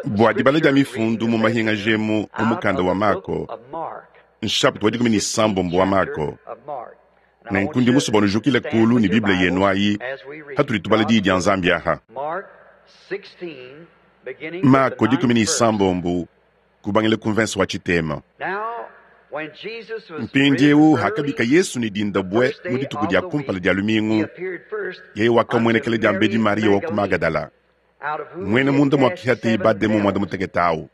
Bua dibala dia mifundu mu mahingaji emu mu mukanda wa Mako, nshapita wa 16 wa Mako. Nenku ndi musue bua nujukile kulu ne Bible yenu ayi patudi tubala Diyi dia Nzambi aha. Mako 16 kubangila ku mvense wa tshitema. Mpindieu hakabika Yesu ne dinda bue mu dituku dia kumpala dia lumingu, yeye wakamuenekela diambedi Mariya wa ku Magadala, muena munda muakihateye bademon muanda mutekete au.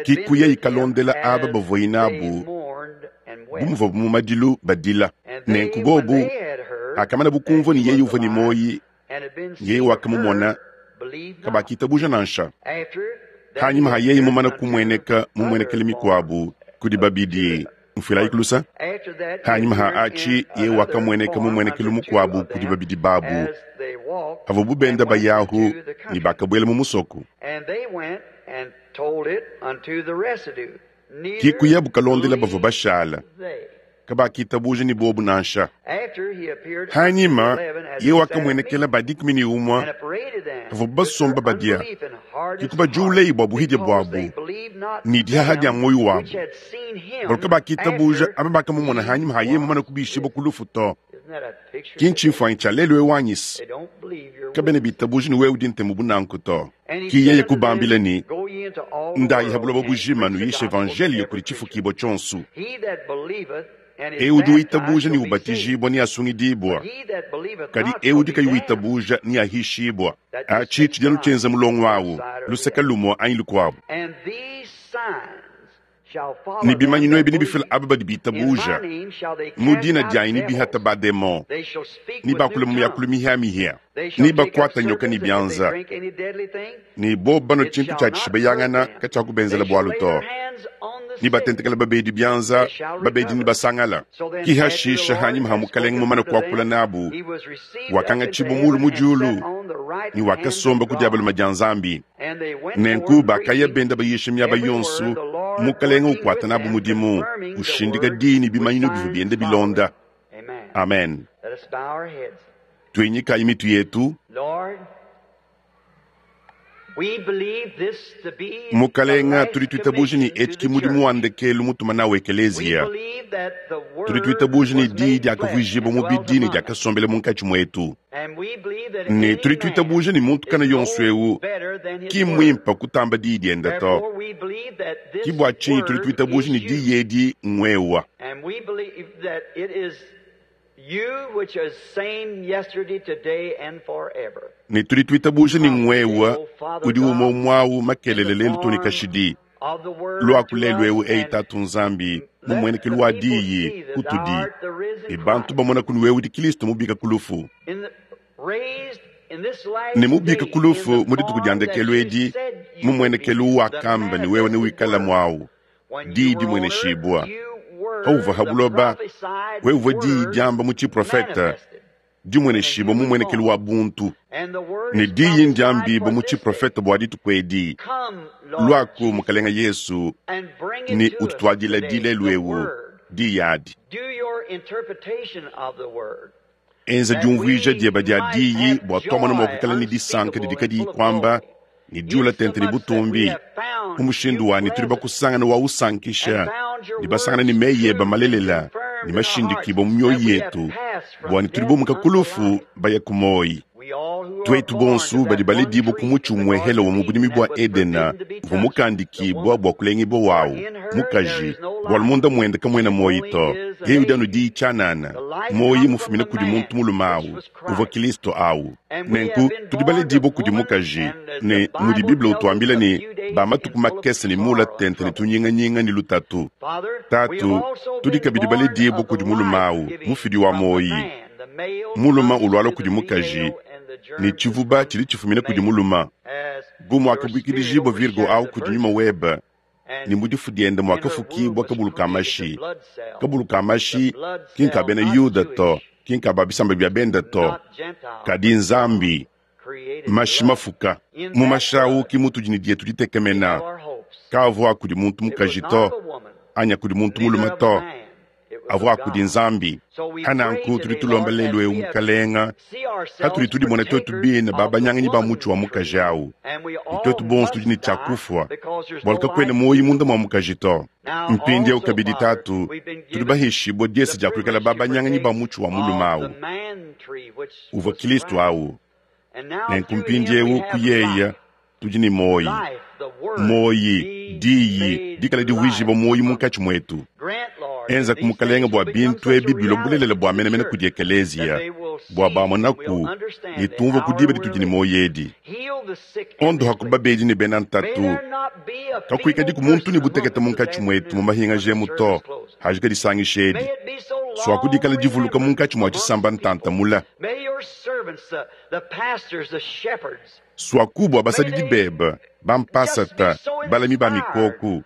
Kikuya ikalondela aba bavuaye nabu bu muvuabu mu madilu badila. Nenku bobu hakamanabu kumvua ne yeye uvua ne muoyi, yeye wakamumona, kabakitabuja nansha. Hanyima ha yeye mumana kumueneka mu muenekelu mikuabu kudi babidi, mfuilayi kulusa. Hanyima ha atshi yeye wakamueneka mu muenekelu mukuabu kudi babidi babu havuabu benda bayahu, ne bakabuela mu musoko. Kikuyabu kalondela bavua bashala, kabakitabuja ne bobu nansha. Hanyima yeye wakamuenekela ba 11 havuabu basomba badia, kikubajuleyi bua buhidia buabu ne dihaha dia muoyo wabu, bualu kabakitabuja aba bakamumona hanyima ha yeye mumane kubishibua ku lufu to. Ki ntshimfuanyi tshia lelu eu anyis? Kabena bitabuja ne wewe udi ntemu bu nanku to. Ki yeye kubambila ne, Ndayi ha buloba bujima nuyishe evanjeliyo kudi tshifukibua tshionso. Eu udi witabuja ne ubatijibua neasungidibua, kadi eu udi kayi witabuja neahishibua. Atshi tshidi anu tshienza mulongo awu, luseke lumue anyi lukuabu. Ne bimanyinu ebi nebifile aba badi bitabuja, mu dina dianyi nebihate bademon, nebakule mu miakulu mihia-mihia, nebakuate nyoka ne bianza, ne bobo banua tshintu tshia tshishibayangana katshiakubenzela bualu to, nebatentekele babedi bianza, babedi nebasangala. Ki hashisha hanyima ha Mukelenge mumane kuakula nabu, wakangatshibua mulu mu diulu ne wakasomba ku dia balume dia Nzambi. Nenku bakaya benda bayisha miaba yonso, Mukelenge ukuata nabu mudimu, ushindika diyi ne bimanyinu bivua bienda bilonda. Amen. Tuinyikayi mitu yetu. Mukalenga, tudi tuitabuja ne etshi ki mudimu wa ndekelu mutuma nawu Ekeleziya. Tudi tuitabuja ne diyi diakavuijibua mubidi ne diakasombela munkatshi muetu. Ne tudi tuitabuja ne muntu kana yonso eu ki mmuimpe kutamba diyi diende to. Ki bua tshinyi tudi tuitabuja ne diyi edi ng'wewa. Ne tudi tuitabuja ne ng'wewa udi umue umue au makelele lelu too ne kashidi. Luaku lelu eu, eyi Tatu Nzambi, mu muenekelu wa diyi kutudi, ne bantu bamona kunu wewe udi Kilisto mubika ku lufu. Ne mubika ku lufu mu dituku dia ndekelu edi, mu muenekelu uwakamba ne wewe newikale muawu, diyi dimueneshibua. Pauvua ha buloba, wewe uvua diyi diamba mu tshiprofete, dimueneshibua mu muenekelu wa buntu. Ne diyi ndiambibua mu tshiprofete bua dituku edi, Luaku, Mukelenge Yesu, ne ututuadile di lelu eu, diyi adi. Enza diumvuija dieba dia diyi bua tuamona mua kuikala ne disanka didi kadiyi kuamba ne diula tente ne butumbi, mu mushindu wa ne tudi bakusangana wa usankisha ne basangana ne meyi eba malelela ne mashindikibua mu mioyo yetu, bua ne tudi bumuka ku lufu baya ku moyi. Tuetu bonsu badi baledibua ku mutshi umuehele wa mu budimi bua Edena uvua mukandikibua bua kulengibua wawu, mukaji, bualu munda muende kamuena muoyi to, yeye udi anu diyi tshianana, muoyi mufumine kudi muntu mulume awu, uvua Kilisto awu. Nenku tudi baledibue kudi mukaji, ne mudi Bible utuambila ne, ba matuku makese ne muula tente ne tunyinganyinga ne lutatu. Tatu, tudi kabidi baledibue kudi mulume awu, mufidi wa muoyi. Mulume ulualua kudi mukaji, ne tshivuba tshidi tshifumina kudi mulume. Bu muakabuikidijibua Virgo awu kudi nyuma webe, ne mu difu diende muakafukibua kabulu ka mashi. Kabulu ka mashi ki nka bena Yuda to, ki nka ba bisamba bia bende to, kadi Nzambi. Mashi mafuka. Mu mashi awu ki mutudi ne dietu ditekemena. Kaavua a kudi muntu mukaji to, anyi a kudi muntu mulume to. avua a kudi Nzambi. Pa nanku tudi tulomba lelu eu, Mukalenga, patudi tudimona tuetu bine babanyanganyi ba mutshi wa mukaji au, ne tuetu bonso tudi ne tshia kufua, bualu kakuena muoyo munda mua mukaji to. Mpindieu kabidi, Tatu, tudi baheshibue diesa dia kuikala babanyanganyi ba mutshi wa mulume au, uvua Kilisto au. Nenku mpindieu ku yeya tudi ne muoyi, muoyi, diyi dikala divuijibua muoyi munkatshi muetu. Enzaku, Mukalenga, bua bintu ebi bilua bulelela bua menemene kudi ekeleziya, bua bamonaku ne tumvua ku diba ditudi ne muoyo edi. Ondohaku babedi ne bena ntatu. Kakuikadiku muntu ne butekete munkatshi muetu mu mahingaja emu to, hajika disangisha edi. Suaku dikala divuluka munkatshi mua tshisamba ntanta mula. Suaku bua basadidi bebe, bampasata, balami ba mikoku,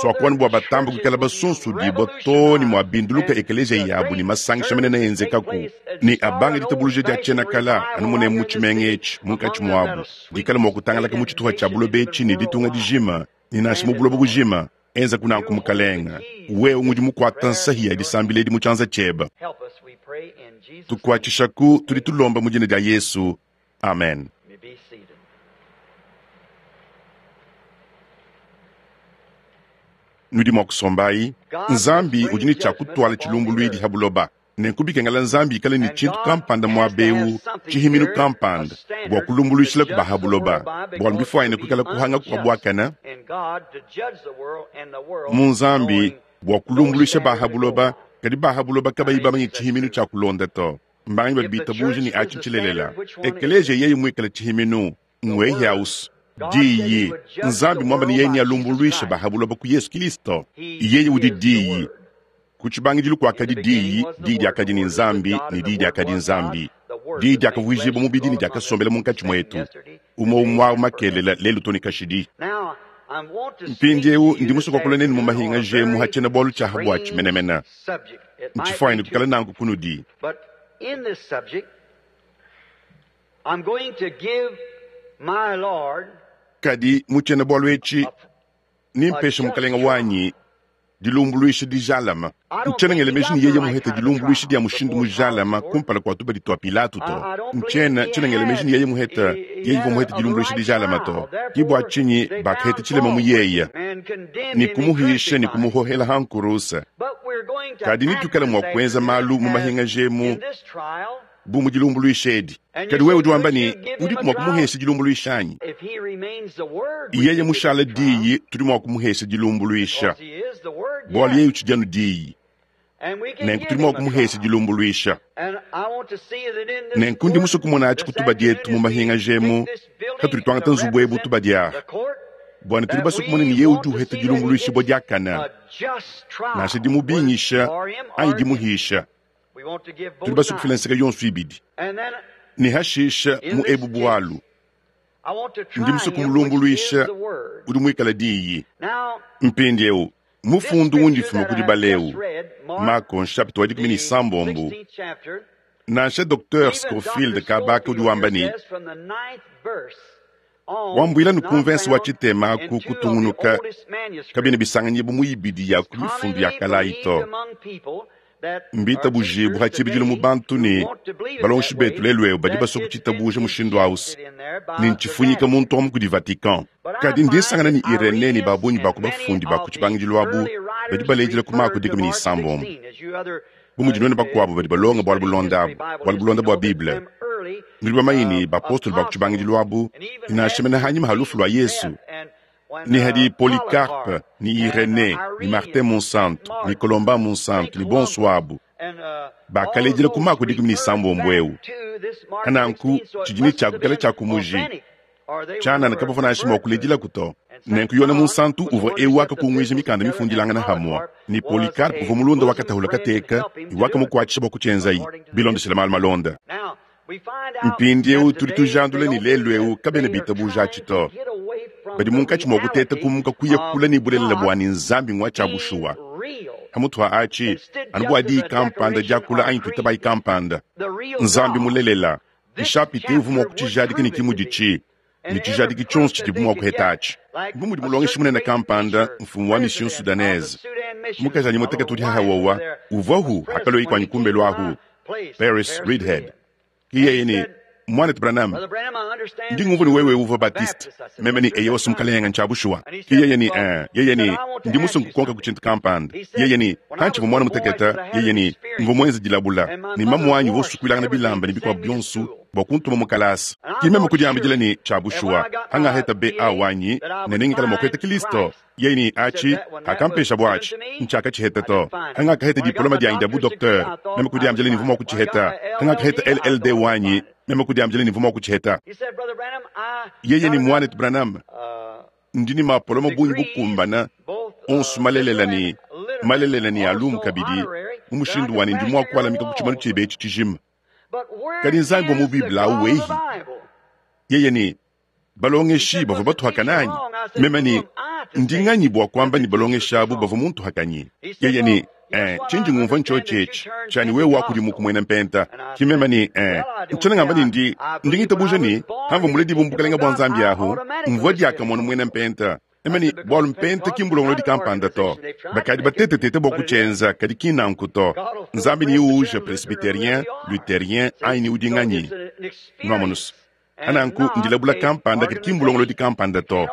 suaku anu bua batambe kuikala basunsudibua too ne muabinduluka ekeleziya yabu ne masangisha manene enzekaku, ne abanga ditabuluja dia tshiena-kala anu munemu mu tshimenga etshi munkatshi muabu, dikale mua kutangalaka mu tshitupa tshia buloba etshi ne ditunga dijima, ne nansha mu buloba bujima. Enzaku nanku, Mukalenga, wewe ngudi mukuata nsahi ya disambila edi mu tshianza tshieba. Tukuatshishaku, tudi tulomba mu dina dia Yesu. Amen. Nudi mua kusombayi. Nzambi udi ne tshia kutuala tshilumbuluidi ha buloba. Nenku bikengela Nzambi ikale ne tshintu kampanda muaba eu, tshihiminu kampanda, bua kulumbuluishilaku ba ha buloba, bualu mbifuanyine kuikala kuhanga kua buakane mu Nzambi bua kulumbuluisha ba ha buloba, kadi ba ha buloba kabayi bamanye tshihiminu tshia kulonda to. Mbanganyi badi bitabuja ne atshi ntshilelela? Ekeleziya yeye muikale tshihiminu, ngwehiaus, Diyi. Nzambi muamba ne yeye nealumbuluishe ba ha buloba ku Yesu Kilisto. Yeye udi Diyi. Ku tshibangidilu kuakadi Diyi, Diyi diakadi ne Nzambi, ne Diyi diakadi Nzambi. Diyi diakavuijibua mubidi ne diakasombela munkatshi muetu, umue umue au makelela, lelu to ne kashidi. Mpindieu ndi musue kuakula nenu mu mahingaja emu ha tshiena-bualu tshia ha buatshi menemene. Ntshifuanyine kuikala nanku kunudi. Kadi mu tshiena-bualu etshi nempeshe Mukalenge wanyi dilumbuluisha dijalama. Ntshiena ngela meji ne yeye muhete dilumbuluisha dia mushindu mujalama kumpala kua tubadi tua Pilato to. Ntshiena tshiena ngela meji ne yeye muhete yeye uvua muhete dilumbuluisha dijalama to. Ke bua tshinyi bakaheta tshilema mu yeye ne kumuhisha ne kumuhohela ha nkuruse. Kadi netuikale mua kuenza malu mu mahingaja emu bu mu dilumbuluisha edi. Kadi wewe udi wamba ne, udiku mua kumuhesha dilumbuluisha anyi? Yeye mushale diyi, tudi mua kumuhesha dilumbuluisha, bualu yeye utshidi anu diyi. Nenku tudi mua kumuhesha dilumbuluisha. Nenku ndi musue kumona atshi ku tubadi etu mu mahingaja emu, katudi tuangata nzubu ebu tubadi aha, bua ne tudi basue kumona ne yeye udi uheta dilumbuluishibua diakane, nansha dimubingisha anyi dimuhisha. Tudi basue kufila nseke yonso ibidi. Ne hashisha mu ebu bualu, ndi musue kumulumbuluisha udi muikale diyi. Mpindieu mufundu undi mfuma ku dibala eu, Mako nshapita wa 16, nansha Docteur Scofield Kabaka udi wamba ne, Wambuila ne ku mvense wa tshitema aku kutungunuka kabiena bisanganyibua mu ibidi ya ku mifundu ya kale ayi to. Mbitabujibue pa tshibidilu mu bantu ne balongeshi betu lelu'eu badi basue kutshitabuja mushindu au ne ntshifunyika muntu amu kudi Vatican. Kadi ndi nsangana ne Irenee ne ba bungi ba ku bafundi ba ku tshibangidilu abu badi balejila ku Mako 16. Bu mudi nuenu bakuabu badi balonga bualu bulonda abu, bualu bulonda bua Bible, nudi bamanye ne, bapostolo ba ku tshibangidilu abu, ne nansha mene hanyima ha lufu lua Yesu, ne hadi Polycarpe ne Irenee ne Martin Munsantu ne Colomban Munsantu ne bonso abu, bakaledila ku Mako 16 eu. Nanku tshidi ne tshia kuikala tshia ku muji. Tshianana kabavua nansha mua kuledilaku to. Nenku Yone Munsantu uvua eu wakakunguija mikanda mifundilangana hamua, ne Polycarpe uvua mulunda wa katahula kateka ne wakamukuatshisha bua kutshienzayi, bilondeshile malu malonda. Mpindieu tudi tujandula ne lelu'eu kabena bitabuja atshi to. Badi munkatshi mua kuteta kumuka kuya kule ne bulelela bua ne Nzambi ngua tshia bushuwa. Pamutu pa atshi, anu bua diyi kampanda diakula anyi tuitabayi kampanda, Nzambi mulelela. Nshapita eu uvua mua kutshijadika ne ki muditshi ne tshijadiki tshionso tshidibu mua kuheta atshi. Bu mudi mulongeshi munene kampanda, mfumu wa Mission Soudanaise, Mukajanyi mutekete udi haha wowa uvuahu hakalua kuanyi kumbelu ahu, Paris Reidhead. Ki yeye ne, Muanetu Branham, ndi ngumvua ne wewe uvua Baptiste. Meme ne, Eyowa, Mukalenga, ntshia bushuwa. Ki yeye ne, Ee. Yeye ne, Ndi musue nkukonka ku tshintu kampanda. Yeye ne, Pantshivua muana mutekete, yeye ne, mvua muenze dilabula, ne mamuanyi uvua usukuilangana bilamba ne bikuabu bionso bua kuntuma mu kalasa. Ki meme kudiambidila ne, Tshia bushuwa, hangaheta BA wanyi, ne nengikale mua kuheta Kilisto. Yeye ne, Atshi, hakampeshabo atshi, ntshiakatshiheta to. Hangakaheta diploma dianyi dia bu-docteur, meme kudiambidila ne mvua mua kutshiheta. Hangakaheta LLD wanyi, meme kudiambidila ne mvua mua kutshiheta. Yeye ne, Muanetu Branham, ndi ne mapoloma bungi bukumbana, onso malelela ne malelela ne a lumu kabidi, mu mushindu wa ne ndi mua kualamika ku tshimanu tshiebe etshi tshijima. Kadi Nzambi wa mu Bible au wehi? Yeye ne, Balongeshi bavua batuhakana anyi? Meme ne, Ndi nganyi bua kuamba ne balongeshi abu bavua muntuhakanyi? Yeye ne, Eh, tshindi ngumvua ntshiotshi etshi, tshia ne wewe wakudimuka muena mpenta. Ki meme ne, Eh, ntshiena ngamba ne ndi, ndi ngitabuja ne, pamvua muledibue mu bukalenge bua Nzambi ahu, mvua diakamue muena mpenta. Meme ne, Bualu mpenta ki mbulongolodi kampanda to. Bakadi batetetete bua kutshienza, kadi ki nanku to. Nzambi neuwuje Presbyterien, Lutherien, anyi ne udi nganyi. Nuamonus? Nanku ndilabula kampanda, kadi ki mbulongolodi kampanda to.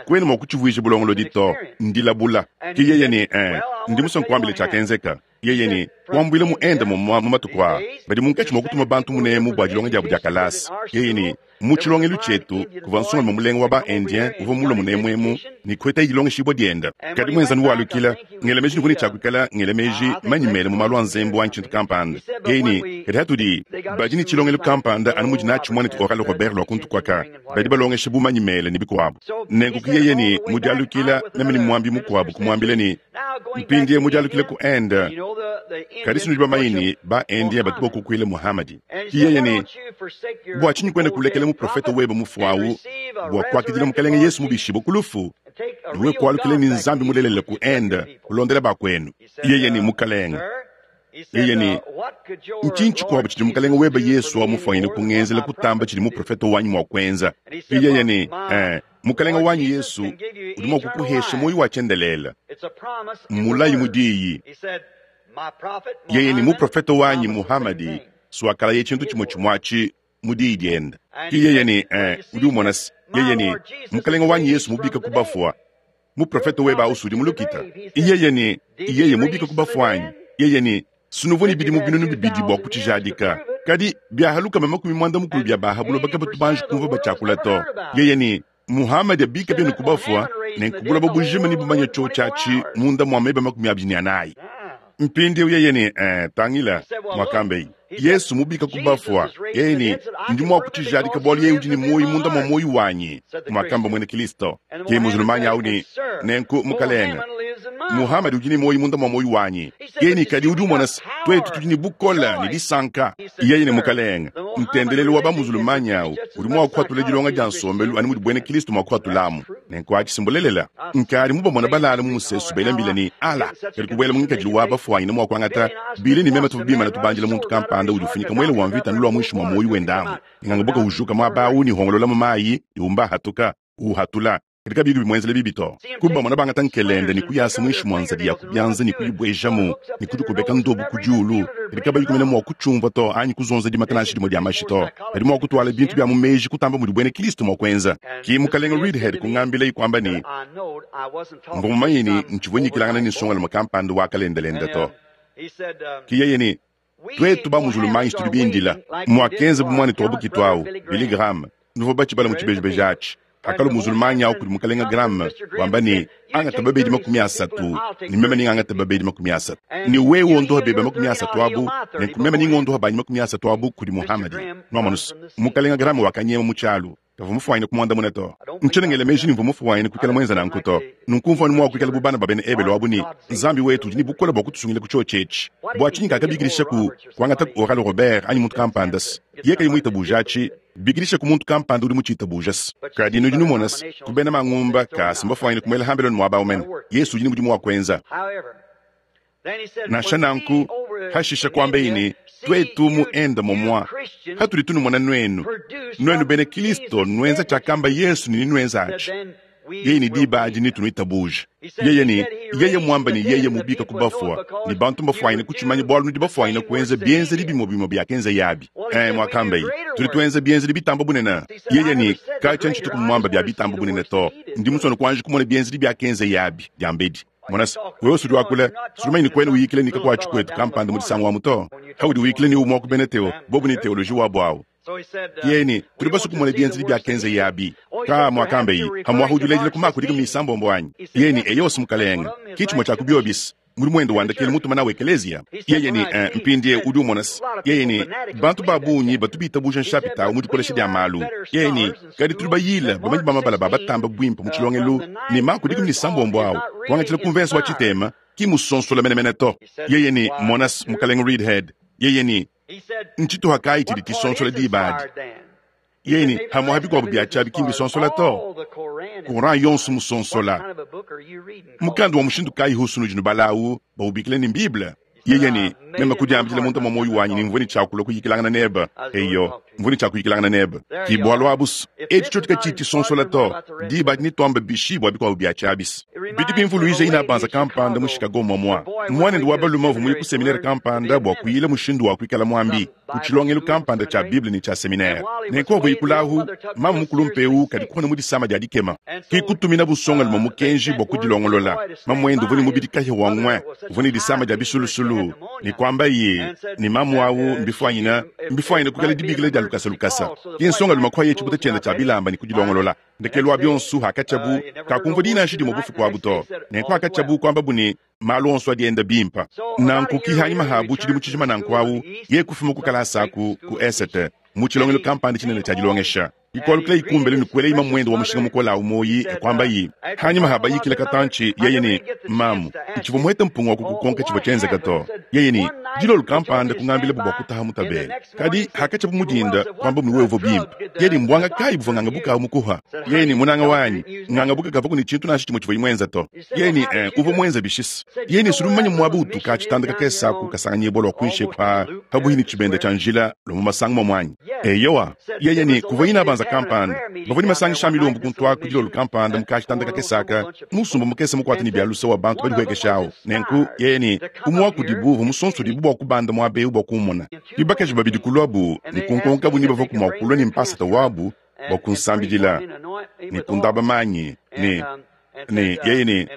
Kuena mua kutshivuija bulongolodi to, ndilabula. Ke yeye ne, Ee, ndi musue nkuambile tshiakenzeka. Yeye ne, Kuambuila mu Inde momua mu matuku aa, badi munkatshi mua kutuma bantu munemu bua dilonga diabu dia kalasa. Yeye ne, Mu tshilongelu tshietu kuvua nsongalume mulenga wa ba-Indien uvua mulue munemu emu ne kuhetaye dilongeshibua diende. Kadi muenzanu walukila, ngela meji nuvua ne tshia kuikala ngela meji manyi mele mu malu a nzembu anyi tshintu kampanda. Yeye ne, Kadi hatudi badi ne tshilongelu kampanda anu mudi natshi muanetu Oral Robert lua kuntu kuaka, badi balongesha bu manyi mele ne bikuabu. Nenku ke yeye ne mu dialukila, meme ne muambi mukuabu kumuambila ne, Mpindieu mu dialukila ku Inde, kadi sinudi bamanye ne, ba-Indien batu bakukuila Muhamadi. Ke yeye ne, Bua tshinyi kuena kulekela muprofete webe mufue au bua kuakidila Mukalenge Yesu mubishibue ku lufu, ne wewe kualukila ne Nzambi mulelela ku Inde, kulondela bakuenu? Yeye ne, Mukalenge. Yeye ne, Ntshinyi tshikuabu tshidi Mukalenge webe Yesu wa mufuanyine kungenzela kutamba tshidi muprofete wanyi mua kuenza? Yeye ne, Ee, Mukalenge wanyi Yesu udi mua kukuhesha muoyo wa tshiendelele. Mmulayi mu diyi. Yeye ne, Muprofete wanyi Muhamadi suakalaye tshintu tshimue tshimue atshi mu diyi diende. Ke yeye ne, Ee, udi umona se, yeye ne, Mukalenge wanyi Yesu mubika ku bafua, muprofete webe au udi mu lukita. Yeye ne, Yeye mubika ku bafua anyi? Yeye ne, Sinuvua ne bidimu binunu bibidi bua kutshijadika. Kadi biaha lukama makumi muanda mukulu bia ba ha buloba kabatu banji kumvua batshiakula to. Yeye ne, Muhamadi abika bienu ku bafua, nenku buloba bujima nebumanye tshiotshi atshi munda mua meba 24. Mpindieu yeye ne, Eh, tangila, muakambeye Yesu mubika ku bafua. Yeye ne, Ndi mua kutshijadika bualu yeye udi ne muoyo munda mua muoyo wanyi, muakamba muena Kilisto. Ke muzulumanyi au ne, Nenku, mukalenge, Muhamadi udi ne muoyo munda mua muoyo wanyi. Yeye ne, Kadi udi umona se, tuetu tudi ne bukole ne disanka. Yeye ne, Mukalenge, ntendelelu wa ba-muzulumanyi au udi mua kuhatula dilonga dia nsombelu anu mudi buena Kilisto mua kuhatulamu. Nenku atshi si mbulelela. Nkadi mubamona balala mu musesu bela mbila ne, Ala! Kadi kubuela mu ngikadilu wa bafuanyine mua kuangata Billy ne meme tuvua bimane tubandila muntu kampanda udi ufunyika muele wa mvita anu lua muinshi mua muoyo wende amu. Nganga buka ujuka muaba au ne hongolola mu mayi ne umba ahatuka, uhatula, kadi kabiyi bimuenzela bibi to. Kubamona bangata nkelende ne kuyasa muinshi mua nzadi ya ku bianza ne kuyibuejamu ne kudikobeka ndobo ku diulu, kadi kabayi kumena mua kutshiumvua to anyi kuzonza dimata nansha dimue dia mashi to. Badi mua kutuala bintu bia mu meji kutamba mudi buena Kristo mua kuenza. Ke Mukalenge Reidhead kungambilaye kuamba ne, Mvua mumanye ne, ntshivua nyikilangana ne nsongalume kampanda wa kalendelende to. Ke yeye ne, Tuetu ba muzulumanyi tudi bindila muakenza bu muanetu wa bukitu au, Billy Graham. Nuvua batshibala mu tshibejibeji atshi. Pakalua muzulumanyi au kudi mukalenge Graham, wamba ne, Angata babedi 30, ne meme nengangate babedi 30. Ne wewe wondoha bebe 30 abu, nenku meme nengondoha banyi 30 abu kudi Muhamadi. Nuamonu's, mukalenge Graham wakanyema mu tshialu. Kavua mufuanyine kumuandamuna to. Ntshiena ngela meji ne mvua mufuanyine kuikala muenza nanku to. Nunku mvua anu mua kuikala bu bana ba bena Ebelu abu ne, Nzambi wetu udi ne bukole bua kutusungila ku tshiotshi etshi. Bua tshinyi kakabikidishaku kuangataku Oral Robert anyi muntu kampanda-s? Yeye kayi muitabuja atshi, bikidishaku muntu kampanda udi mutshiitabuja-s. Kadi nudi numona-s, ku bena mangumba, kaas mbafuanyine kumuela hambeloni muaba au mene. Yesu udi ne mudimu wa kuenza. Nansha nanku, hashisha kuambeyi ne, Tuetu mu Inde momua, hatudi tunumona nuenu, nuenu bena Kilisto nuenza tshiakamba Yesu ne nenuenza atshi. Yeye ne diba adi netunuitabuje. Yeye ne, Yeye muamba ne yeye mubika ku bafua, ne bantu mbafwanyine kucimanya bwalu nudi bafwanyine kwenza byenzedi bimwe-bimwe byakenza abi. Ee, mwakambaye, tudi twenza byenzedi bitamba bunene. Yeye ne, Kacya ncituku mwamba bya bitamba bunene to. Ndi musone kwanji kumona byenzedi byakenza abi dyambedi. Mona se, wewe sudi wakula, sudi mumanye ne kwena uyikila ne kakwaci kwetu kampanda mu disangu amu to. Paudi uyikila ne umwe wa ku bena teo, bobu ne teoloji wabu awu. Yeye ne, Tudi basue kumona bienzedi biakenzeye abi. Kaa, muakambaye, pamuapa udi ulejila ku maku dikumi ne isambombo anyi? Yeye ne, Eyo's, mukalenge. Ki tshimue tshia ku biobis. Mudimu wende wa ndekelu mutuma nawu ekeleziya. Yeye ne, Ee, mpindieu udi umona se, yeye ne, bantu ba bungi batu bitabuja nshapita au mu dikolesha dia malu. Yeye ne, Kadi tudi bayile bamanyi ba mabala ba batamba buimpe mu tshilongelu ne maku 16 au, kuangatshila ku mvensa wa tshitema, ki musonsola menemene to. Yeye ne, Mona's, mukalenge Reidhead, yeye ne, Ntshituha kayi tshidi tshisonsola diba adi? Yeye ne, Hamuaha bikuabu bia tshiabi ki mbisonsola to. Koran yonso musonsola. Mukanda wa mushindu kayi husu nudi nubala awu, bawubikila ne m'Bible? Yeye ne, Meme kudiambidila munda mua muoyo wanyi ne mvua ne tshia kulua kuyikilangana nebe. Eyo, mvua ne tshia kuyikilangana nebe. Ki bualu abu's. Etshi tshiotshi katshiyi tshisonsola to, diba adi netuambe bishi bua bikuabu bia tshiabis? Bidi bimvuluija inabanza kampanda mu Chicago muamua. Muanende wa balume uvua muye ku seminere kampanda bua kuyila mushindu wa kuikala muambi ku tshilongelu kampanda tshia Bible ne tshia seminere. Nenku uvua yikulahu, mamu mukulumpe eu kadi kupona mu disama dia dikema. Ke kutuminabu nsongalume mukenji bua kudilongolola. Mamuende uvua ne mubidi kahia wa ngwe, uvua ne disama dia bisulusulu, ne kuambaye ne, mamu au mbifuanyine mbifuanyine kuikala dibikila dia lukasa lukasa. Ke nsongalume kuaye tshibuta tshiende tshia bilamba ne kudilongolola. Ndekelu wa bionso, hakatshiabu, kakumvua di nansha dimue bufuku abu to. Nenku hakatshiabu, kuambabu ne, Malu onso adi enda bimpe. Nanku ki hanyima ha bu tshidimu tshijima nanku au, yeye kufuma ku kalasa aku ku esete, mu tshilongelu kampanda tshinene tshia dilongesha. Ikualukila kumbelu ne kuelayi mamuende wa mushinga mukole au muoyi e kuambayi hanyima ha bayikila katantshi, yeye ne, Mamu, ntshivua muhete mpunga wa kukukonka tshivua tshienzeka to. Yeye ne, Dilolo kampanda kungambilabu bua kutaha mu tabela. Kadi hakatshiabu mu dinda, kuambabu ne wewe uvua bimpe. Yeye ne, Mbuanga kayi buvua ngangabuka au mukuha? Yeye ne, Munanga wanyi, ngangabuka kavuaku ne tshintu nansha tshimue tshivuaye muenza to. Yeye ne, Eh, uvua muenza bishisa. Yeye ne, Sudi mumanye muaba utu ka tshitanda kakese aku kasanganyibua lua kuinshi eku pa pabuihi ne tshibenda tshia njila lua mu masangu mamue anyi? Eyowa. Yeye ne, Kuvua inabanza kampanda. Bavua ne masangisha a milombu kuntu aku dilolo kampanda mu ka tshitanda kakese aka, musumba mukese mukuate ne bia luse wa bantu badihuekesha au. Nenku, yeye ne, umue wa kudibu uvua musonsodibue bua kubanda muaba eu bua kummona. Ke bakaji babidi kuluabu ne kunkonkabu ni bavuaku mua kulua ne mpasata wabu bua kunsambidila ne kundaba manyi ne ne yeye ne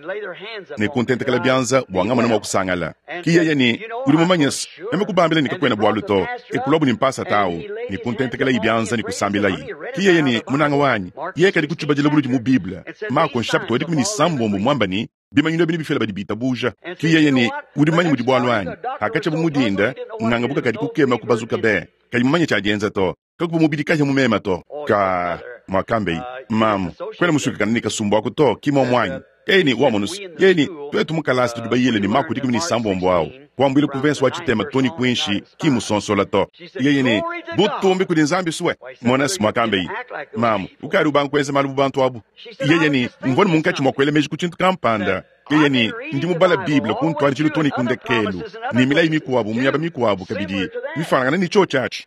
ne kuntentekela bianza bua ngamona mua kusangala. Ki yeye ne, Udi mumanye se, meme kubambila ne kakuena bualu to. E kuluabu ne mpasata au ne kuntentekelayi bianza ne kusambilayi. Ki yeye ne, Munanga wanyi, yeye kadi kutshibadila buludi mu Bible. Mako nshapita wa 16 muamba ne, Bimanyinu ebi nebifila badi bitabuja. Ki yeye ne, Udi mumanye mudi bualu anyi? Hakatshiabu mu dinda, nganga buka kadi kukema kubazuka be, kayi mumanye tshia dienza to. Kakuvua mubidi kahia mu mema to. Ka, muakambeyi, mamu, kuena musuikakane ne kasumbu aku to, ki muomu anyi? Yeye ne, Wamonus, yeye ne, tuetu mu kalasa tudi bayile ne maku 16 au, kuambuila ku mvensa wa tshitema to ne kuinshi, ki musonsola to. Yeye ne, Butumbi kudi Nzambi sue. Monas, muakambeyi, mamu, ukadi ubanga kuenza malu bu bantu abu. Yeye ne, Mvua ne munkatshi mua kuela meji ku tshintu kampanda. Yeye ne, Ndi mubala Bible ku ntuadijilu too ne ku ndekelu, ne milayi mikuabu mu miaba mikuabu kabidi mifuanangane ne tshiotshi atshi.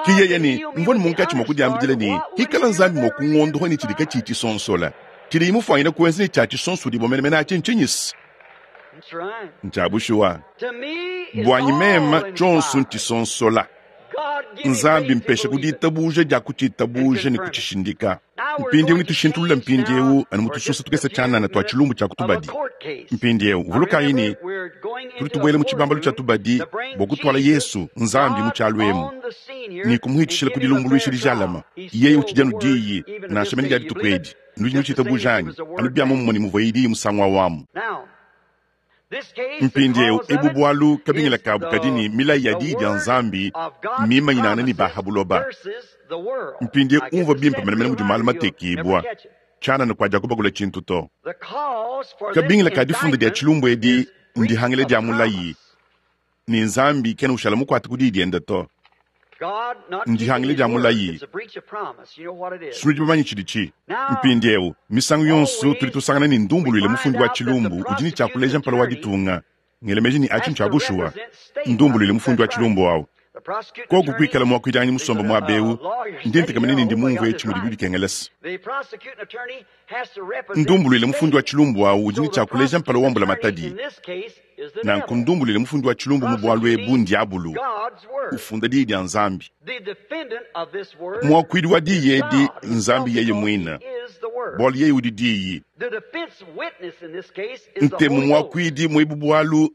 Ke yeye ne, Mvua ne munkatshi mua kudiambidila ne, Hikala Nzambi mua kungondoha ne tshidi katshiyi tshisonsola, tshidiye mufuanyine kuenza ne tshia tshisonsodibua menemene atshi ntshinyi-se? Ntshia bushuwa. Buanyi meme, tshionso ntshisonsola. Nzambi mpesha ku ditabuja dia kutshitabuja ne kutshishindika. Mpindieu netushintulule mpindieu anu mu tusosa tukese tshianana tua tshilumbu tshia ku tubadi. Mpindieu vulukayi ne, tudi tubuela mu tshibambalu tshia tubadi bua kutuala Yesu, Nzambi, mu tshialu emu ne kumuhitshishila ku dilumbuluisha dijalama. Yeye utshidi anu Diyi, nansha mene dia dituku edi. Nudi nutshitabuja anyi? Anu bia muomumue ne muvuaye Diyi musangu au amu. Mpindieu ebu bualu kabingila kabu kadi ne milayi ya Diyi dia Nzambi mmimanyinangane ne ba ha buloba. Mpindieu umvua bimpe menemene mudi malu matekibua tshianana kua diakubakula tshintu to. Kabingila ka difunda dia tshilumbu edi ndihangila dia mulayi ne Nzambi kena ushala mukuate ku diyi diende to. Ndihangila dia mulayi. Sunudi bamanye tshiditshi. Mpindieu, misangu yonso tudi tusangana ne ndumbuluile mufundi wa tshilumbu udi ne tshia kuleja mpala wa ditunga. Ngela meji ne atshi ntshia bushuwa. Ndumbuluile mufundi wa tshilumbu au. Koku kuikala muakuidi musombe muaba eu, ndi ntekemena ne ndi mumvue etshi mudibi bikengela-se. Ndumbuluile mufundi wa tshilumbu awu udi ne tshia kuleja mpala wa mbulamatadi. Nanku ndumbuluile mufundi wa tshilumbu mu bualu ebu n'Diabulu, ufunda Diyi dia Nzambi. Muakuidi wa Diyi edi n'Nzambi yeye muine, bualu yeye udi Diyi. Ntemu muakuidi mu ebu bualu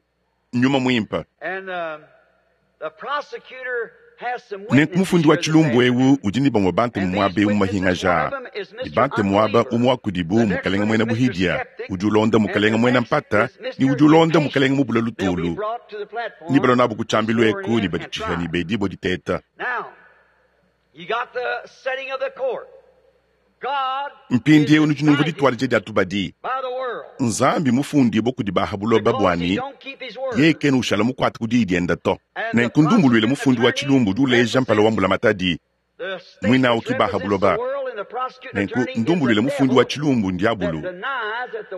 n'Nyuma Muimpe. Nenku mufundi wa tshilumbu eu udi ne bamue bantemu muaba eu mu mahingaja aa, ne bantemu aba umue wa kudibu mmukalenge muena buhidia, udi ulonda mukalenge muena mpata, ne udi ulonda mukalenge mubule lutulu. Ne balua nabu ku tshiambilu eku ne baditshiha ne bedibua diteta. Mpindieu nudi numvua dituadija dia tubadi. Nzambi mufundibue kudi ba ha buloba bua ne, yeye kena ushala mukuate ku diyi diende to. Nenku ndumbuluile mufundi wa tshilumbu udi uleja mpala wa mbulamatadi, muine au ki ba ha buloba. Nenku ndumbuluile mufundi wa tshilumbu ndiabulu,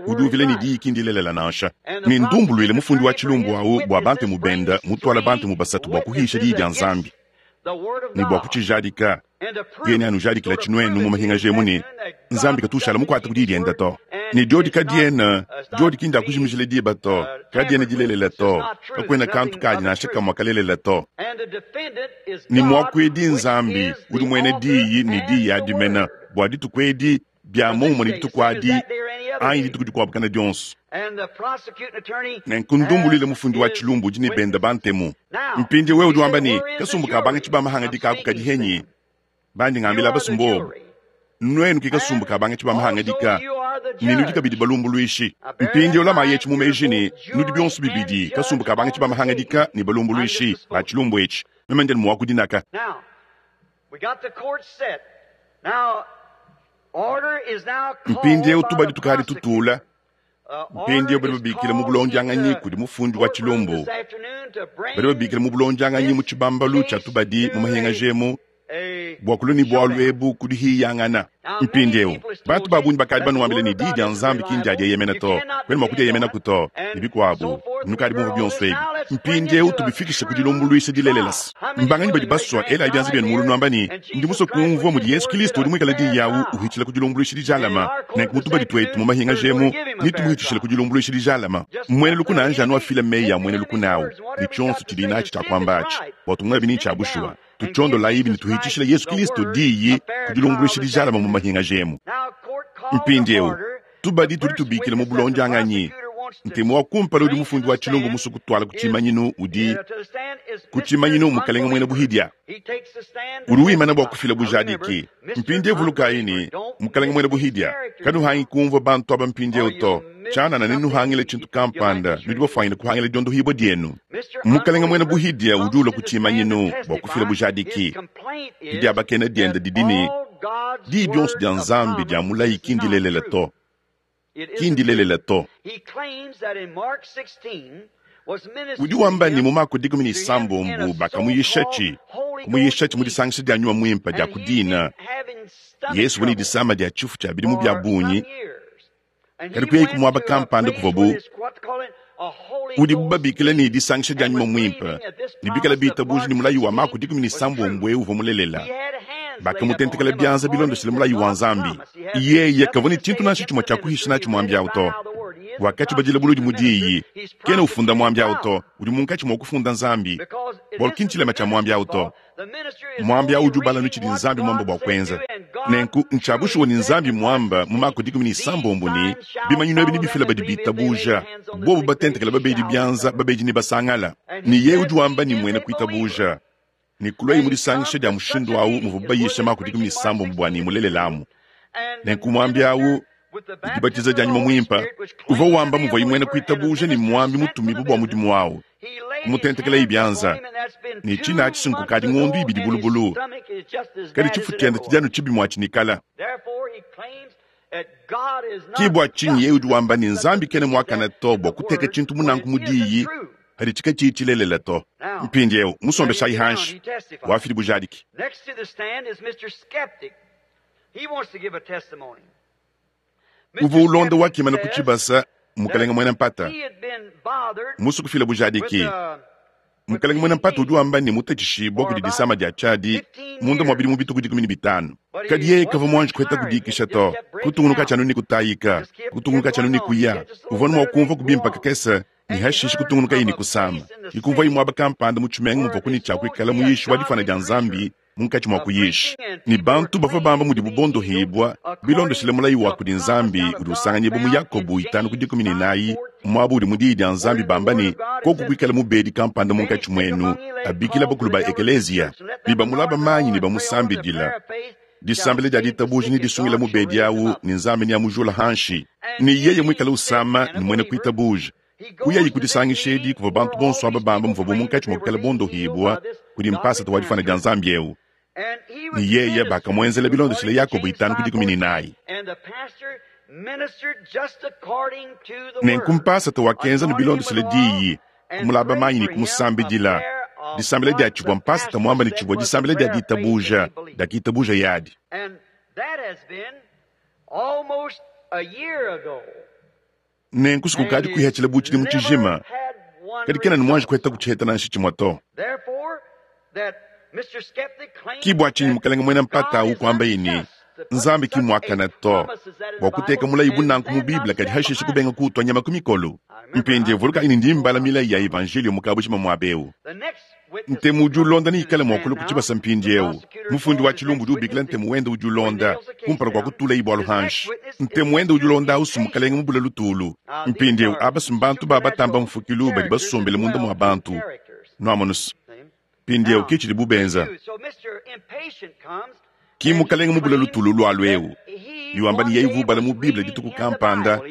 udi uvila ne diyi ki ndilelela nansha. Ne ndumbuluile mufundi wa tshilumbu au bua bantemu bende mutuala bantemu basatu bua kuhisha diyi dia Nzambi ne bua kutshijadika. Yeye neanujadikila tshinuenu mu mahingaja emu ne, Nzambi katu ushala mukuate ku diyi diende to. Ne diodi kadiena, diodi ki ndia kujimijila diba to, kadiena dilelela to, kakuena kantu kadi nansha kamue kalelela to. Ne muakuidi Nzambi udi muena diyi ne diyi adi mena bua dituku edi bia muomumue ne dituku adi anyi dituku dikuabu kana dionso. Nenku ndumbuluile mufundi wa tshilumbu udi ne bende bantemu. Mpindieu wewe udi wamba ne, Kasumbu ka bangatshi ba mahangadika aku kadi henyi? Bandi ngambila abasu mbobu, Nuenu ke kasumbu ka bangatshi ba mahangadika, ne nudi kabidi balumbuluishi. Mpindieu lamayi etshi mu meji ne, nudi bionso bibidi kasumbu ka bangatshi ba mahangadika ne balumbuluishi ba tshilumbu etshi. Meme ndi anu muakudi naka. Mpindieu tubadi tukadi tutula. Mpindieu badi babikila mu bulondianganyi kudi mufundi wa tshilumbu. Badi babikila mu bulondianganyi mu tshibambalu tshia tubadi mu mahingaja emu bua kulua ne bualu ebu ku dihiyangana. Mpindieu bantu ba bungi bakadi banuambila ne, Diyi dia Nzambi ki ndia dieyemena to, kuena mua kudieyemenaku to, ne bikuabu. Nukadi bumvue bionso ebi. Mpindieu tubifikishe ku dilumbuluisha dilelela. Mbanganyi badi basua? Elayi bianza bienu mulu nuamba ne, Ndi musue kumvua mudi Yesu Kilisto udi muikale Diyi awu uhitshila ku dilumbuluisha dijalama. Nenku mu tubadi tuetu mu mahingaja emu, netumuhitshishile ku dilumbuluisha dijalama. Muena lukuna anji anu afile meyi a muena lukuna awu ne tshionso tshidiye natshi tshia kuamba atshi, bua tumuebi ne ntshia bushuwa. Tutshiondolayibi ne tuhitshishile Yesu Kilisto Diyi ku dilumbuluisha dijalama mu mahingaja emu. Mpindieu, tubadi tudi tubikila mu bulondianganyi. Ntemu wa kumpala udi mufundi wa tshilumbu musue kutuala ku tshimanyinu udi ku tshimanyinu Mukalenge muena buhidia. Udi wimana bua kufila bujadiki. Mpindieu vulukayi ne, Mukalenge muena buhidia, kanuhangi kumvua bantu aba mpindieu to. Tshianana nenuhangile tshintu kampanda, nudi bafuanyine kuhangila diondohibua dienu. Mukalenge muena buhidia udi ulua ku tshimanyinu bua kufila bujadiki. Didiabakena diende didi ne, Diyi dionso dia Nzambi dia mulayi ki ndilelela to. Ki ndilelela to. Udi wamba ne, mu Mako 16 bakamuyishatshi, kumuyishatshi mu disangisha dia Nyuma Muimpe dia ku dina. Yesu uvua ne disama dia tshifu tshia bidimu bia bungi, kadi kuyayi ku muaba kampanda kuvuabu udibu babikila ne disangisha dia Nyuma Muimpe, ne bikala bitabuja ne mulayi wa Mako 16 eu uvua mulelela. Bakamutentekela bianza bilondeshile mulayi wa Nzambi. Yeye kavua ne tshintu nansha tshimue tshia kuhisha natshi muambi au to. Wakatshibadila buludi mu diyi. Kena ufunda muambi au to, udi munkatshi mua kufunda Nzambi, bualu ki ntshilema tshia muambi au to. Muambi au udi ubala anu tshidi Nzambi muambe bua kuenza. Nenku, ntshia bushuwa ne Nzambi muamba mu Mako 16 ne, bimanyinu ebi nebifile badi bitabuja, bobu batentekela babedi bianza, babedi nebasangala. Ne yeye udi wamba ne muena kuitabuja, ne kuluaye mu disangisha dia mushindu au muvuabu bayisha Mako 16 bua ne mulelelamu. Nenku muambi au, dibatiza dia Nyuma Muimpe, uvua wamba muvuaye muena kuitabuja ne muambi mutumibue bua mudimu au, kumutentekelaye bianza, ne tshina atshi nkukadi ngondo ibidi bulubulu, kadi tshifu tshiende tshidi anu tshibi muatshinikala. Ke bua tshinyi yeye udi wamba ne, Nzambi kena muakane to bua kuteka tshintu munanku mu diyi padi katshiyi tshilelela to. Mpindieu musombeshayi hanshi, wafidi bujadiki. Uvua ulonda wakimana ku tshibasa, mukalenge muena mpata, musue kufila bujadiki. Mukalenge muena mpata udi wamba ne mutatshishibua kudi disama dia tshiadi munda mua bidimu bitue ku 15. Kadi yeye kavua muanji kuheta kudikisha to, kutungunuka tshianu ne kutayika, kutungunuka tshianu ne kuya. Uvua anu mua kumvua kubimpa kakese ne hashishe kutungunukaye ne kusama. Yikumvuaye muaba kampanda mu tshimenga muvua ne tshia kuikala muyishi wa difuana dia Nzambi munkatshi mua kuyisha. Ne bantu bavua bamba mudibu bondohibua bilondeshile mulayi wa kudi Nzambi udi usanganyibua mu Yakobo 5:14, muaba udi mu Diyi dia Nzambi bamba ne, koku kuikala mubedi kampanda munkatshi muenu, abikila bakulu ba ekeleziya, ne bamulaba manyi ne bamusambidila. Disambila dia ditabuja ne disungila mubedi awu, ne Nzambi neamujula hanshi. Ne yeye muikale usama ne muena kuitabuja, kuyayi ku disangisha edi kuvua bantu bonso aba bamba muvuabu munkatshi mua kuikala bondohibua kudi mpasata wa difuana dia Nzambi eu. Ne yeye bakamuenzela bilondeshile Yakobo 5:14. Nenku mpasata wakenza ne bilondeshile diyi, kumulaba manyi ne kumusambidila. Disambila dia tshivua mpasata muamba ne tshivua disambila dia ditabuja diakitabuja yadi. Nenku sukukadi kuihatshila bu tshidimu tshijima, kadi kena ne muanji kuheta kutshiheta nansha tshimue to. Ki bua tshinyi mukalenge muena mpata au kuambaye ne, Nzambi ki mmuakane to bua kuteka mulayi bu nanku mu Bible, kadi hashishe kubenga kuutua nyama ku mikolo. Mpindieu vulukayi ne, ndi mbala milayi ya Evanjeliyo mu kabujima muaba eu. Ntemu udi ulonda neikale mua kulua ku tshibasa mpindieu. Mufundi wa tshilumbu udi ubikila ntemu wende udi ulonda kumpala kua kutulaye bualu hanshi. Ntemu wende udi ulonda au mukalenge mubule lutulu. Mpindieu aba si mbantu ba batamba mfukilu badi basombele munda mua bantu. Nuamonus. Mpindieu ke tshidibu benza. Ki mukalenge mubule lutulu lualu eu ne wamba ne yeye uvua ubala mu Bible dituku kampanda.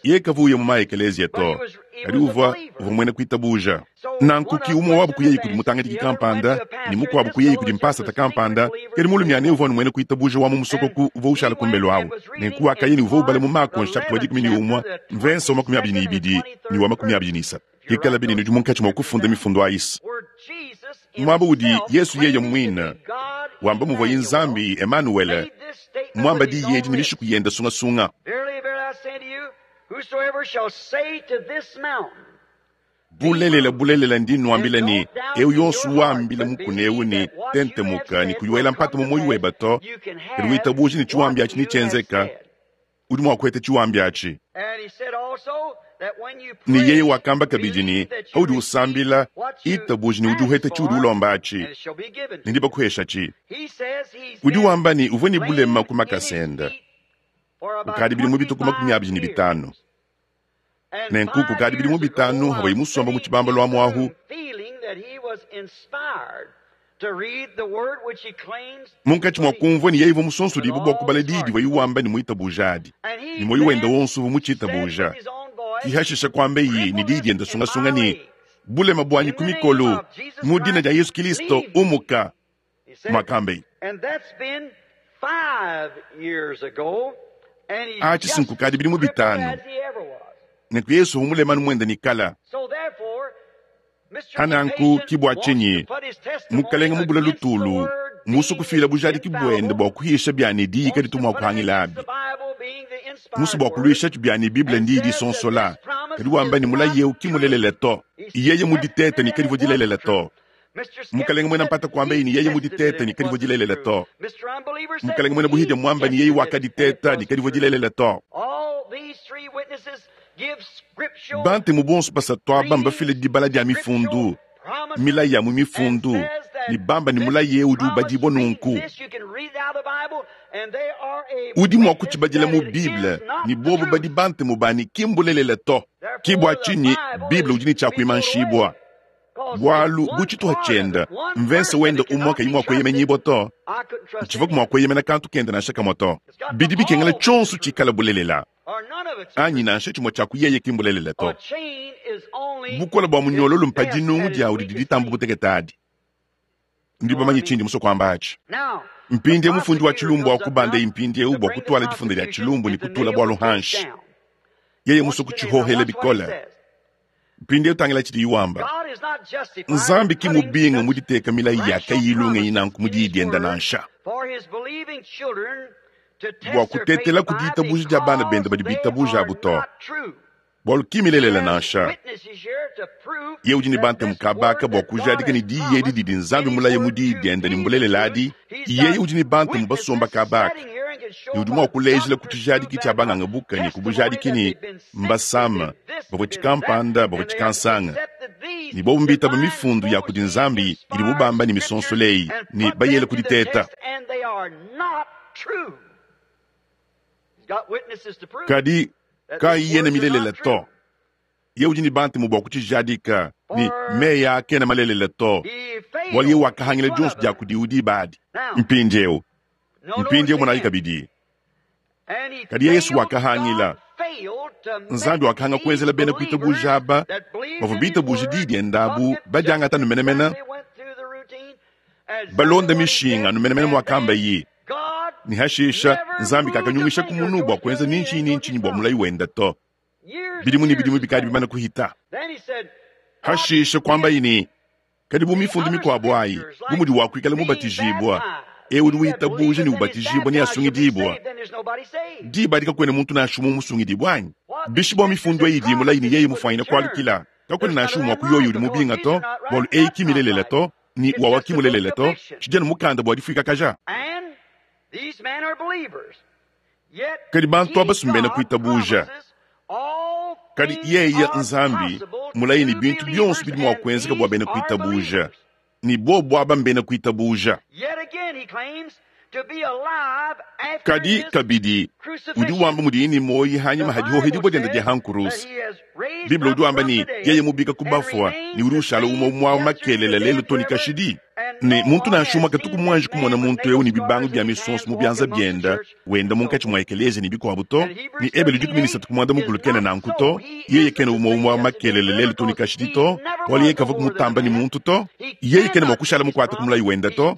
Yeye kavua uya mu maekeleziya to, kadi uvua uvua muena kuitabuja. Nanku ki umue wabu kuyayi kudi mutangadiki kampanda ne mukuabu kuyayi kudi mpasata kampanda, kadi mulumiane uvua anu muena kuitabuja wa mu musokoku uvua ushala kumbelu awu. Nenku wakaya ne uvua ubala mu Mako nshapita wa 11, mvensa wa 22 ne wa 23. Ikalabi ne nudi munkatshi mua kufunda mifundu ayisa muaba udi Yesu yeye muine wamba muvuaye Nzambi Emanuele muamba diyi edi ne mishiku yende sungasunga. Bulelela, bulelela, ndi nnuambila ne, eu yonso wambila mukuna eu ne, Tentemuka, ne kuyi wela mpata mu muoyo webe to, kadi witabuja ne tshiwambi atshi netshienzeka, udi mua kuheta tshiwambi atshi. Ne yeye wakamba kabidi ne, paudi usambila, itabuja ne udi uheta tshiudi ulomba atshi, ne ndibakuheshatshi. Udi wamba ne uvua ne bulema ku makasa ende kukadi bidimu bitue ku 25. Nenku kukadi bidimu 5 havuaye musomba mu tshibambalu amu ahu, munkatshi mua kumvua ne yeye uvua musonsodibue bua kubala diyi divuaye wamba ne muitabuja adi, ne muoyo wende wonso uvua mutshitabuja. Ki hashisha kuambaye ne diyi diende sungasunga ne, Bulema buanyi ku mikolo, mu dina dia Yesu Kilisto, umuka, muakambaye. Atshi si nkukadi bidimu 5, nenku Yesu uvua mulema anu muende ne kala. Hananku ki bua tshinyi mukalenge mubule lutulu musu kufila bujadiki buende bua kuhisha bia ne diyi kaditu mua kuhangila abi. Musu bua kuluisha bia ne Bible ndiyi disonsola, kadi wamba ne mulayi eu ki mulelela to. Yeye muditete ne kadivua dilelela to. Mukalenge muena mpata kuambaye ne yeye muditete ne kadivua dilelela to. Mukalenge muena buhidia muamba ne yeye wakaditeta ne kadivua dilelela to. Bantemu bonso basatu aba mbafile dibala dia mifundu, milayi ya mu mifundu, ne bamba ne mulayi eu udi ubadibua nunku. Udi mua kutshibadila mu Bible, ne bobu badi bantemu banyi ki mbulelela to. Ki bua tshinyi Bible udi ne tshia kuimanshibua, bualu bu tshituha tshiende mvensa wende umue kayi mua kueyemenyibua to, ntshivua mua kueyemena kantu kende nansha kamue to. Bidi bikengela tshionso tshikale bulelela, anyi nansha tshimue tshia ku yeye ki mbulelela to. Bukole bua munyololo mpa dinungu diawu didi ditamba butekete adi. Ndi bamanye tshindi musue kuamba atshi. Mpindieu mufundi wa tshilumbu akubande mpindieu bua kutuala difunda dia tshilumbu ne kutula bualu hanshi. Yeye musue kutshihohela bikole. Mpindieu tangila tshidiye wamba. Nzambi ki mubinge mu diteka milayi ya kayiyi lungenyi nanku mu diyi diende nansha. Bua kutetela ku ditabuja dia bana bende badi bitabuja abu to. Bualu ki milelela nansha. Yeye udi ne bantemu kabaka bua kujadika ne diyi edi didi Nzambi mulaye mu Diyi diende ne mbulelela adi. Yeye udi ne bantemu basomba kabaka ne udi mua kulejila ku tshijadiki tshia banganga buka ne ku bujadiki ne mbasama, bavua tshikampanda, bavua tshikansanga, ne bobu mbitaba mifundu ya kudi Nzambi idibu bamba ne misonsola eyi ne bayela ku diteta. Kadi kayena milelela to. Yeye udi ne bantemu bua kutshijadika ne meyi aa kena malelela to, bualu yeye wakahangila dionso dia kudiwu diba adi. Mpindieu, mpindieu monayi kabidi. Kadi Yesu wakahangila. Nzambi wakahanga kuenzela bena kuitabuja aba bavua bitabuje diyi diende abu badiangata anu menemene, balonda mishinga anu menemene muakambaye. Ne hashisha Nzambi kakanyungisha ku munu bua kuenza ni ntshinyi ni ntshinyi bua mulayi wende to. Bidimu ne bidimu bikadi bimane kuhita. Hashisha kuambaye ne, Kadi bu mifundu mikuabo ayi, bu mudi wa kuikala mubatijibua, eu udi witabuja ne ubatijibua neasungidibua. Diba adi kakuena muntu nansha umue musungidibua anyi? Bishi bua mifundu eyi idi mulayi ne yeye mufuanyine kualukila, kakuena nansha umue wa ku yoyi udi mubinga to, bualu eyi ki milelela to, ne wawa ki mulelela to, tshidi anu mukanda bua difuikakaja. Kadi bantu aba si mbena kuitabuja. Kadi yeye Nzambi mulaye ne bintu bionso bidi mua kuenzeka bua bena kuitabuja, ne bobu aba mbena kuitabuja. Kadi kabidi udi wamba mudiye ne muoyo hanyima ha dihohedibua diende dia ha nkuruse. Bible udi wamba ne, yeye mubika ku bafua ne udi ushala umue umue wa makelela lelu to ne kashidi. Ne muntu nansha umue katuku muanji kumona muntu eu ne bibangu bia misonso mu bianza biende wenda munkatshi mua ekeleziya ne bikuabu to, ne Ebelu 13 ku muanda mukulu kena nanku to, yeye kena umue umue wa makelela lelu to ne kashidi to, bualu yeye kavua kumutamba ne muntu to, yeye kena mua kushala mukuate ku mulayi wende to.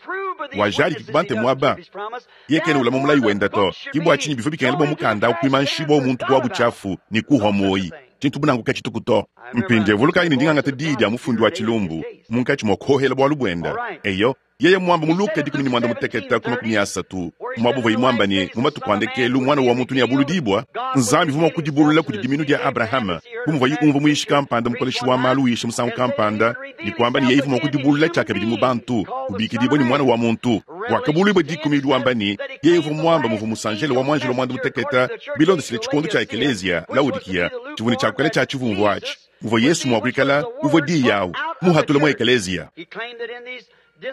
Wajadiki ku bantemu aba, yeye kena ulama mulayi wende to. Ke bua tshinyi bivua bikengela bua mukanda au kuimanshibua muntu ku wa butshiafu ne kuhua muoyi. Tshintu bu nanku katshituku to. Mpindieu vulukayi ne, ndi ngangata diyi dia mufundi wa tshilumbu munkatshi mua kuohela bualu buende. Eyo, yeye muamba mu Luka 16 ku 30, muaba uvuaye muamba ne, mu matuku a ndekelu Muana wa muntu neabuludibua, Nzambi uvua mua kudibulula kudi diminu dia Abrahama, bu muvuaye umvua muyishi kampanda mukoleshi wa malu uyisha musangu kampanda, ne kuamba ne yeye uvua mua kudibulula tshiakabidi mu bantu, ubikidibua ne Muana wa muntu. Wakabuluibua dikumi udi wamba ne, yeye uvua muamba muvua musanjelo wa muanjelo muanda-mutekete bilondeshile tshikondo tshia ekeleziya, Laodikiya, tshivua ne tshia kuikala tshia tshivumvu atshi, muvua Yesu mua kuikala uvua diyi au muhatule mu ekeleziya.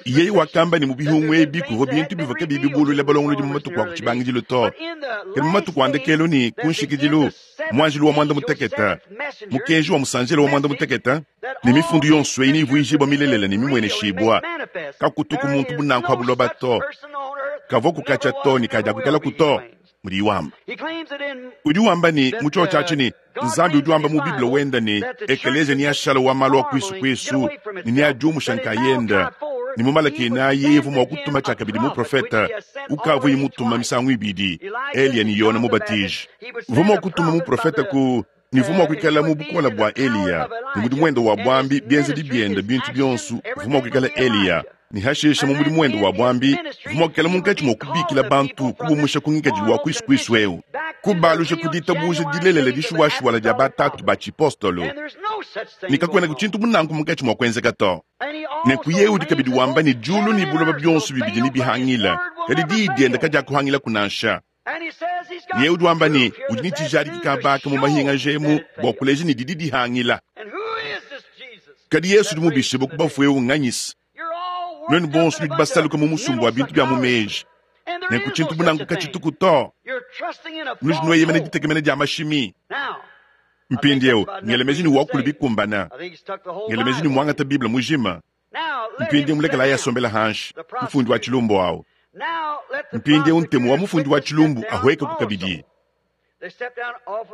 Yeye wakamba ne mu bihungu ebi kuvua bintu bivua kabiyi bibuluila balongolodi mu matuku a ku tshibangidilu to, kadi mu matuku a ndekelu ne ku nshikidilu, muanjelu wa muanda-mutekete, mukenji wa musanjelo wa muanda-mutekete, ne mifundu yonso eyi neivuijibua milelela ne mimueneshibua. Kakutuku muntu bu nanku ha buloba to, kavua kukatshia to ne kadiakuikalaku to, mudiyi wamba. Udi wamba ne mu tshiotshi atshi ne, Nzambi udi wamba mu Bible wende ne, ekeleziya neashala wa malu a kuisu kuisu ne neadiumusha nkayende, ne mu Malaki inayi yeye uvua mua kutuma tshiakabidi muprofete ukavuaye mutuma misangu ibidi, Eliya ne Yone Mubatiji. Uvua mua kutuma muprofete ku ne uvua mua kuikala mu bukole bua Eliya ne mudimu wende wa buambi, bienzedi biende, bintu bionso, uvua mua kuikala Eliya. Ne hashishe mu mudimu wende wa buambi, uvua mua kuikala munkatshi mua kubikila bantu, kubumusha ku ngikadilu wa kuisu kuisu eu, kubaluja ku ditabuja dilelela dishuwashuwala dia batatu ba tshipostolo. Ne kakuenaku tshintu bu nanku munkatshi mua kuenzeka to. Nenku yeye udi kabidi wamba ne diulu ne buloba bionso bibidi nebihangile, kadi diyi diende kadiakuhangilaku nansha. Yeye udi wamba ne udi ne tshijadiki kabaka mu mahingaja emu bua kuleja ne didi dihangila. Kadi Yesu udi mubishibue ku bafue eu nganyisa? Nuenu bonso nudi basaluke mu musumba wa bintu bia mu meji, nenku tshintu bu nanku katshituku to. Nudi nueyemena ditekemena dia mashimi. Mpindieu ngela meji ne wakulu bikumbana, ngela meji ne muangata Bible mujima. Mpindieu mulekelayi asombela hanshi, mufundi wa tshilumbu au. Mpindieu ntemu wa mufundi wa tshilumbu ahuekaku kabidi,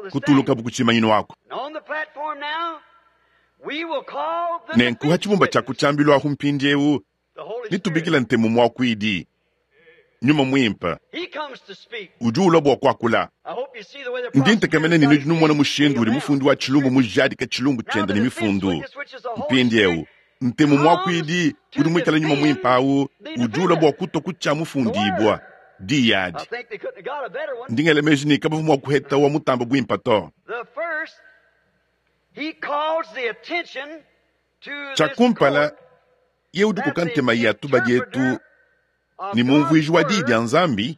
kutulukabu ku tshimanyinu aku. Nenku ha tshibumba tshia ku tshiambilu ahu mpindieu netubikile ntemu muakuidi, Nyuma Muimpe, udi ulua bua kuakula. Ndi ntekemena ne nudi numona mushindu udi mufundi wa tshilumbu mujadike tshilumbu tshiende ne mifundu. Mpindieu ntemu muakuidi udi muikale Nyuma Muimpe au udi ulua bua kutua ku tshia mufundibua diyi adi. Ndi ngela meji ne kabavua mua kuheta wa mutamba buimpe to. Tshia kumpala, yeye udi ukoka ntema ya tubadi etu ne mumvuiji wa Diyi dia Nzambi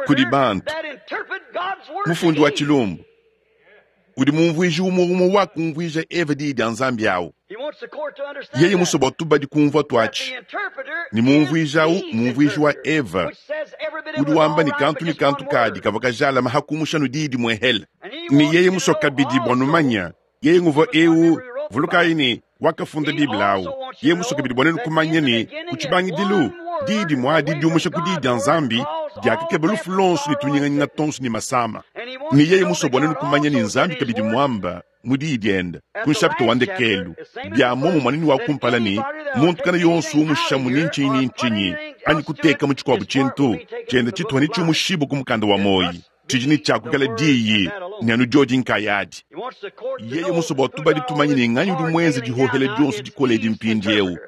kudi bantu. Mufundi wa tshilumbu udi mumvuiji umue umue wakumvuija Eva Diyi dia Nzambi awu. Yeye musue bua tubadi kumvua tuatshi ne mumvuiji awu mumvuiji wa Eva udi wamba ne kantu ne kantu kadi kavua kajalama ha kumusha nu diyi dimue hele. Ne yeye musue kabidi bua numanya yeye nguvua eu, vulukayi ne wakafunda Bible awu. Yeye musue kabidi bua nenu kumanya ne ku tshibangidilu diyi dimue adi diumusha ku diyi dia Nzambi diakakeba lufu luonso ne tunyinganyinga tuonso ne masama. Ne yeye musue bua nenu kumanya ne Nzambi kabidi muamba mu diyi diende ku nshapita wa ndekelu bia muomumue ne wa kumpala ne muntu kana yonso umushamu ni ntshinyi ni ntshinyi anyi kuteka mu tshikuabu tshintu tshiende tshituha ne tshiumushibu ku mukanda wa muoyi tshidi ne tshiakukala diyi ne anu diodi nkayadi. Yeye musue bua tubadi tumanye ne nganyi udi muenze dihohela dionso dikole edi mpindieu.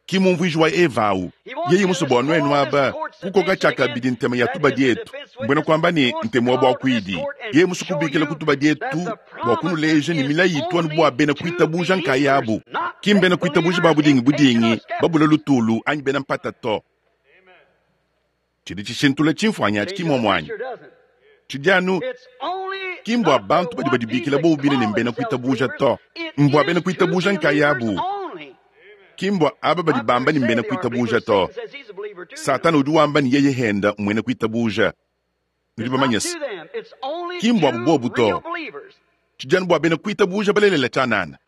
Ki mumvuiji wa Eva awu. Yeye musue bua nuenu aba kukoka tshiakabidi ntema ya tubadi etu, mbuena kuamba ne ntema wa buakuidi. Yeye musue kubikila ku tubadi etu bua kunuleja ne milayi itu anu bua bena kuitabuja nkayabu, ki mbena kuitabuja ba budingi budingi, babula lutulu anyi bena mpata to. Tshidi tshishintula tshimfuanyi atshi ki muomuanyi. Tshidi anu ki mbua bantu badi badibikila bobu bine ne mbena kuitabuja to, mbua bena kuitabuja nkayabu. Ki mbua aba badi bamba ne mbena kuitabuja to. Satana udi wamba ne yeye henda muena kuitabuja. Nudi bamanye se, ki mbua bobu to. Tshidi anu bua bena kuitabuja balelela tshianana.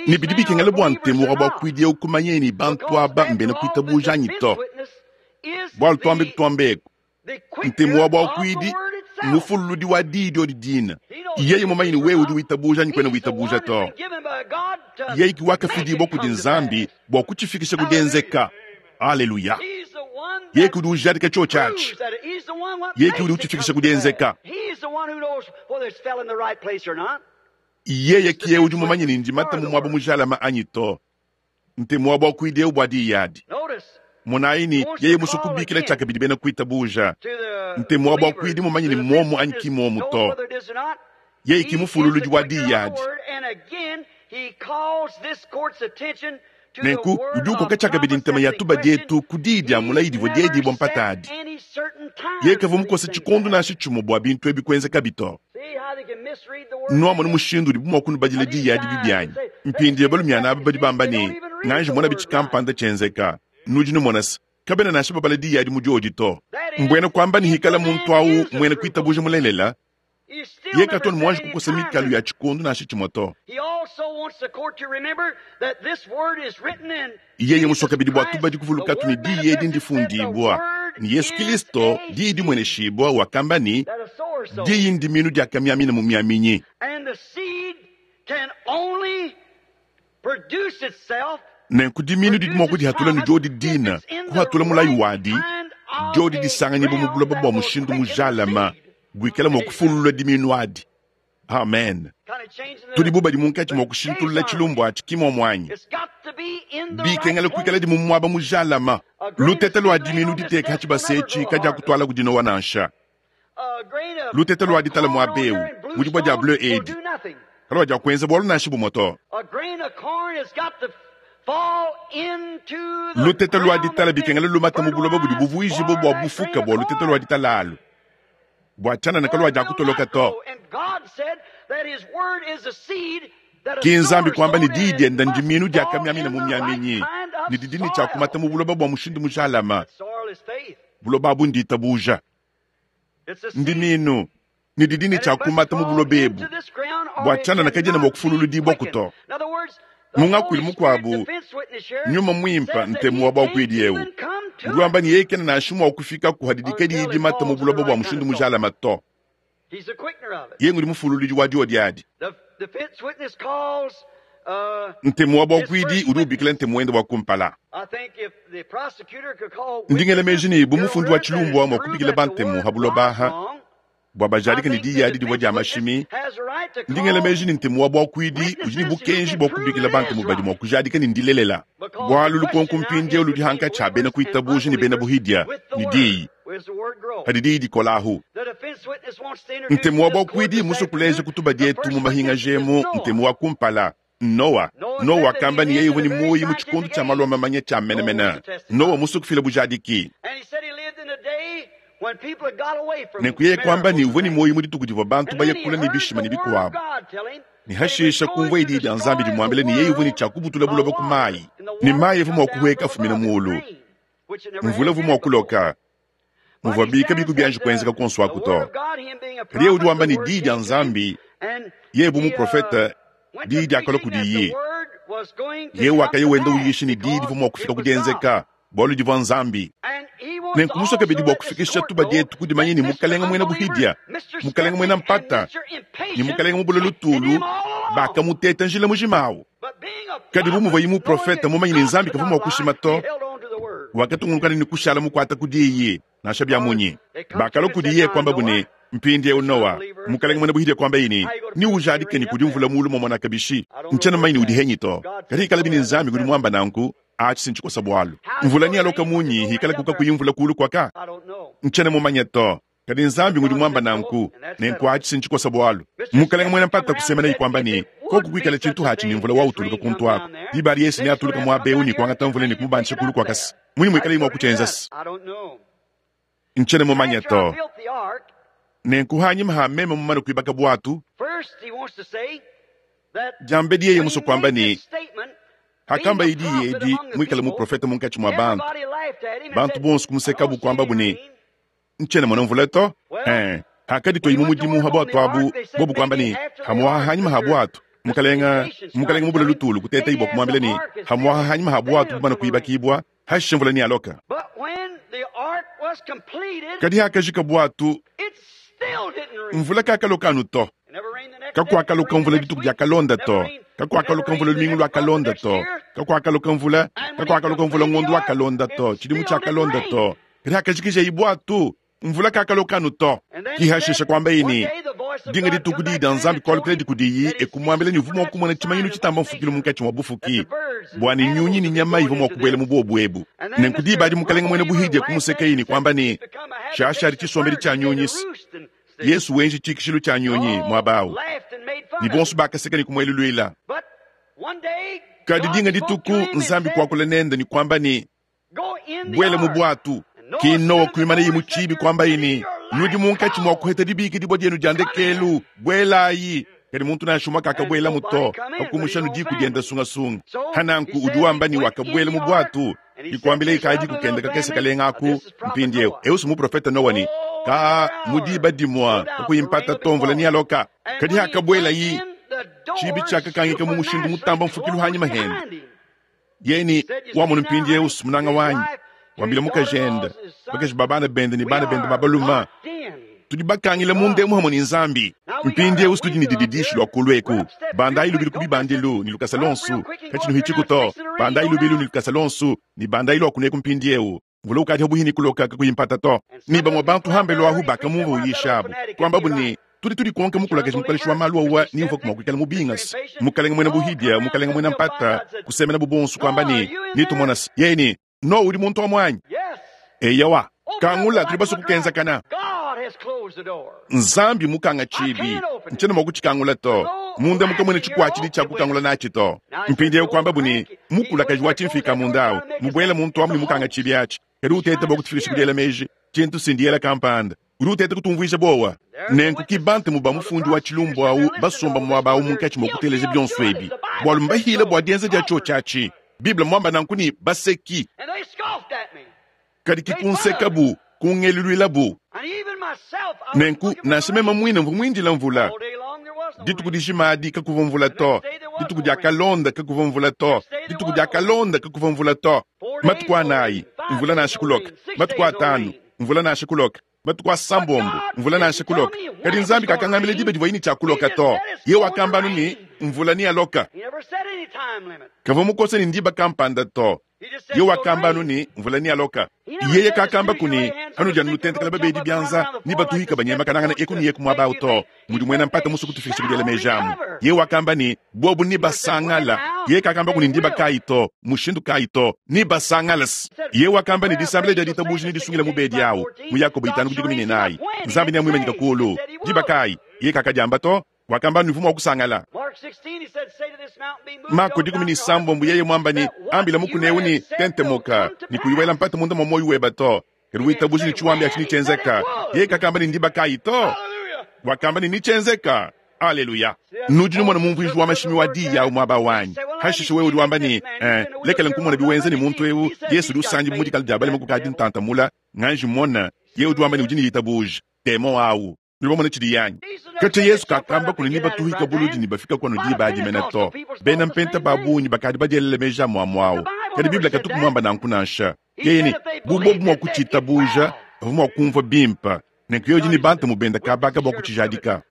Ne bidi bikengela bua ntemu wa buakuidi eu kumanya ne bantu aba mbena kuitabuja anyi to. Bualu tuambe kutuambeku, ntemu wa buakuidi mufululudi wa diyi diodi dina. Yeye mumanye ne wewe udi witabuja anyi kuena witabuja to. Yeye ki wakafidibua kudi Nzambi bua kutshifikisha ku dienzeka. Aleluya! Yeye ki udi ujadika tshiotshi atshi. Yeye ki udi utshifikisha ku dienzeka. Yeye ki yeye udi mumanye ne ndimata mu muaba mujalama anyi to. Ntemu wa buakuidi eu bua diyi adi. Monayi ne yeye musue kubikila tshiakabidi bena kuitabuja. Ntemu wa buakuidi mumanye ne muomu anyi ki muomu to. Yeye ki mufululudi wa diyi adi. Nenku udi ukoka tshiakabidi ntema ya tubadi etu ku diyi dia mulayi divua diedibua mpata adi. Yeye kavua mukose tshikondo nansha tshimue bua bintu ebi kuenzekabi to. Nuamona mushindu udibu mua kunubadila diyi adi bibi anyi? Mpindieu balumiana aba badi bamba ne, nganji mona bitshi kampanda tshienzeka. Nudi numona se, kabena nansha babala diyi adi mu diodi to. Mbuena kuamba ne hikala muntu awu muena kuitabuja mulelela, yeye katu anu muanji kukosa mikalu ya tshikondo nansha tshimue to. Yeye musue kabidi bua tubadi kuvulukatu ne diyi edi ndifundibua ne Yesu Kristo, diyi dimueneshibua, wakamba ne, diyi ndiminu diakamiamina mu miaminyi. Nenku diminu didi mua kudihatula ne diodi dina, kuhatula mulayi wadi, diodi disanganyibua mu buloba bua mushindu mujalama buikala mua kufulula diminu adi. Amen. Tudi bu badi munkatshi mua kushintulula tshilumbu atshi ki muomu anyi? Bikengela kuikaladi mu muaba mujalama. Lutete lua diminu diteka ha tshibasa etshi kadiakutuala ku dinowa nansha. Lutete lua ditala muaba eu mu dibua dia bleu edi kaluadiakuenza bualu nansha bumue to. Lutete lua ditala bikengela lumata mu buloba budi buvuijibue bua bufuka bua lutete lua ditala alu, bua tshianana kaluadiakutoloka to. Ki Nzambi kuamba ne diyi diende ndimiinu diakamiamina mu miaminyi ne didi ne tshiakumata mu buloba bua mushindu mujalama. Buloba abu nditabuja. Ndimiinu ne didi ne tshiakumata mu buloba ebu bua tshianana kadiena mua kufululudibua to. Mu ngakuilu mukuabu, Nyuma Muimpe ntemu wa buakuidi eu udi wamba ne yeye kena nansha mua kufika ku hadidi kadiyi dimata mu buloba bua mushindu mujalama to. Yeye ngudi mufululudi wa diodi adi. Ntemu wa buakuidi udi ubikila ntemu wende wa kumpala. Ndi ngela meji ne bu mufundi wa tshilumbu mua kubikila bantemu ha buloba aha bua bajadike ne diyi adi divua dia mashimi. Ndi ngela meji ne ntemu wa buakuidi udi ne bukenji bua kubikila bantemu badi mua kujadika ne ndilelela. Bualu lukonko mpindieu ludi hankatshi ha bena kuitabuja ne bena buhidia ne diyi. Hadi diyi dikola ahu. Ntemu wa buakuidi mmusue kuleja ku tubadi etu mu mahingaja emu ntemu wa kumpala, Noa. Noa wakamba ne yeye uvua ne muoyo mu tshikondo tshia malu a mamanya tshia menemene. Noa musue kufila bujadiki. Nenku yeye kuamba ne uvua ne muoyo mu dituku divua bantu baya kule ne bishima ne bikuabu. Ne hashisha kumvuaye diyi dia Nzambi dimuambila ne yeye uvua ne tshia kubutula buloba ku mayi, ne mayi avua mua kuhueka afumina muulu. Mvula uvua mua kuloka, muvuabi kabiyi kubianji kuenzeka kuonso aku to. Kadi yeye udi wamba ne diyi dia Nzambi, yeye bu muprofete, diyi diakalua kudiye. Yeye wakaya wenda uyisha ne diyi divua mua kufika ku dienzeka, bualu divua Nzambi. Nenku musue kabidi bua kufikisha tubadi etu ku dimanya ne Mukalenga muena buhidia, Mukalenga muena mpata, ne Mukalenga mubule lutulu bakamuteta njila mujima awu. Kadi bu muvuaye muprofete mumanye ne Nzambi kavua mua kushima to, wakatungunuka ne kushala mukuata ku diyi nansha bia munyi. Bakalua kudiye kuambabu ne, Mpindieu Noa, mukalenge muena buhidia kuambaye ne, Neujadike ne kudi mvula muulu muamona kabishi? Ntshiena mumanye ne udi henyi to. Kadi ikalabi ne Nzambi ngudi muamba nanku, atshi si ntshikosa bualu. Mvula nealoka munyi hikalaku kakuyi mvula kuulu kuaka? Ntshiena mumanye to. Kadi Nzambi ngudi muamba nanku, nenku atshi si ntshikosa bualu. Mukalenge muena mpata kusemenaye kuamba ne, Koku kuikala tshintu atshi ne mvula wautuluka kuntu aku, diba adi Yesu neatuluka muaba eu ne kuangata mvula ne kumubandisha kulu kuakase. Munyi muikalaye mua kutshienza? Ntshiena mumanye to. Nenku hanyima ha meme mumane kuibaka buatu, diambedi yeye musue kuamba ne, Hakambaye diyi edi, muikale muprofete munkatshi mua bantu, bantu bonso kumusekabu kuambabu ne, Ntshiena mona mvula to. Eh, hakadituayi mu mudimu ha buatu abu, bobu kuamba ne, Hamuaha hanyima ha buatu, mukalenga, mukalenga mubule lutulu kutetayi bua kumuambila ne, Hamuaha hanyima ha buatu bumana kuibakibua, hashishe mvula nealoka. Kadi hakajika buatu, mvula kakaloka anu to. Kakuakaloka mvula dituku diakalonda to. Kakuakaloka mvula lumingu luakalonda to. Kakuakaloka mvula, kakuakaloka mvula ngondo wakalonda to, tshidimu tshiakalonda to. Kadi hakajikijeye buatu, mvula kakaloka anu to. Ki hashisha kuambaye ne, Dinga dituku diyi dia Nzambi kualukiladi kudiyi e kumuambila ne uvua mua kumona tshimanyinu tshitamba mfukilu munkatshi mua bufuki, bua ne nyunyi ne nyama ivua mua kubuela mu buobu ebu. Nenku diba adi Mukalenge muena buhidia kumusekeye ne kuamba ne, Tshiashadi tshisombedi tshia nyunyi Yesu wenji tshikishilu tshia nyunyi muaba au, ne bonso bakaseka ne kumueluluila. Kadi dinga dituku Nzambi kuakula nende ne kuamba ne, Buela mu buatu. Ki Noa kuimanaye mu tshiibi kuambaye ne, Nudi munkatshi mua kuheta dibikidibua dienu dia ndekelu, buelayi. Kadi muntu nansha umue kakabuelamu to, pa kumusha anu diku diende sungasunga. Hananku udi wamba ne wakabuela mu buatu, dikuambilaye kayi diku kende kakese kalenga aku. Mpindieu eu si muprofete Noa ne, Kaa, mu diba dimue kakuyi mpata to mvula nealoka. Kadi hakabuelayi, tshiibi tshiakakangika mu mushindu mutamba mfukilu hanyima hende. Yeye ne, Wamonu mpindieu, munanga wanyi, wambila mukajende, bakaji ba bana bende ne bana bende ba balume, tudi bakangila munda emu hamue ne Nzambi. Mpindieu tudi ne dididishi lua kulu eku. Bandayi lubilu ku bibandilu ne lukasa luonso, katshinuhitshiku to. Bandayi lubilu ne lukasa luonso ne bandayi lua kuneku mpindieu. Mvula ukadi pabuihi ne kuloka kakuyi mpata to. Ne bamue bantu hambelu ahu bakamumvua uyisha abu, kuambabu ne, Tudi tudikonka mukulakaje mukaleshi wa malu awa ni mvua mua kuikala mubingase. Mukalenge muena buhidia, mukalenge muena mpata, kusemenabu bonso kuamba ne, Netumona se, yeye ne, Noa udi muntu wa muanyi. Eyowa, kangula, tudi basue kukenzakana. Nzambi mukanga tshibi, ntshiena mua kutshikangula to. Munda mukamuena tshikuatshidi tshia kukangula natshi to. Mpindieu kuambabu ne, Mukulakaji wa tshimfika munda au, mubuele muntu amu ne mukanga tshibi atshi. Kadi uteta bua kutufikisha ku diela meji tshintu si ndiela kampanda. Udi uteta kutumvuija buowa. Nenku ki bantemu ba mufundi wa tshilumbu au basomba muaba au munkatshi mua kuteleja bionso ebi, bualu mbahile bua dienza dia tshiotshi atshi. Bible mmuamba nanku ne, Baseki. Kadi ki kunsekabu, kungeluluilabu. Nenku nansha meme muine mvua muindile mvula. Dituku dijima adi kakuvua mvula to. Dituku diakalonda kakuvua mvula to. Dituku diakalonda kakuvua mvula to. Matuku anayi, mvula nansha kuloka. Matuku atanu, mvula nansha kuloka. Matuku asambombo, mvula nansha kuloka. Kadi Nzambi kakangambila diba divuaye ne tshia kuloka to. Yeye wakamba anu ne, mvula nealoka. Kavua mukose ne ndiba kampanda to. Yeye wakamba anu ne, mvula nealoka. Yeye kakambaku ne, Panudi anu nutentekela babedi bianza ne batuhika banyemekanangana eku ne eku muaba au to, mudi muena mpata musue kutufikisha ku diela meji amu. Yeye wakamba ne, Bobu nebasangala. Yeye kakambaku ne, ndiba kayi to, mushindu kayi to, nebasangala. Yeye wakamba ne, disambila dia ditabuja nedisungile mubedi au, mu Yakobo 5:14. Nzambi neamuimanyike kuulu. Diba kayi? Yeye kakadiamba to. Wakamba ne, uvua mua kusangala. Mako 16 yeye muamba ne, Ambila mukuna eu ne, Tentemuka, ne kuyi wela mpata munda mua muoyo weba to, kadi witabuje ne tshiwambi atshi netshienzeka. Yeye kakamba ne, ndiba kayi to. Wakamba ne, netshienzeka. Aleluya! Nudi numona mumvuiji wa mashimi wa diyi au muaba wanyi. Hashishe wewe udi wamba ne, eh, lekela nkumona biwenza ne muntu eu, Yesu udi usanji mu dikala dia balema kukadi ntantamula, nganji mona, yeye udi wamba ne udi ne ditabuja. Demon au. Nudi bamona tshidi anyi? Katshia Yesu kakamba kune ne batuhika buludi ne bafika kuanu diba adi mene to. Bena mpenta ba bungi bakadi badielela meji amuamua au. Kadi Bible katuku muamba nanku nansha. Yeye ne, bu bobu mua kutshitabuja, bavua mua kumvua bimpe. Nenku yeye udi ne bantemu bende kabaka bua kutshijadika.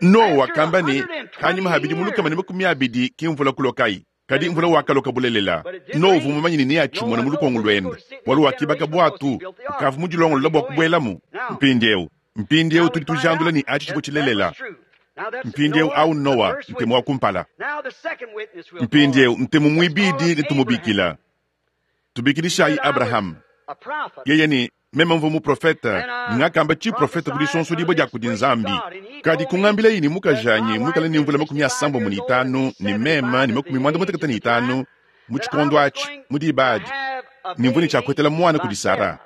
Noa wakamba ne, kanyima ha bidimu 120 ki mvula kulokayi. Kadi mvula wakaloka bulelela. Noa uvua mumanye ne neatshimone mu lukongo luende, bualu wakibaka buatu, ukavua mudilongolola bua kubuelamu. Mpindieu, mpindieu tudi tujandula ne atshi tshivua tshilelela. Mpindieu au Noa, ntemu wa kumpala. Mpindieu ntemu muibidi netumubikila. Tubikidishayi Abraham. Yeye ne, meme mvua muprofete, ngakamba tshiprofete ku disonsodibua dia kudi Nzambi. Kadi kungambilayi ne mukajanyi muikale ne mvula 75 ne meme ne 95 mu tshikondo atshi, mu diba adi, ne mvua ne tshiakuetela muana kudi Sara.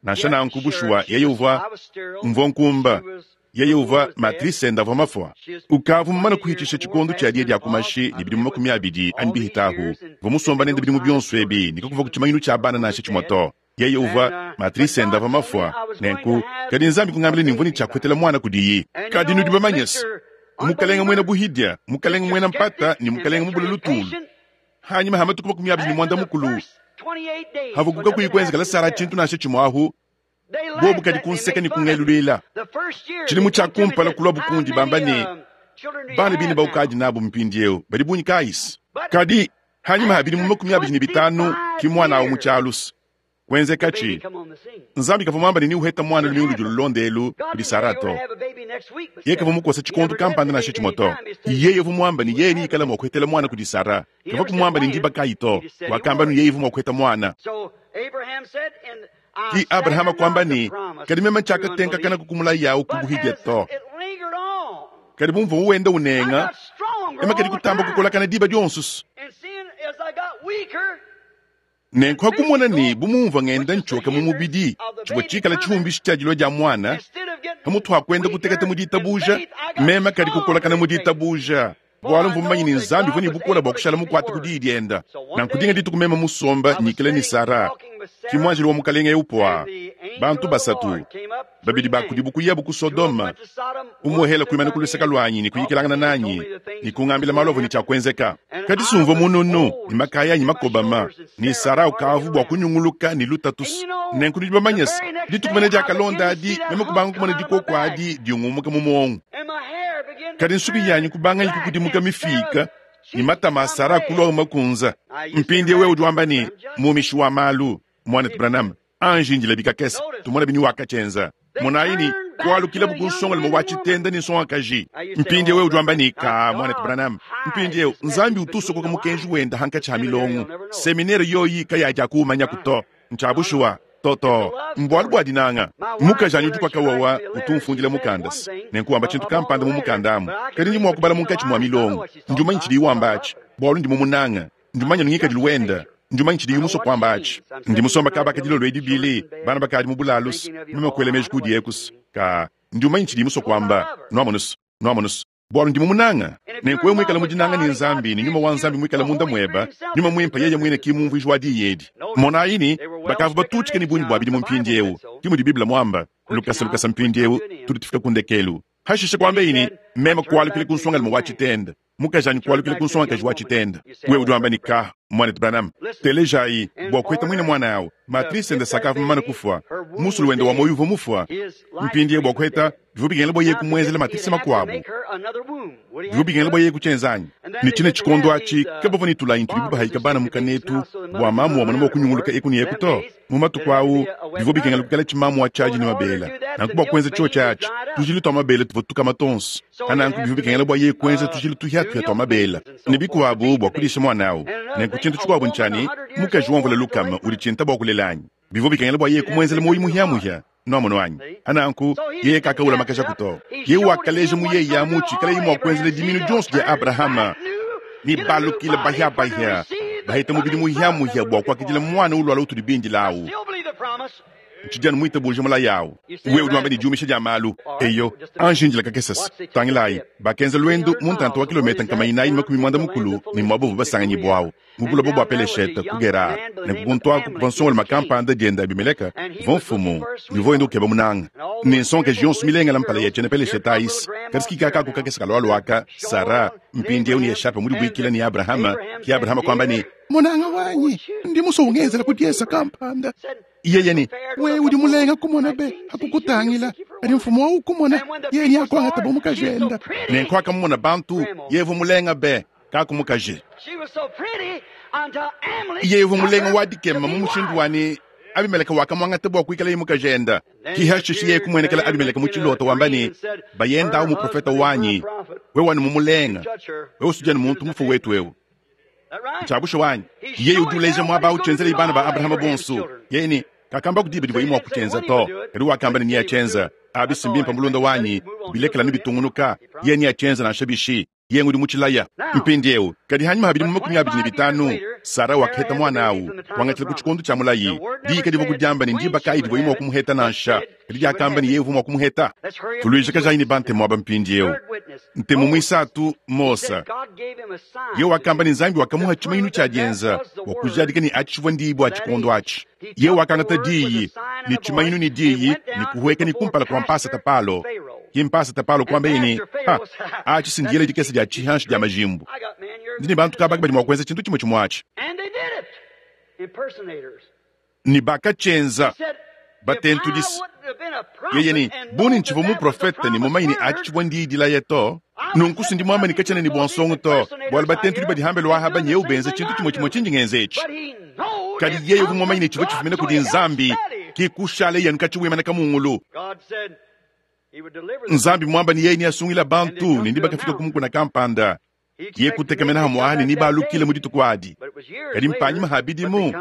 Nansha nanku, bushuwa, yeye uvua, mvua nkumba, yeye uvua matrice ende avua mafua. Ukavua mumane kuhitshisha tshikondo tshia diya dia ku mashi ne bidimu 20 anyi bihitahu. Mvua musomba nende bidimu bionso ebi ne kakuvua ku tshimanyinu tshia bana nansha tshimue to. Yeye uvua matrice ende avua mafua. Nenku, kadi Nzambi kungambila ne mvua ne tshiakuetela muana kudiyi. Kadi nudi bamanye se, mukalenga muena buhidia, mukalenga muena mpata ne mukalenga mubule lutulu, hanyima ha matuku 25 havuku kakuyi kuenzekela Sara tshintu nansha tshimue ahu, bobu kadi kunseka ne kungeluluila. Tshidimu tshia kumpala kuluabu kundi bamba ne, bana bine baukadi nabu mpindieu badi bungi kayisi. Kadi hanyima ha bidimu 25 ki muana awu mu tshialusa. Kuenzekatshi, Nzambi kavua muamba ne neuheta muana lumingu ludi lulonda elu kudi Sara to. Yeye kavua mukosa tshikondo kampanda nansha tshimue to. Yeye uvua muamba ne yeye neikale mua kuhetela muana kudi Sara. Kavua kumuamba ne ndiba kayi to. Wakamba ne yeye uvua mua kuheta muana. Ki Abrahama kuamba ne, kadi meme tshiakatenkakana ku mulayi yawu ku buhidia to. Kadi bu mvua wenda unenga, meme kadi kutamba kukolakana diba dionso. Nenku ha kumona ne bu mumvua ngenda ntshioka mu mubidi, tshivua tshikala tshihumbishi tshia dilua dia muana, pamutu ha kuenda kuteketa mu ditabuja, meme kadi kukolakana mu ditabuja, bualu mvua mumanye ne Nzambi uvua ne bukole bua kushala mukuate ku diyi dienda. Nanku dinga dituku meme musomba nyikila ne Sara, ki muanjelu wa Mukalenge eu pua, bantu basatu, babidi ba kudibu kuyabu ku Sodoma, umuehela kuimana ku luseke luanyi ne kuyikilangana nanyi ne kungambila malu avua ne tshia kuenzeka. Kadi sumvua mununu ne makaya anyi makobama ne Sara ukavu bua kunyunguluka ne lutatu. Nenku nudi bamanye se, dituku mene diakalonda adi meme kubanga kumona dikoko adi diungumuka mu muongo. Kadi nsuki yanyi kubangayi kukudimuka mifika ne matama a Sara kulua makunza. Mpindieu wewe udi wamba ne, mumishi wa malu, Muanetu Branham, anji indila bikakese, tumone bini wakatshienza. Monayi ne, kualukilabu ku nsongalume wa tshitenda ne nsongakaji. Mpindieu wewe udi wamba ne, ka, Muanetu Branham, mpindieu Nzambi utu usokoka mukenji wenda hankatshi ha milongo. Seminere yoyi kayajakuumanyaku to. Ntshia bushuwa. To to, mbualu bua dinanga. Mukajanyi udi kwa kawawa utu umfundila mukanda nenku wamba tshintu kampanda mu mukanda amu, kadi ndi mua kubala munkatshi mua milongo. Ndi umanya tshidiyi wamba atshi, bualu ndi mumunanga. Ndi umanya ngikadilu wenda. Ndi umanya tshidiyi musue kuamba atshi. Ndi musomba kaba ka dilolo edi bili, bana bakadi mu bulalu, meme kuela meji kudi eku ka. Ndi umanya tshidiyi musue kuamba. Nuamonu, nuamonu, bualu ndi mumunanga. Nenku wewe muikale mu dinanga ne Nzambi ne Nyuma wa Nzambi muikale munda mueba, Nyuma Muimpe yeye muine ki mumvuiji wa diyi edi. Monayi ne, bakavua batutshike ne bungi bua bidimu mpindieu, ki mudi Bible muamba. Lukasa lukasa mpindieu, tudi tufika ku ndekelu. Hashishe kuambaye ne, meme kualukila ku nsongalume wa tshitenda, mukajanyi kualukila ku nsongakaji wa tshitenda. Wewe udi wamba ne, ka. Muanetu Branham, telejayi, bua kuheta muine muana awu, matrice ende sakavua mumane kufua, musulu wende wa muoyo uvua mufua. Mpindieu bua kuheta, bivua bikengela bua yeye kumuenzela matrice makuabu. Bivua bikengela bua yeye kutshienza anyi? Ne tshine tshikondo atshi, kabavua ne tulayi tudibu bahayika bana mu kanetu bua mamu wamona mua kunyunguluka eku ne eku to. Mu matuku au, bivua bikengela kuikala tshimamu wa tshiadi ne mabela. Nanku bua kuenza tshiotshi atshi, tujilu tua mabela tuvua tukama tuonso. Pa nanku bivua bikengela bua yeye kuenza tujilu tuhiatuhia tua mabela ne bikuabu bua kudisha muana au. Nenku tshintu tshikuabu ntshia ne, mukaji wa mvula lukama udi tshinta bua kulela anyi? Bivua bikengela bua yeye kumuenzela muoyo muhiamuhia. Nuamonu anyi? Pa nanku yeye kakawulamakajaku to. Yeye wakaleja mu yeye amu tshikaleye mua kuenzela dimiinu dionso dia Abrahama ne balukile bahiabahia baheta mubidi muhiamuhia bua kuakidila muana ulualua utudi bindile awu. Ntshidi anu muitabuje mulayi awu. Wewe udi wamba ne diumisha dia malu. Eyo, anji indila kakesese. Tangilayi, bakenza luendu mu ntanta wa kilometa 440 ne muaba uvua basanganyibua awu, mu buloba bua Peleshete, ku Gerar. Nenku kuntu aku kuvua nsongalume kampanda diende Abimeleke, uvua mfumu, ne uvua wenda ukeba munanga. Ne nsongakaji yonso milengele mpala ya tshiena Peleshete ayise. Kadi si kikaka aku kakese kalualua aka, Sara, mpindieu ne Eshape mudibuikile ne Abrahama, ke Abrahama kuamba ne, Munanga wanyi, ndi musue ungenzela ku diesa kampanda. Yeye ne, Wewe udi mulenga kumona be, hakukutangila, kadi mfumu wa ukumona, yeye ne akuangata bu mukajenda. Nenku akamumona bantu, yeye uvua mulenga be, kakumukaji. Yeye uvua mulenga wa dikema mu mushindu wa ne Abimeleke wakamuangata bua kuikalaye mukajenda. Ki hashishe yeye kumuenekela Abimeleke mu tshilota wamba ne, Bayenda au muprofeta wanyi, wewe wanu mumulenga, wewe usudi anu muntu mufue wetu eu. Ntshia bushuwa anyi? Yeye udi uleja muaba au tshienzeleye bana ba Abrahama bonso. Yeye ne, kakamba ku diba divuaye mua kutshienza to, kadi wakamba ne neatshienza. Abi si mbimpe mulunda wanyi, bilekela ne bitungunuka. Yeye neatshienza nansha bishi. Yeye ngudi mutshilaya. Mpindieu, kadi hanyima ha bidimu 25, Sara wakaheta muana au, kuangatshila ku tshikondo tshia mulayi. Diyi kadivua kudiamba ne ndiba kayi divuaye mua kumuheta nansha, kadi diakamba ne yeye uvua mua kumuheta. Tuluijakajayi ne bantemu aba mpindieu. Ntemu muisatu, Mose. Yeye wakamba ne Nzambi wakamuha tshimanyinu tshia dienza bua kujadika ne atshi tshivua ndiyi bua tshikondo atshi. Yeye wakangata diyi ne tshimanyinu ne diyi ne kuhueka ne kumpala kua mpasata Palo. Ki mpasata Palo kuambaye ne, Ha, atshi si ndiyela dikese dia tshihanshi dia majimbu. Ndi ne bantu kabaki badi mua kuenza tshintu tshimue tshimue atshi. Ne bakatshienza. Batentudisi. Yeye ne, Bu ne ntshivua muprofete ne mumanye ne atshi tshivua ndiyi dilaya to, nunku si ndi muambe ne katshiena ne bua nsongo to, bualu batentudi badi hambelu aha nyewu benza tshintu tshimue tshimue tshindi ngenza etshi. Kadi yeye uvua mumanye ne tshivua tshifumina kudi Nzambi, ki kushaleye anu katshi wimana kamungulu. Nzambi muamba ne yeye neasungila bantu, ne ndi bakafika ku mukuna kampanda, ye kutekemena hamue aha ne nebalukile mu dituku adi. Kadi mpanyima ha bidimu,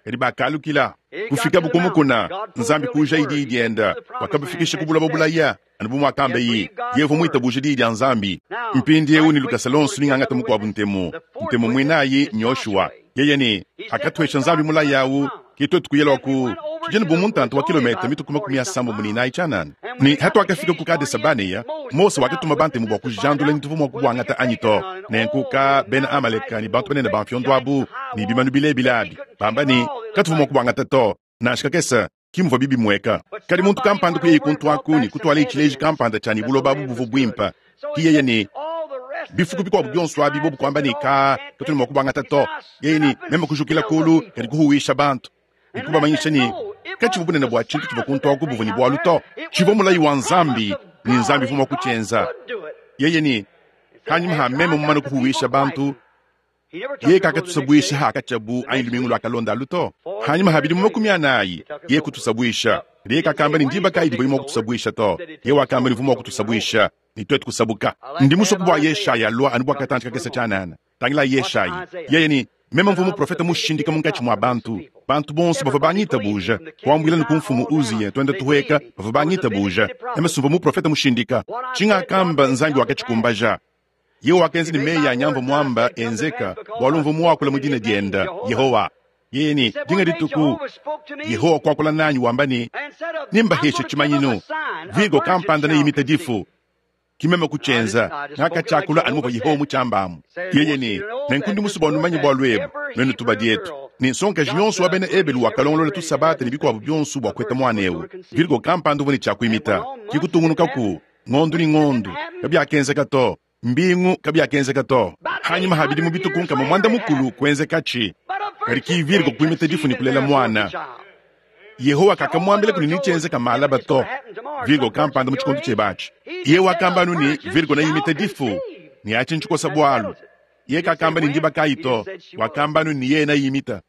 kadi bakalukila. Kufikabu ku mukuna, Nzambi kuujaye diyi dienda, wakabafikisha ku buloba bulaya, anu bu muakambaye. Yeye uvua muitabuje diyi dia Nzambi. Mpindieu ne lukasa luonso ningangata mukuabu ntemu. Ntemu muinayi n'Yoshua. Yeye ne, Hakatuesha Nzambi mulayi au, ke tuetu kuya lua ku tshidi bu muntanta wa kilometa mitue ku 94 tshianana. Ne hatuakafika ku Kadesa-Banea, Mose wakatuma bantemu bua kujandula ni tuvua mua kubuangata anyi to. Nenku ka bena Amaleka ne bantu banene ba mfiondo abu ne bimanu bilebile abi, bamba ne, katuvua mua kubuangata to, nansha kakese. Ki muvua bibimueka. Kadi muntu kampanda kuyaye kuntu aku ne kutualaye tshileji kampanda tshia ne buloba abu buvua buimpe. Ki yeye ne bifuku bikuabu bionso abi bobu kuamba ne, Kaa, katuena mua kubuangata to. Yeye ne, Meme kujukila kulu, kadi kuhuwisha bantu ne kubamanyisha ne, katshivua bunene bua tshintu tshivua kuntu aku buvua ne bualu to. Tshivua mulayi wa Nzambi, ne Nzambi uvua mua kutshienza. Yeye ne, Panyima ha meme mumane kuhuwisha bantu, yeye kakatusabuisha hakatshiabu anyi lumingu luakalonda alu to. Hanyima ha bidimu 40, yeye kutusabuisha. Kadi yeye kakamba ne ndiba kayi divuaye mua kutusabuisha to. Yeye wakamba ne uvua mua kutusabuisha ne tuetu kusabuka. Ndi musue bua Yeshaya alua anu bua katantshi kakese tshianana. Tangilayi Yeshayi. Yeye ne, Meme mvua muprofete mushindika munkatshi mua bantu. Bantu bonso bavua bangitabuja, kuambuila ne ku mfumu Uziya tuenda tuhueka, bavua bangitabuja. Meme sumvua muprofete mushindika. Tshingakamba Nzambi wakatshikumbaja. Yehowa wakenza ne meyi anyi amvua muamba enzeka, bualu mvua muakula mu dina dienda, Yehowa. Yeye ne, dinga dituku Yehowa kuakula nanyi wamba ne, Nembaheshe tshimanyinu, Virgo kampanda neimite difu. Ki meme kutshienza, ngakatshiakula anu muvua Yehowa mutshiambamu. Yeye ne, Nenku ndi musue bua numanye bualu ebu, nuenu tubadi etu, ne nsongakaji yonso wa bena Ebelu wakalongolola tusabata ne bikuabu bionso bua kuheta muana eu. Virgo kampanda uvua ne tshia kuimita. Ki kutungunukaku, ngondu ne ngondu, kabiakenzeka to. Mbingu kabiakenzeka to. Hanyima ha bidimu bitue ku nkama muanda mukulu kuenzekatshi. Kadi ki Virgo kuimita difu ne kulela muana. Yehowa kakamuambila kuni netshienzeka malaba to. Virgo kampanda mu tshikondo tshiebe atshi. Yeye wakamba anu ne, Virgo neimite difu, ne atshi ntshikosa bualu. Yeye kakamba ne ndiba kayi to, wakamba anu ne yeye neimita.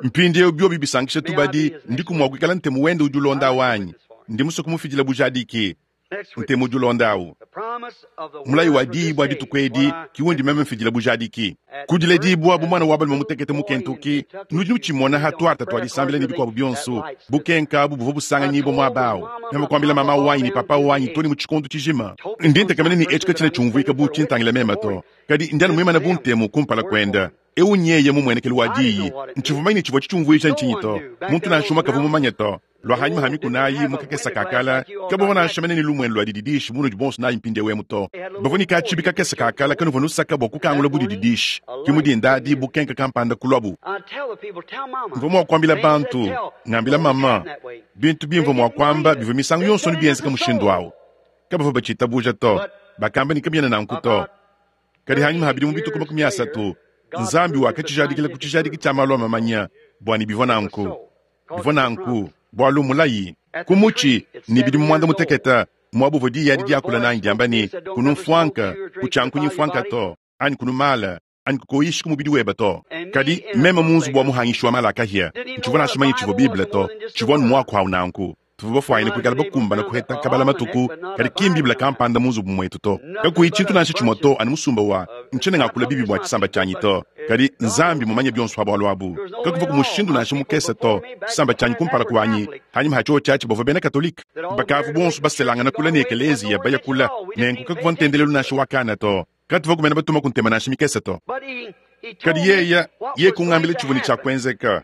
Mpindieu biobi bisankisha tubadi, ndiku mua kuikala ntemu wende udi ulonda awu anyi? Ndi musue kumufidila bujadiki. Ntemu udi ulonda awu. Mulayi wa diyi bua dituku edi ke undi meme mfidila bujadiki. Ku diledibua bu muana wa balume mutekete mu Kentucky, nudi nutshimona ha tuarta tua disambila ne bikuabu bionso, bukenka abu buvua busanganyibua muaba au. Meme kuambila mama wanyi ne papa wanyi too ne mu tshikondo tshijima. Ndi ntekemena ne etshi katshiena tshiumvuika bu tshintangila meme to, kadi ndi anu muimane bu ntemu kumpala kuende. Eu nyeye mumuenekelu wa diyi. Ntshivua mumanye ne tshivua tshitshiumvuija ntshinyi to. Muntu nansha umue kavua mumanye to. Lua hanyima ha mikuna ayi mu kakese ka kala, kabavua nansha mene ne lumuenu lua dididishi bu munudi bonso nayi mpindieu emu to. Bavua ne katshibi kakese ka kala kanuvua nusaka bua kukangula bu dididishi. Ke mu dinda adi bukenka kampanda kuluabu. Mvua mua kuambila bantu, ngambila maman, bintu bimvua mua kuamba bivua misangu yonso anu bienzeka mushindu au. Kabavua batshitabuja to. Bakamba ne kabiena nanku to. Kadi hanyima ha bidimu bitue 30, Nzambi wakatshijadikila ku tshijadiki tshia malu a mamanya bua ne bivua nanku. Bivua nanku bualu mulayi ku mutshi ne bidimu muanda mutekete muaba uvua diyi adi diakula nanyi diamba ne, Kunu mfuanka, kutshiankunyi mfuanka to, anyi kunu mala, anyi kukoyishi ku mubidi webe to. Kadi meme mu nzubu wa muhangishi wa mala a kahia, ntshivua nansha manye tshivua Bible to, tshivua anu muaku au nanku. Tuvua bafuanyine kuikala bakumbane kuheta kabala matuku, kadi ki m'Bible kampanda mu nzubu muetu to. Kakuyi tshintu nansha tshimue to, anu musumba wa, ntshiena ngakula bibi bua tshisamba tshianyi to, kadi Nzambi mmumanye bionso pa bualu abu. Kakuvua ku mushindu nansha mukese to. Tshisamba tshianyi kumpala kuanyi, hanyima ha tshiotshi atshi bavua bena Katolike. Bakavua bonso baselangana kule ne ekeleziya baya kule, nenku kakuvua ntendelelu nansha wa kana to. Katuvua kumena batuma ku ntema nansha mikese to. Kadi yeye, yeye kungambila tshivua ne tshia kuenzeka,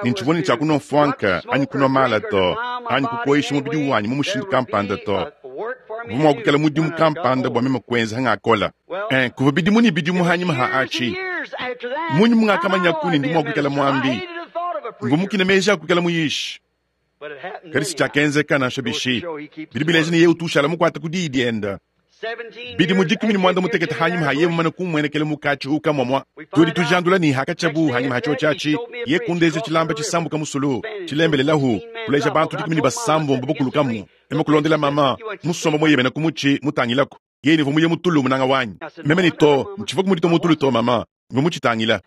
ne ntshivua ne tshia kunua mfuanka anyi kunua mala to, anyi kukoyisha mubidi wanyi mu mushindu kampanda to. Kuvua mua kuikala mudimu kampanda bua meme kuenza hangakola. Eh, kuvua bidimu ne bidimu hanyima ha atshi. Munyi mungakamanyaku ne ndi mua kuikala muambi? Mvua mukine meji a kuikala muyishi. Kadi si tshiakenzeka nansha bishi. Bidi bileja ne yeye utu ushala mukuate ku diyi diende. Bidimu 18 hanyima ha yeye mumane kumuenekela mu katshihu kamua, tudi tujandula ne hakatshiabu hanyima ha tshiotshi atshi, ye kundeja tshilamba tshisambuka musulu, tshilembelelahu, kuleja bantu 16 bakulukamu. Meme kulondela mama, musomba mueyemena ku mutshi, mutangilaku. Yeye ne, Mvua muye mu tulu, munanga wanyi. Meme ne, Too, ntshivua kumudita mu tulu to, mama. Mvua mutshitangila.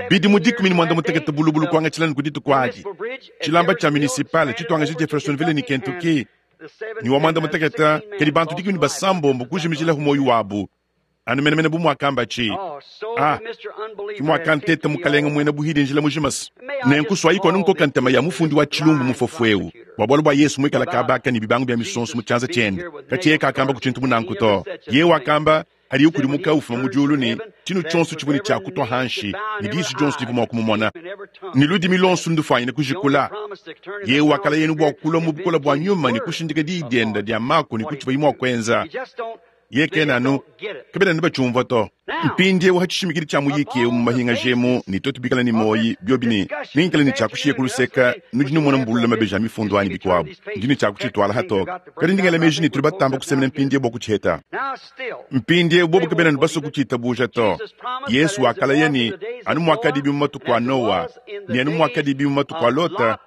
Bidimu 18 bulubulu kuangatshila ne ku dituku adi, tshilamba tshia municipal tshituangaja Jeffersonville ne Kentucky ne wa 16, kadi bantu 16 kujimijilahu muoyo wabu, anu menemene bu muakambatshi. Ah, ke muakanteta mukalenge muena buhidi njila mujima se. Nenku suayiku anu nkoka ntema ya mufundi wa tshilumbu mufofo eu bua bualu bua Yesu muikala kabaka ne bibangu bia misonso mu tshianza tshiende. Katshi yeye kakamba ku tshintu bu nanku to. Yeye wakamba hadiye ukudimuka ufuma mu diulu ne tshinu tshionso tshivua ne tshia kutua hanshi, ne disu dionso divua mua kumumona, ne ludimi luonso ndufuanyine kujikula. Yeye wakalaya enu bua kulua mu bukole bua nyuma ne kushindika diyi diende dia mako ne kutshivuaye mua kuenza. Yeye kena anu, kabena anu batshiumvua to. Mpindieu ha tshishimikidi tshia muyiki eu mu mahingaji emu, ne tuetu bikale ne muoyi, biobi ne nengikale ne tshia kushiya ku luseka, nudi numona mbulula mabeji a mifundu anyi bikuabu, ndi ne tshia kutshituala hatoke. Kadi ndi ngela meji ne tudi batamba kusemena mpindieu bua kutshiheta. Mpindieu bobo kabena anu basue kutshitabuja to. Yesu wakalaya ne, anu muakadibi mu matuku a Noa, ne anu muakadibi mu matuku a Lota,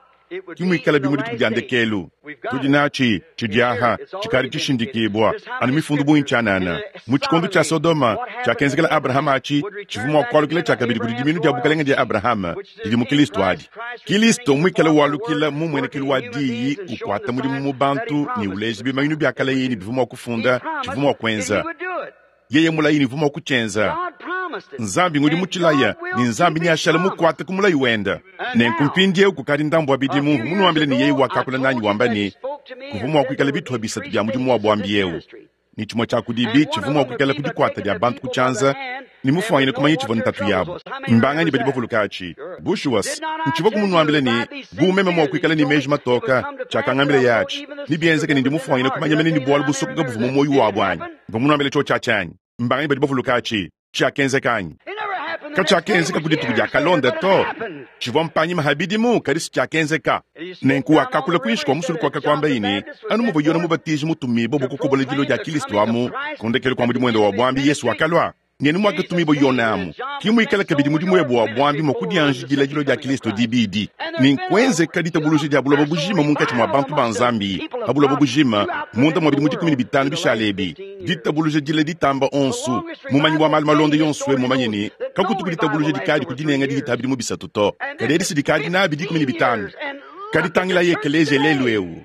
ki muikalabi mu dituku dia ndekelu. Tudi natshi tshidiaha tshikadi tshishindikibua, anu mifundu bungi tshianana. Mu tshikondo tshia Sodoma, tshiakenzekela Abrahama atshi tshivua mua kualukila tshiakabidi kudi dimiinu dia bukalenge dia Abrahama didi mu Kilisto adi. Kilisto muikale walukila mu mmuenekelu wa Diyi, ukuata mudimu mu bantu ne uleja bimanyinu bia kale ne bivua mua kufunda tshivua mua kuenza. Yeye mulayi ne uvua mua kutshienza. Nzambi ngudi mutshilaya, ne Nzambi neashale mukuate ku mulayi wende. Nenku mpindieu kukadi ndambu wa bidimu mvua munuambile ne yeye wakakula nanyi wamba ne, kuvua mua kuikala bitupa bisatu bia mudimu wa buambi eu, ne tshimue tshia kudibi tshivua mua kuikala ku dikuata dia bantu ku tshianza ne mufuanyine kumanya tshivua ntatu yabu. Mbanganyi badi bavuluka atshi? Bushuwa, ntshivua kumunuambila ne, bu meme mua kuikala ne meji matoka, tshiakangambila yeye atshi, nebienzeke ne ndi mufuanyine kumanya mene ne bualu busokoka buvua mu muoyo wabu anyi? Mvua munuambile tshiotshi atshi anyi? Mbanganyi badi bavuluka atshi? Tshiakenzeka anyi? Katshiakenzeka ku dituku diakalonda to. Tshivua mpanyima ha bidimu, kadi si tshiakenzeka. Nenku wakakula kuinshi kua musulu kuakakuambaye ne, anu muvua Yone Mubatiji mutumibue bua kukobola dilua dia Kilisto amu ku ndekelu kua mudimu wende wa buambi, Yesu wakalua. Nenu muakatumibua Yone amu, ki muikale kabidi mudimu webe wa buambi mua kudianjidila dilua dia Kilisto dibidi. Nenkuenzeka ditabuluja dia buloba bujima munkatshi mua bantu ba Nzambi pa buloba bujima munda mua bidimu 15 bishale ebi. Ditabuluja dile ditamba onso. Mumanyi wa malu malonda yonso mumanye ne, kakutu ku ditabuluja dikadi ku dinenga dihita bidimu 3 to, kadi edi si dikadi nabi 15. Kadi tangilayi ekeleziya lelu eu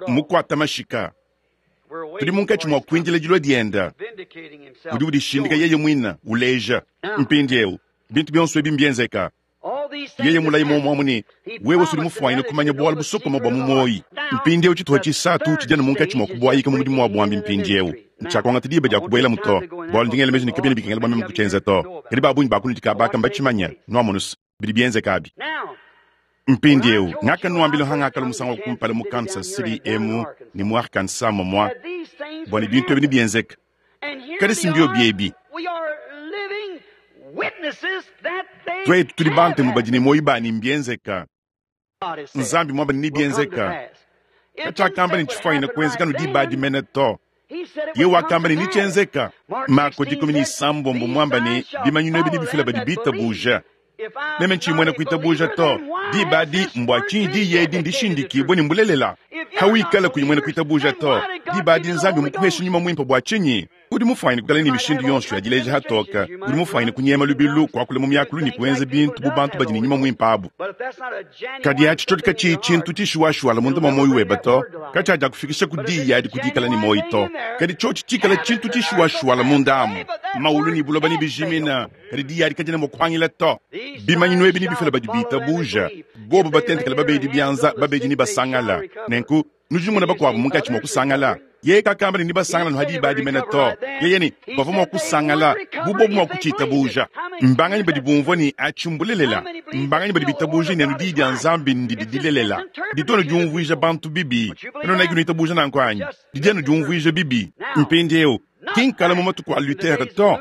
mukuata mashika. Tudi munkatshi mua kuindila dilua dienda. Udi udishindika yeye muine, uleja. Mpindieu bintu bionso ebi mbienzeka. Yeye mulayi muomuamu ne wewe sudi mufuanyine kumanya bualu busokoma bua mu muoyi. Mpindieu tshituha tshisatu tshidi anu munkatshi mua kubuayika mu mudimu wa buambi mpindieu. Ntshiakuangata diba dia kubuelamu to, bualu ndi ngela meji ne kabiena bikengela bua meme kutshienza to. Kadi ba bungi ba kunudi kabaka mbatshimanya, nuamonusa bidi bienzeka abi. Mpindieu ngakanuambila hangakala musangu wa kumpala mu Kansas City emu ne mu Arkansas momua bua ne bintu ebi nebienzeka. Kadi si mbio biebi. Tuetu tudi bantemu badi ne muoyo bani mbienzeka. Nzambi muamba ne nebienzeka. Katshiakamba ne tshifuanyine kuenzeka no diba adi mene to. Ye wakamba ne nitshienzeka. Marko 16 muamba ne bimanyinu ebi nebifila badi bitabuja. Meme ntshiyi muena kuitabuja to. Diba adi mbua tshinyi diyi edi ndishindikibue ne mbulelela? Hawikala kuyi muena kuitabuja to, diba adi Nzambi mukuhesha nyuma muimpe bua tshinyi? Udi mufuanyine kukala ne mishindu yonso ya dileja hatoka. Udi mufuanyine kunyema lubilu, kuakula mu miakulu ne kuenza bintu bu bantu badi ne nyuma muimpe abu. Kadi atshi tshiotshi katshiyi tshintu tshishuwashuwala munda mua muoyo webe to, katshiadiakufikisha ku diyi adi ku dikala ne muoyo to. Kadi tshiotshi tshikala tshintu tshishuwashuwala munda amu, maulu ne buloba nebijimina, kadi diyi adi kadiena mua kuhangila to. Bimanyinu ebi nebifila badi bitabuja, bobu batentekela babedi bianza, babedi ne basangala. Nenku nudi numona bakuabu munkatshi mua kusangala. Yeye kakamba ne nebasangala nu hadiba adi mene to. Yeye ne bavua mua kusangala bu bobu mua kutshitabuja. Mbanganyi badi bumvua ne atshi mbulelela? Mbanganyi badi bitabuja ne anu diyi dia Nzambi ndidi dilelela? Ditu anu diumvuija bantu bibi. Kanuena nuitabuja nanku anyi? Didi anu diumvuija bibi. Mpindieu ki nkala mu matuku a Luther to,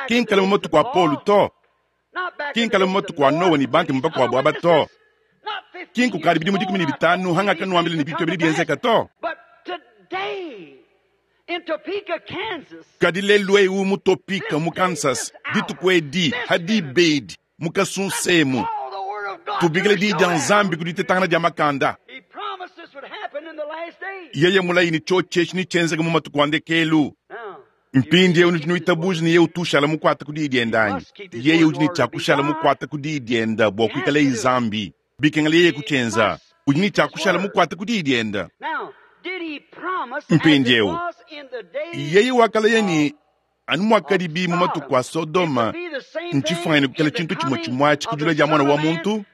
ki nkala mu matuku a Paul to, ki nkala mu matuku a Noa ne bantemu bakuabu aba to, ki nkukadi bidimu 15 hangakanuambila ne bintu ebi nebienzeka to. Kadi lelu eu mu Topeka mu Kansas, dituku edi hadibedi mu kasunsemu, tubikile diyi dia Nzambi ku ditetangana dia makanda. Yeye mulayi ne tshiotshi etshi netshienzeke mu matuku a ndekelu. Mpindieu nudi nuitabuja ne yeye utu ushala mukuate ku diyi diende anyi? Yeye udi ne tshia kushala mukuate ku diyi diende bua kuikaleye Nzambi. Bikengela yeye kutshienza, udi ne tshia kushala mukuate ku diyi diende. Mpindieu yeye wakalaya ne anu muakadibi mu matuku a Sodoma, ntshifuanyine kukala tshintu tshimue tshimue atshi ku dilua dia Muana wa muntu,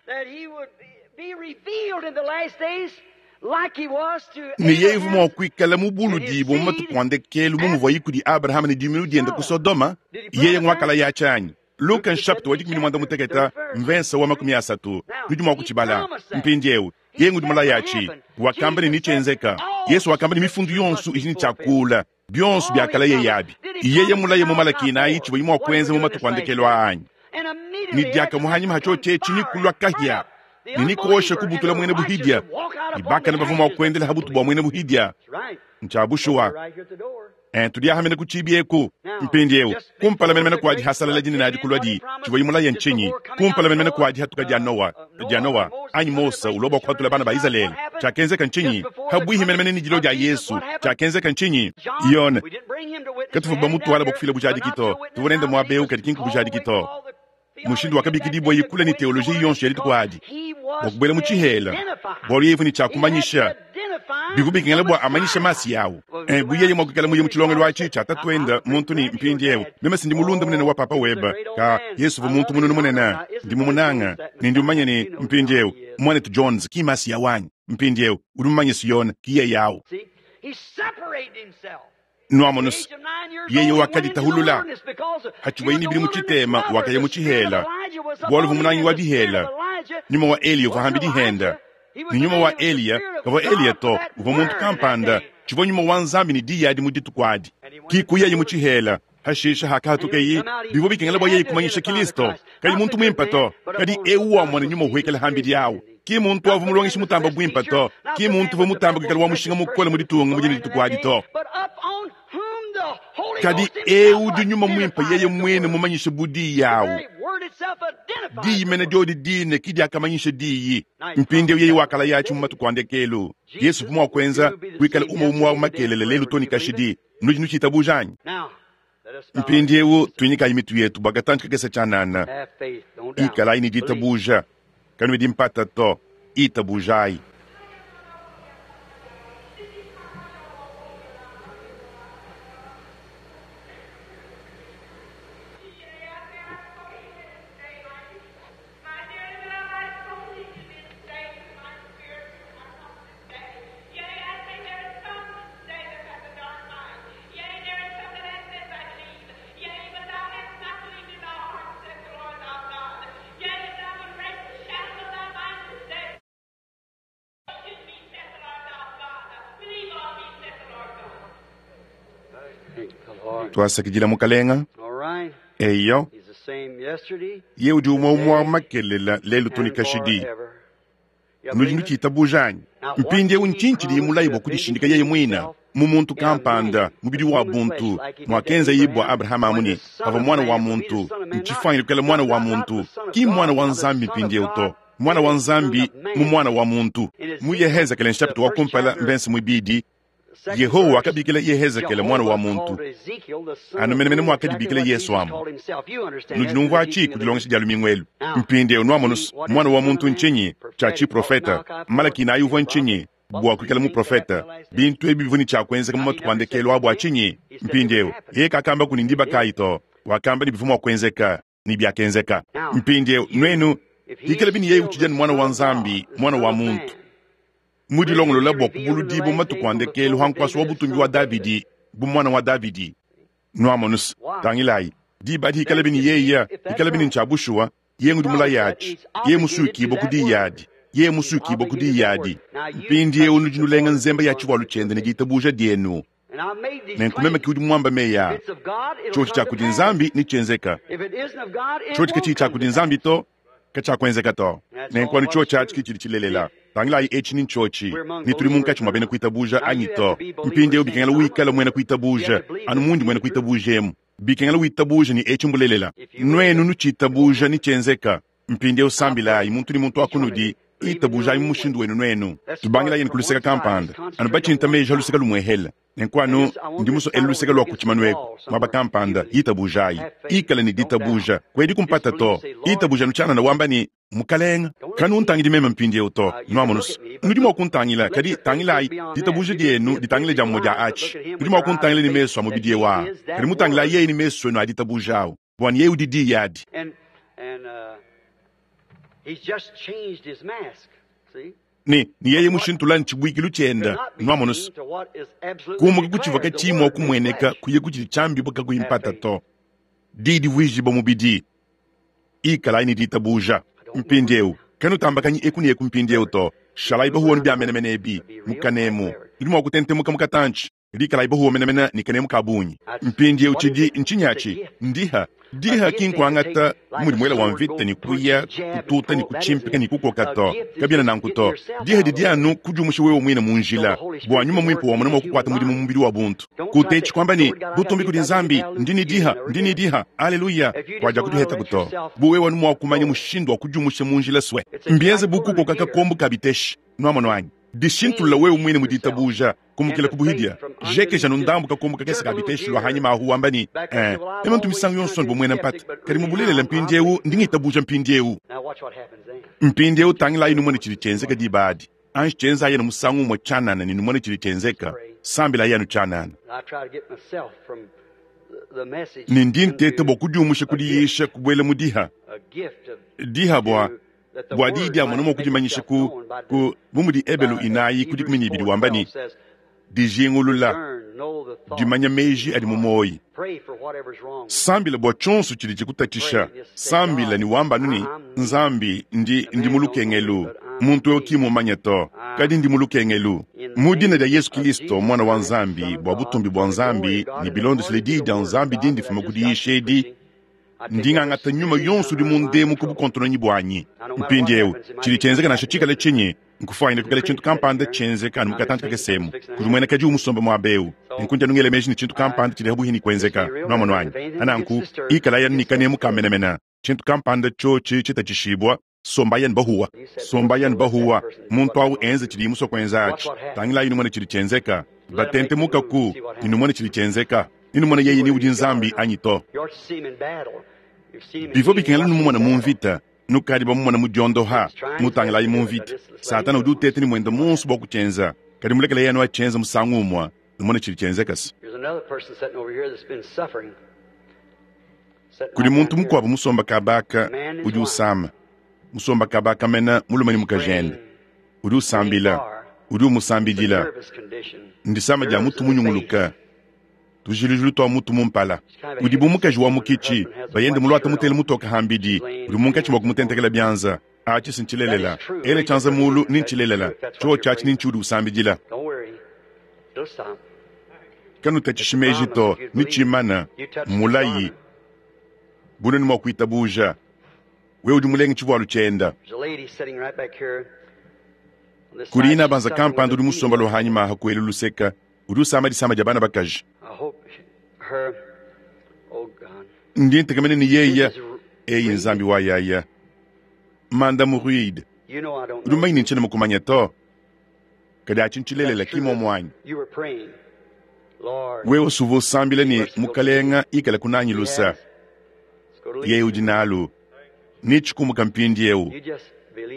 ne yeye uvua mua kuikala mubuludibue mu matuku a ndekelu bu muvuaye kudi Abrahama ne dimiinu diende ku Sodoma. Yeye nguakalaya atshi anyi? Luka nshapita wa 16 mvensa wa 30, nudi mua kutshibala. Mpindieu yeye ngudi mulaya atshi, wakamba ne nitshienzeka. Yesu wakamba ne mifundu yonso idi ne tshiakula bionso biakalaya yabi. Yeye mulaye mu Malaki 4 tshivua mua kuenza mu matuku a ndekelu anyi? Ne diakamue hanyima ha tshiotshi etshi nikulua kahia ne nikuosha kubutula muena buhidia, ne bakane bavua mua kuendela ha butu bua muena buhidia. Ntshia bushuwa. Tudi ahamena ku tshibi eku. Mpindieu kumpala menemene kua dihasalala dinene adi kulua di tshivua mulaye ntshinyi? Kumpala menemene kua dihatuka dia Noa, dia Noa anyi Mose ulua bua kuhatula bana ba Izalele, tshiakenzeka ntshinyi? Habuihi menemene ne dilua dia Yesu, tshiakenzeka ntshinyi? Yone katuvua bamutuala bua kufila bujadiki to, tuvua nende muaba eu kadi ki nkubujadiki to. Mushindu wakabikidibua kule ne teoloji yonso ya dituku adi bua kubuela mu tshihela, bualu yeye uvua ne tshia kumanyisha. Bivua bikengela bua amanyishe masi yawu. Bu yeye mua kuikala muye mu tshilongelu atshi tshia tatuende muntu ne mpindieu meme si ndi mulunda munene wa papa webe. Ka Yesu uvua muntu mununu munene, ndi mumunanga ne ndi mumanye ne mpindieu muanetu Jones ki masi yawu anyi? Mpindieu udi mumanye Siyone ki yeye awu. Nuamonusa yeye wakaditahulula hatshivuaye ne bidimu tshitema, wakaya mu tshihela bualu uvua munangi wa bihela. Nyuma wa Eliya uvua hambi dihenda ne nyuma wa Eliya kavua Eliya to, uvua muntu kampanda tshivua nyuma wa Nzambi ne diyi adi mu dituku adi. Ki kuyaye mu tshihela. Hashishe hakahatukeyi, bivua bikengela bua yeye kumanyisha Kilisto, kayi muntu muimpe to, kadi eu wamona nyuma uhuekela hambidi awu. Ki muntu avua mulongeshi mutamba buimpe to, ki muntu uvua mutamba kuikala wa mushinga mukole mu ditunga mu dine dituku adi to. Kadi eu udi nyuma muimpe yeye muine mumanyishe bu diyi awu. Diyi mene diodi dine ki diakamanyisha diyi. Mpindieu yeye wakalayatshi mu matuku a ndekelu. Yesu uvua mua kuenza kuikala umue umue wa makelele lelu to ne kashidi. Nudi nutshitabuja anyi? Mpindieu tuinyikayi mitu yetu bua katantshi kakese tshianana. Ikalayi ne ditabuja, kanuedi mpata to. Itabujayi. Tuasakidila Mukalenga. Eyo, ye udi umue umue wa makelela lelu to ne kashidi. Nudi nutshitabuja anyi? Mpindieu ntshinyi tshidiye mulaye bua kudishindika yeye muine mu muntu kampanda, mubidi wa buntu, muakenzaye bua Abrahama amu ne pavua muana wa muntu? Ntshifuanyine kuikala muana wa muntu, ki mmuana wa Nzambi mpindieu to, muana wa Nzambi mu muana wa muntu. Mu Yehezekele nshapita wa kumpala mvense muibidi, Yehowa wakabikila Yehezekele muana wa muntu, anu menemene muakadibikila Yesu amu. Nudi numvua atshi ku dilongesha dia lumingu elu. Mpindieu nuamonu muana wa muntu ntshinyi? Tshia tshiprofete. Malaki nayi uvua ntshinyi? Bua kuikala muprofete. Bintu ebi bivua ne tshia kuenzeka mu matuku a ndekelu a bua tshinyi? Mpindieu yeye kakamba ku ne ndiba kayi to, wakamba ne bivua mua kuenzeka, ne biakenzeka. Mpindieu nuenu, pikalabi ne yeye utshidi anu muana wa Nzambi, muana wa muntu, mudilongolola bua kubuludibua mu matuku a ndekelu ha nkuasa wa butumbi wa Davidi bu muana wa Davidi. Nuamonus, tangilayi, diba adi hikalabi ne yeye, hikalabi ne ntshia bushuwa, yeye ngudi mulayi atshi, yeye musuikibue ku diyi adi, yeye musuikibue ku diyi adi. Mpindieu nudi nulenga nzemba ya tshivualu tshiende ne ditabuja dienu. Nenku meme ke udi muambe meyi aa. Tshiotshi tshia kudi Nzambi netshienzeka, tshiotshi katshiyi tshia kudi Nzambi to, katshiakuenzeka to. Nenku anu tshiotshi atshi ke tshidi tshilelela. Tangilayi, etshi ni ntshiotshi, ne tudi munkatshi mua bena kuitabuja anyi to. Mpindieu bikengela wikale muena kuitabuja, anu mundi muena kuitabuja emu. Bikengela witabuje ne etshi mbulelela. Nuenu nutshitabuja, netshienzeka. Mpindieu sambilayi, muntu ne muntu wa kunudi, itabujayi mu mushindu wenu nuenu. Tubangilayi ne ku luseke kampanda, anu batshinta meji a luseke lumuehele. Nenku anu ndi musue elu luseke lua ku tshimanu eku, muaba kampanda, itabujayi. Ikala ne ditabuja. Kuediku mpata to. Itabuja anu tshianana wamba ne, Mukalenge, kanuntangidi meme mpindieu to. Nuamonus, nudi mua kuntangila, kadi tangilayi, ditabuja dienu ditangile dia mumue dia atshi. Nudi mua kuntangila ne mesu a mubidi eu aa, kadi mutangilayi yeye ne mesu enu a ditabuja au, bua ne yeye udi Diyi adi. Ne, ne yeye mushintula ntshibuikilu tshiende, nuamonus, kumuka ku tshivua katshiyi mua kumueneka kuya ku tshidi tshiambibua kakuyi mpata to. Diyi divuijibua mubidi. Ikalayi ne ditabuja. Mpindieu, kanutambakanyi eku ne eku mpindieu to. Shalayi bahuwa nu bia menemene ebi mu kanemu. Nudi mua kutentemuka mu katantshi, kadi ikalayi bahuwa menemene ne kanemu ka bungi. Mpindieu tshidi ntshinyi atshi? Ndiha. Diha ki nkuangata bu mudi muele wa mvita ne kuya kututa ne kutshimpika ne kukoka to. Kabiena nanku to. Diha didi anu kudiumusha wewe muine mu njila bua nyuma muimpe wamona mua kukuata mudimu mu mubidi wa buntu. Kutetshi kuamba ne, Butumbi kudi Nzambi, ndi ne diha, ndi ne diha, aleluya, kuadiakutuhetaku to. Bu wewe anu mua kumanya mushindu wa kudiumusha mu njila sue. Mbienze bu kukoka kakombo ka biteshi. Nuamonu anyi? Dishintulula wewe muine mu ditabuja, kumukila ku buhidia. Jekeja anu ndambu kakombo kakese ka biteshi lua hanyima ahu wamba ne, Eh, meme ntu misangu yonso anu bu muena mpata, kadi mu bulelela mpindieu ndi ngitabuja mpindieu. Mpindieu tangilayi numone tshidi tshienzeka diba adi. Anji tshienzayi anu musangu umue tshianana ne numone tshidi tshienzeka. Sambilayi anu tshianana. Ne ndi nteta bua kudiumusha ku diyisha kubuela mu diha. Diha bua bua diyi dia mona mua kudimanyisha ku, ku bu mudi Ebelu inayi ku dikumi ne ibidi wamba ne, dijingulula, dimanya meji adi mu muoyi. Sambila bua tshionso tshidi tshikutatshisha. Sambila ne wamba anu ne, Nzambi, ndi, ndi mu lukengelu. Muntu eu ki mmumanye to, kadi ndi mu lukengelu. Mu dina dia Yesu Kilisto, Muana wa Nzambi, bua butumbi bua Nzambi, ne bilondeshile Diyi dia Nzambi dindi mfuma ku diyisha edi, ndi ngangata nyuma yonso udi mundemu ku bukontononyi buanyi. Mpindieu, tshidi tshienzeka nansha tshikale tshinyi, nkufuanyine kuikala tshintu kampanda tshienzeka anu mu katantshi kakese emu. Kudi muena kadiwu musombe muaba eu, nenku ndi anu ngela meji ne tshintu kampanda tshidi pabuipi ne kuenzeka. Nuamonu anyi? Pa nanku, ikalayi anu ne kanemu ka menemene. Tshintu kampanda tshiotshi tshitatshishibua, sombayi anu bahuwa. Sombayi anu bahuwa. Muntu au enze tshidiye musue kuenza atshi. Tangilayi numone tshidi tshienzeka. Batentemukaku ne numone tshidi tshienzeka. Ne numone yeye ni udi Nzambi anyi to. Bivua bikengela numumone mu mvita. Nukadi bamumone mu diondoha. Mutangilayi mu mvita. Satana udi uteta ne muende muonso bua kutshienza, kadi mulekelayi anu atshienze musangu umue, numone tshidi tshienzeka. Kudi muntu mukuabu musomba kaba aka udi usama, musomba kaba aka mena mulume ne mukajende, udi usambila, udi umusambidila. Ndisama dia mutu munyunguluka, tujilujilu tua mutu mu mpala. Udi bu mukaji wa mukitshi, bayende muluate mutele mutoke hambidi, udi munkatshi mua kumutentekela bianza. Atshi si ntshilelela. Ela tshianza mulu, ni ntshilelela. Tshiotshi atshi ni ntshiudi usambidila. Kanutatshishi meji to, ne tshimana, mmulayi. Bu nuenu mua kuitabuja! Wewe udi mulenge tshivualu tshienda. Kudi inabanza kampanda udi musomba lua hanyima aha ku elu luseka, udi usama disama dia bana bakaji. Ndi ntekemena ne yeya, eyi Nzambi wa yaya. Mandamu Reed, udi mumanye ne ntshiena mukumanya to. Kadi atshi ntshilelela, ki muomu anyi? Wewe usuvua usambila ne, Mukalenga ikale kunanyi lusa. Yeye udi nalu. Netshikumuka mpindieu.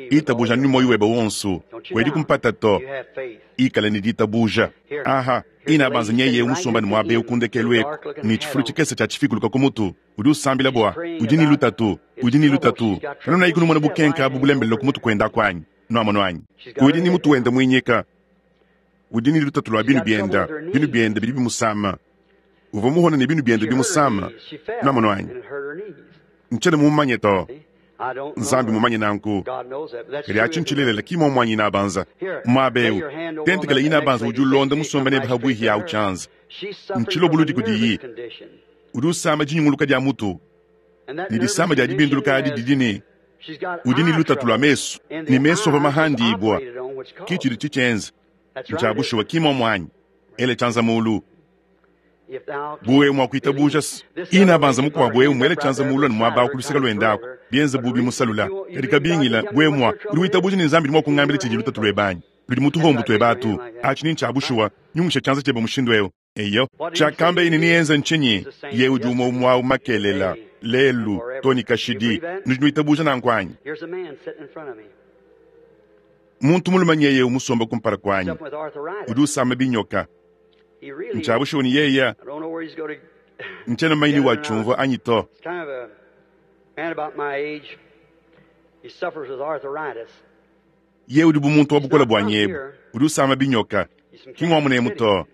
Itabuja anu ne muoyo webe wonso. Kuediku mpata to. Ikala ne ditabuja. Aha, inabanza nyeye eu musomba ne muaba eu ku ndekelu eku, ne tshifulu tshikese tshia tshifikuluka ku mutu. Udi usambila bua udi ne lutatu. Udi ne lutatu. Kanunayiku numona bukenka abu bulembelela ku mutu kuende aku anyi? Nuamonu anyi? Udi ne mutu wende muinyika. Udi ne lutatu lua binu biende. Binu biende bidi bimusama. Uvua muhone ne binu biende bimusama. Nuamonu anyi? Ntshiena mumumanye to. Nzambi mumanye nanku. Kadi atshi ntshilelela, ki muomu anyi inabanza? Muaba eu, tentekela inabanza udi ulonda musombe nebe habuihi au tshianza. Ntshilobuludi kudiyi. Udi usama dinyunguluka dia mutu, ne disama dia dibinduluka adi didi ne udi ne lutatu lua mesu, ne mesu avua mahandibua. Ki tshidi tshitshienza. Ntshia bushuwa, ki muomu anyi? Ela tshianza mulu. Bu wewe mua kuitabuja se, inabanza mukuabu eu muele tshianza mulu anu muaba au ku luseke luende aku, bienze bu bimusalula. Kadi kabingila, wewe mua, udi witabuja ne Nzambi udi mua kungambila tshidi lutatu luebe anyi? Ludi mu tuhombu tuebe atu. Atshi ni ntshia bushuwa. Nyungusha tshianza tshiebe mushindu eu. Eyo. Tshiakambeye ne neenze ntshinyi? Yeye udi umue umue au makelela, lelu, too ne kashidi. Nudi nuitabuja nanku anyi? Muntu mulume nyeye eu musombe kumpala kuanyi, udi usama binyoka. Ntshia bushuwa ne yeya ntshiena mumanye ni watshiumvua anyi to. Yeye udi bu muntu wa bukole buanyi ebu, udi usama binyoka. Ki ngua munemu to,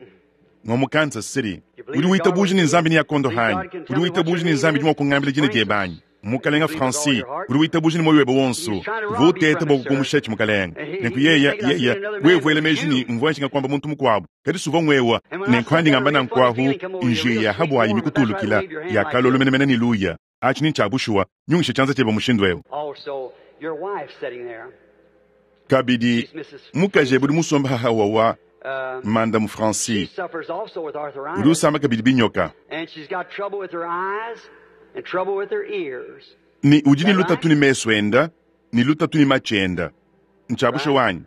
ngua mu Kansas City. Udi witabuja ne Nzambi neakondohe anyi? Udi witabuja ne Nzambi udi mua kungambila dina diebe anyi? Mukalenga Francis, udi witabuja ne muoyo webe wonso. Uvua uteta bua kukumushatshi, mukalenga. Nenku yeya, yeya, wewe wela meji ne mvua nshinga kuamba muntu mukuabu, kadi suvua ngwewa. Nenku andi ngamba nanku ahu, njiya ya habuayi mikutulukila, ya kalolo menemene ne luya. Atshi ni ntshia bushuwa, nyungisha tshianza tshiebe mushindu eu. Kabidi, mukaji ebe udi musombe haha wawa, Mandamu Francis, udi usama kabidi binyoka. Ne udi ne lutatu ne mesu enda, ne lutatu ne matshi enda. Ntshia bushuwa anyi?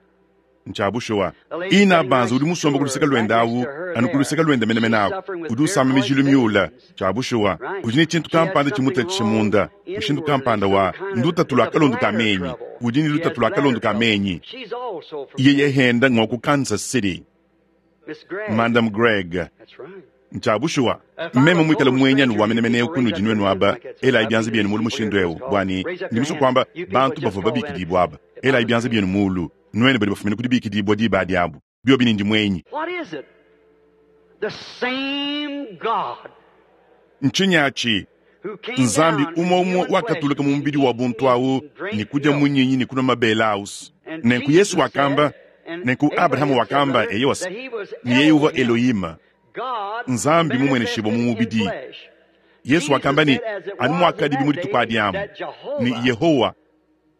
Ntshia bushuwa. Inabanza udi musombe ku luseke luende awu, anu ku luseke luende menemene aku. Udi usama mijilu miula. Tshia bushuwa. Udi ne tshintu kampanda tshimutatshisha munda, mushindu kampanda wa ndutatu lua kalondo ka menyi. Udi ne lutatu lua kalondo ka menyi. Yeye henda ngua ku Kansas City. Madam Gregg. Ntshia bushuwa. Meme muikale muenyi wa menemene eu kunudi nuenu aba, elayi bianza bienu mulu mushindu eu, bua ne, ndi musue kuamba, bantu bavua babikidibue aba, elayi bianza bienu mulu, nuenu badi bafumine ku dibikidibua diba adi abu, biobi ne ndi muenyi. Ntshinyi atshi? Nzambi umue umue wakatuluka mu mubidi wa buntu au ne kudia munyinyi ne kunua mabele aus. Nenku Yesu wakamba. Nenku Abrahama wakamba, eyowa, ne yeye uvua Elohima, Nzambi mumueneshibua mu mubidi. Yesu wakamba ne, anu muakadibi mu dituku adi amu, ne Yehowa,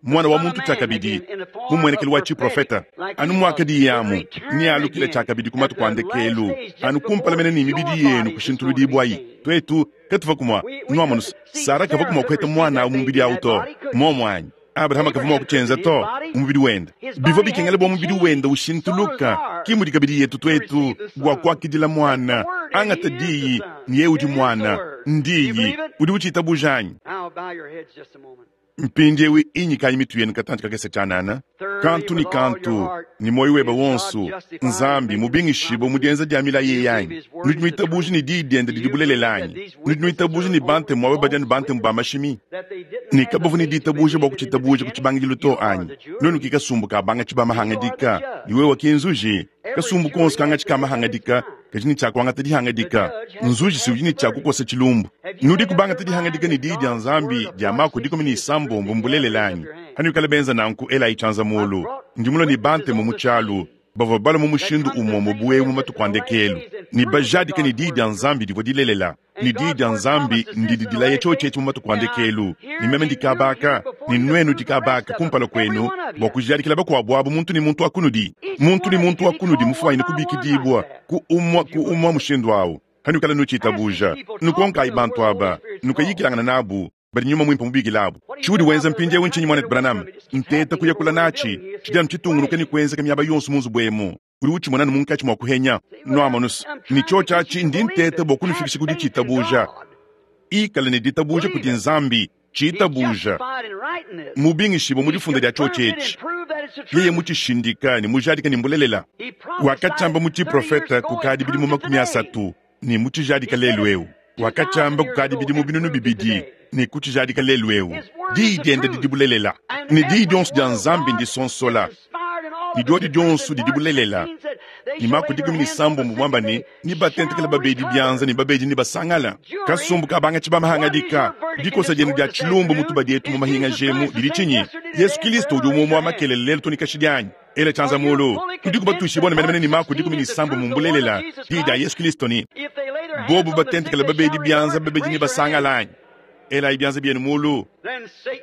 Muana wa muntu tshiakabidi, mu mmuenekelu wa tshiprofeta, anu muakadiye amu, nealukile tshiakabidi ku matuku a ndekelu, anu kumpala mene ne mibidi yenu kushintuludibuayi. Tuetu katuvua kumua, nuamonu, Sara kavua kumua kuheta muana awu mu mubidi awu to. Muomu anyi? Abrahama kavua mua kutshienza to, mu mubidi wende. Bivua bikengela bua mubidi wende ushintuluka, ki mudi kabidi yetu tuetu, bua kuakidila muana. Angata Diyi, ne yeye udi Muana. N'Diyi. Udi utshitabuja anyi? Mpindiewu inyikayi mitu yenu katantshi kakese tshianana, kantu ne kantu, ne muoyo webe wonso. Nzambi mubingishibue mu dienza dia milayi eyi anyi? Nudi nuitabuja ne diyi diende didi bulelela anyi? Nudi nuitabuja ne bantemu aba badi anu bantemu ba mashimi, ne kabavua ne ditabuja bua kutshitabuja ku tshibangidilu to anyi? Nuenu ki kasumbu ka bangatshi ba mahangadika, ne wewe ki nzuji. Kasumbu konso kangatshi ka mahangadika kadi ne tshia kuangata dihangadika. Nzuji si udi ne tshia kukosa tshilumbu. Nudiku bangata dihangadika ne Diyi dia Nzambi dia Mako 16 mbulelela anyi? Hanuikala benza nanku, elayi tshianza mulu. Ndi mulue ne bantemu mu tshialu bavua balua mu mushindu umue bu eu mu matuku a ndekelu ne bajadike ne Diyi dia Nzambi divua dilelela. Ne Diyi dia Nzambi ndidi dilaya tshiotshi etshi mu matuku a ndekelu, ne meme ndi kaba aka, ne nuenu di kaba aka kumpala kuenu, bua kujadikila bakuabu abu, muntu ne muntu wa kunudi, muntu ne muntu wa kunudi mufuanyine kubikidibua ku umua ku umua mushindu awu, hanuikala nutshitabuja. Nukonkayi bantu aba, nukayikilangana nabu, badi Nyuma Muimpe mubikile abu. Tshiudi wenza mpindiewu ntshinyi, Muanetu Branham? Nteta kuyakula natshi. Tshidi anu tshitungunuka ne kuenzeka miaba yonso mu nzubu emu. Udi utshimona anu munkatshi mua kuhenya. Nuamonus, ne tshiotshi atshi ndi nteta bua kunufikisha ku ditshitabuja. Ikala ne ditabuja kudi Nzambi, tshitabuja. Mubingishibue mu difunda dia tshiotshi etshi. Yeye mutshishindika ne mujadika ne mbulelela. Wakatshiamba mu tshiprofeta kukadi bidimu 30 ne mutshijadika lelu eu. Wakatshiamba kukadi bidimu 2000 ne kutshijadika lelu eu. Diyi diende didi bulelela, ne diyi dionso dia Nzambi ndisonsola, ne diodi dionso didi bulelela. Ne Mako 16 muamba ne, Nebatentekele babedi bianza ne babedi nebasangala. Kasumbu ka bangatshi ba mahangadika, dikosa dienu dia tshilumbu mu tubadi etu mu mahingaji emu didi tshinyi? Yesu Kilisto udi umue wa makelele lelu to ne kashidi anyi? Ela tshianza mulu. Tudiku batuishibue ne menemene ne Mako 16 mbulelela, diyi dia Yesu Kilisto ne, Bobu batentekele babedi bianza, babedi nebasangala anyi? Elayi bianza bienu mulu.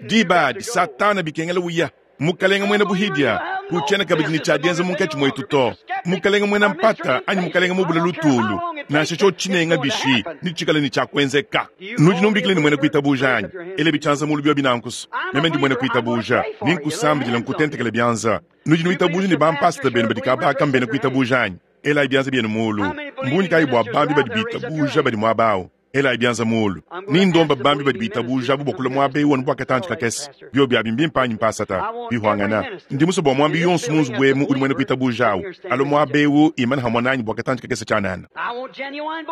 Diba adi Satana bikengela uya. Mukalenge muena buhidia, kutshiena kabidi ne tshia dienza munkatshi muetu to. Mukalenge muena mpata anyi mukalenge mubule lutulu, nansha tshiotshi tshinenga bishi, netshikale ne tshia kuenzeka. Nudi numbikila ne muena kuitabuja anyi? Elabi tshianza mulu biobi nanku's. Meme ndi muena kuitabuja, ne nkusambidila nkutentekela bianza. Nudi nuitabuja ne bampasata benu badi kabaka mbena kuitabuja anyi? Elayi bianza bienu mulu. Mbungi kayi bua bambi badi bitabuja badi muaba au? Elayi bianza muulu. Ni ndomba bambi badi bitabuja abu bua kulua muaba eu anu bua katantshi kakese. Biobi abi mbimpe anyi mpasata? Bihuangana. Ndi musue bua muambi yonso mu nzubu emu udi muena kuitabuja au alue muaba eu imane hamue nanyi bua katantshi kakese tshianana.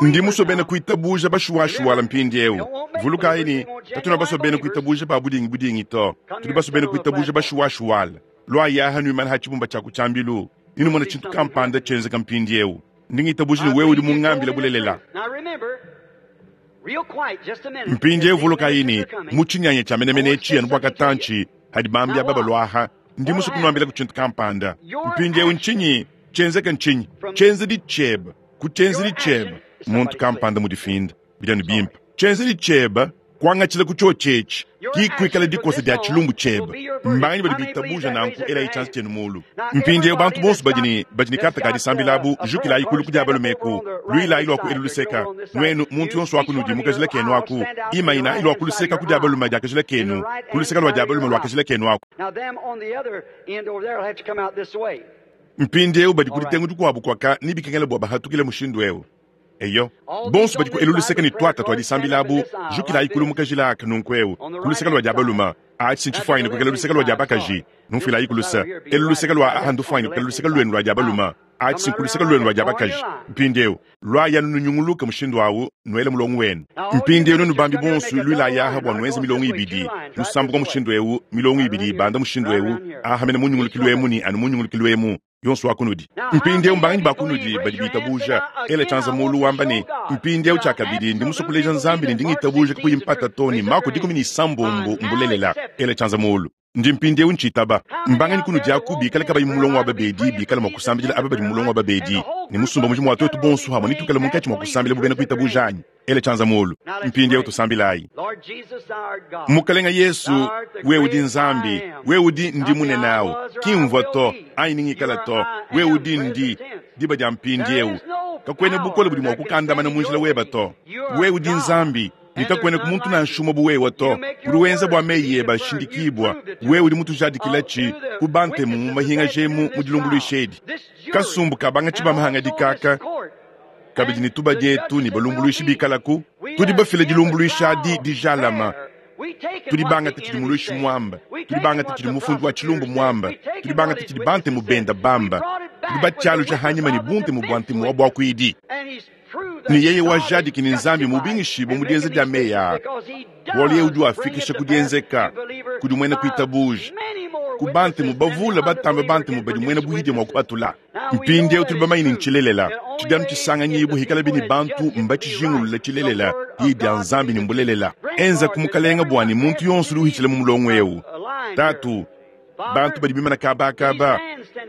Ndi musue bena kuitabuja bashuwashuwala mpindieu. Vulukayi ne, katuena basue bena kuitabuja ba budingi budingi to. Tudi basue bena kuitabuja bashuwashuwala. Luayi aha nuimane ha tshibumba tshia ku tshiambilu, ne numone tshintu kampanda tshienzeka mpindieu. Ndi ngitabuja ne wewe udi mungambile bulelela. Mpindieu vulukayi ne, mu tshinyanya tshia menemene etshi anu bua katantshi hadi bambi aba balua aha, ndi musue kunuambilaku tshintu kampanda. Mpindieu ntshinyi tshienzeka? Ntshinyi tshienzedi tshiebe ku tshienzedi tshiebe? Muntu kampanda mudifinda. Bidi anu bimpe. Tshienzedi tshiebe kuangatshila ku tshiotshi etshi ki kuikala dikosa dia tshilumbu tshiebe. Mbanganyi badi bitabuja nanku? Elayi tshianza tshienu mulu. Mpindieu bantu bonso badi ne badi ne karte ka disambila abu, jukilayi kulu ku dia balume eku, luilayi lua ku elu luseka. Nuenu, muntu yonso wa kunudi mu kajila kenu aku, imayinayi lua ku luseka ku dia balume dia kajila kenu, ku luseka lua dia balume lua kajila kenu aku. Mpindieu badi ku ditengu dikuabu kuaka, nebikengele bua bahatukile mushindu eu. Eyo, bonso badi ku elu luseke ne tuata tua disambila abu, jukilayi kulu mu kajila aka nunku eu, ku luseke lua dia balume. Atshi ntshifuanyine kuikala luseke lua dia bakaji. Numfuilayi ku luse. Elu luseke lua aha ndufuanyine kuikala luseke luenu lua dia balume. Atshi nku luseke luenu lua dia bakaji. Mpindieu, luayi anu nunyunguluke mushindu au, nuele mulongo wenu. Mpindieu nuenu bambi bonso, luilayi aha bua nuenze milongo ibidi, nusambuka mushindu eu, milongo ibidi ibanda mushindu eu, aha mene mu nyungulukilu emu ne anu mu nyungulukilu emu. Yonso wa kunudi. Mpindieu mbanganyi ba kunudi badi bitabuja? Ela tshianza mulu wamba ne, Mpindieu tshiakabidi ndi musue kuleja Nzambi ne ndi ngitabuja kakuyi mpata to ne Mako 16 mbulelela. Ela tshianza mulu. Ndi mpindieu ntshitaba. Mbanganyi kunudi aku bikale kabayi mu mulongo wa babedi bikale mua kusambidila aba badi mu mulongo wa babedi, ne musumba mujima wa tuetu bonso hamue netuikale munkatshi mua kusambila bu bena kuitabuja anyi? Ela tshianza mulu. Mpindieu tusambilayi. Mukalenga Yesu, wewe udi Nzambi, wewe udi Ndi munene au, ki mvua to, anyi ni ngikala to, wewe udi Ndi, diba dia mpindieu. Kakuena bukole budi mua kukandamana mu njila weba to. Wewe udi Nzambi, ne kakuenaku muntu nansha umue bu wewe to. Udi wenza bua meyi ebe ashindikibua. Wewe udi mutujadikilatshi ku bantemu mu mahingaja emu mu dilumbuluisha edi. Kasumbu ka bangatshi ba mahangadika aka kabidi ne tubadi etu ne balumbuluishi bikalaku, tudi bafile dilumbuluisha adi dijalama. Tudi bangate tshidi muluishi muamba, tudi bangate tshidi mufundi wa tshilumbu muamba, tudi bangate tshidi bantemu benda bamba, tudi batshialuja hanyima ne buntemu bua ntemu wa buakuidi. Ne yeye wajadiki ne Nzambi mubingishibue mu dienza dia meyi aa, bualu yeye udi wafikisha ku dienzeka kudi muena kuitabuja, ku bantemu bavule batambe bantemu badi muena buhidia mua kupatula. Mpindieu tudi bamanye ne ntshilelela, tshidi anu tshisanganyibua hikalabi ne bantu mbatshijingulule tshilelela, Diyi dia Nzambi ne mbulelela. Enza ku Mukalenga bua ne muntu yonso udi uhitshila mu mulongo eu, Tatu, bantu badi bimana kabakaba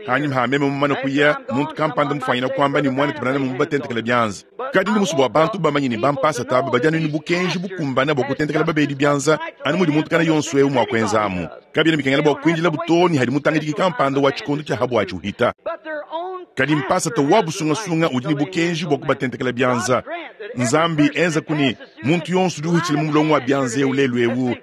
hanyima ha meme mumane kuya, muntu kampanda mufuanyina kuamba ne muanetu Branham mubatentekele bianza. Kadi ndi musue bua bantu bamanye ne bampasata aba badi anu ne bukenji bukumbane bua kutentekela babedi bianza anu mudi muntu kana yonso eu mua kuenza amu. Kabiena bikengela bua kuindilabu too ne hadi mutangidiki kampanda wa tshikondo tshia habuatshi uhita. Kadi mpasata wa busungasunga udi ne bukenji bua kubatentekela bianza. Nzambi enzaku ne muntu yonso udi uhitshila mu mulongo wa bianza eu lelu eu,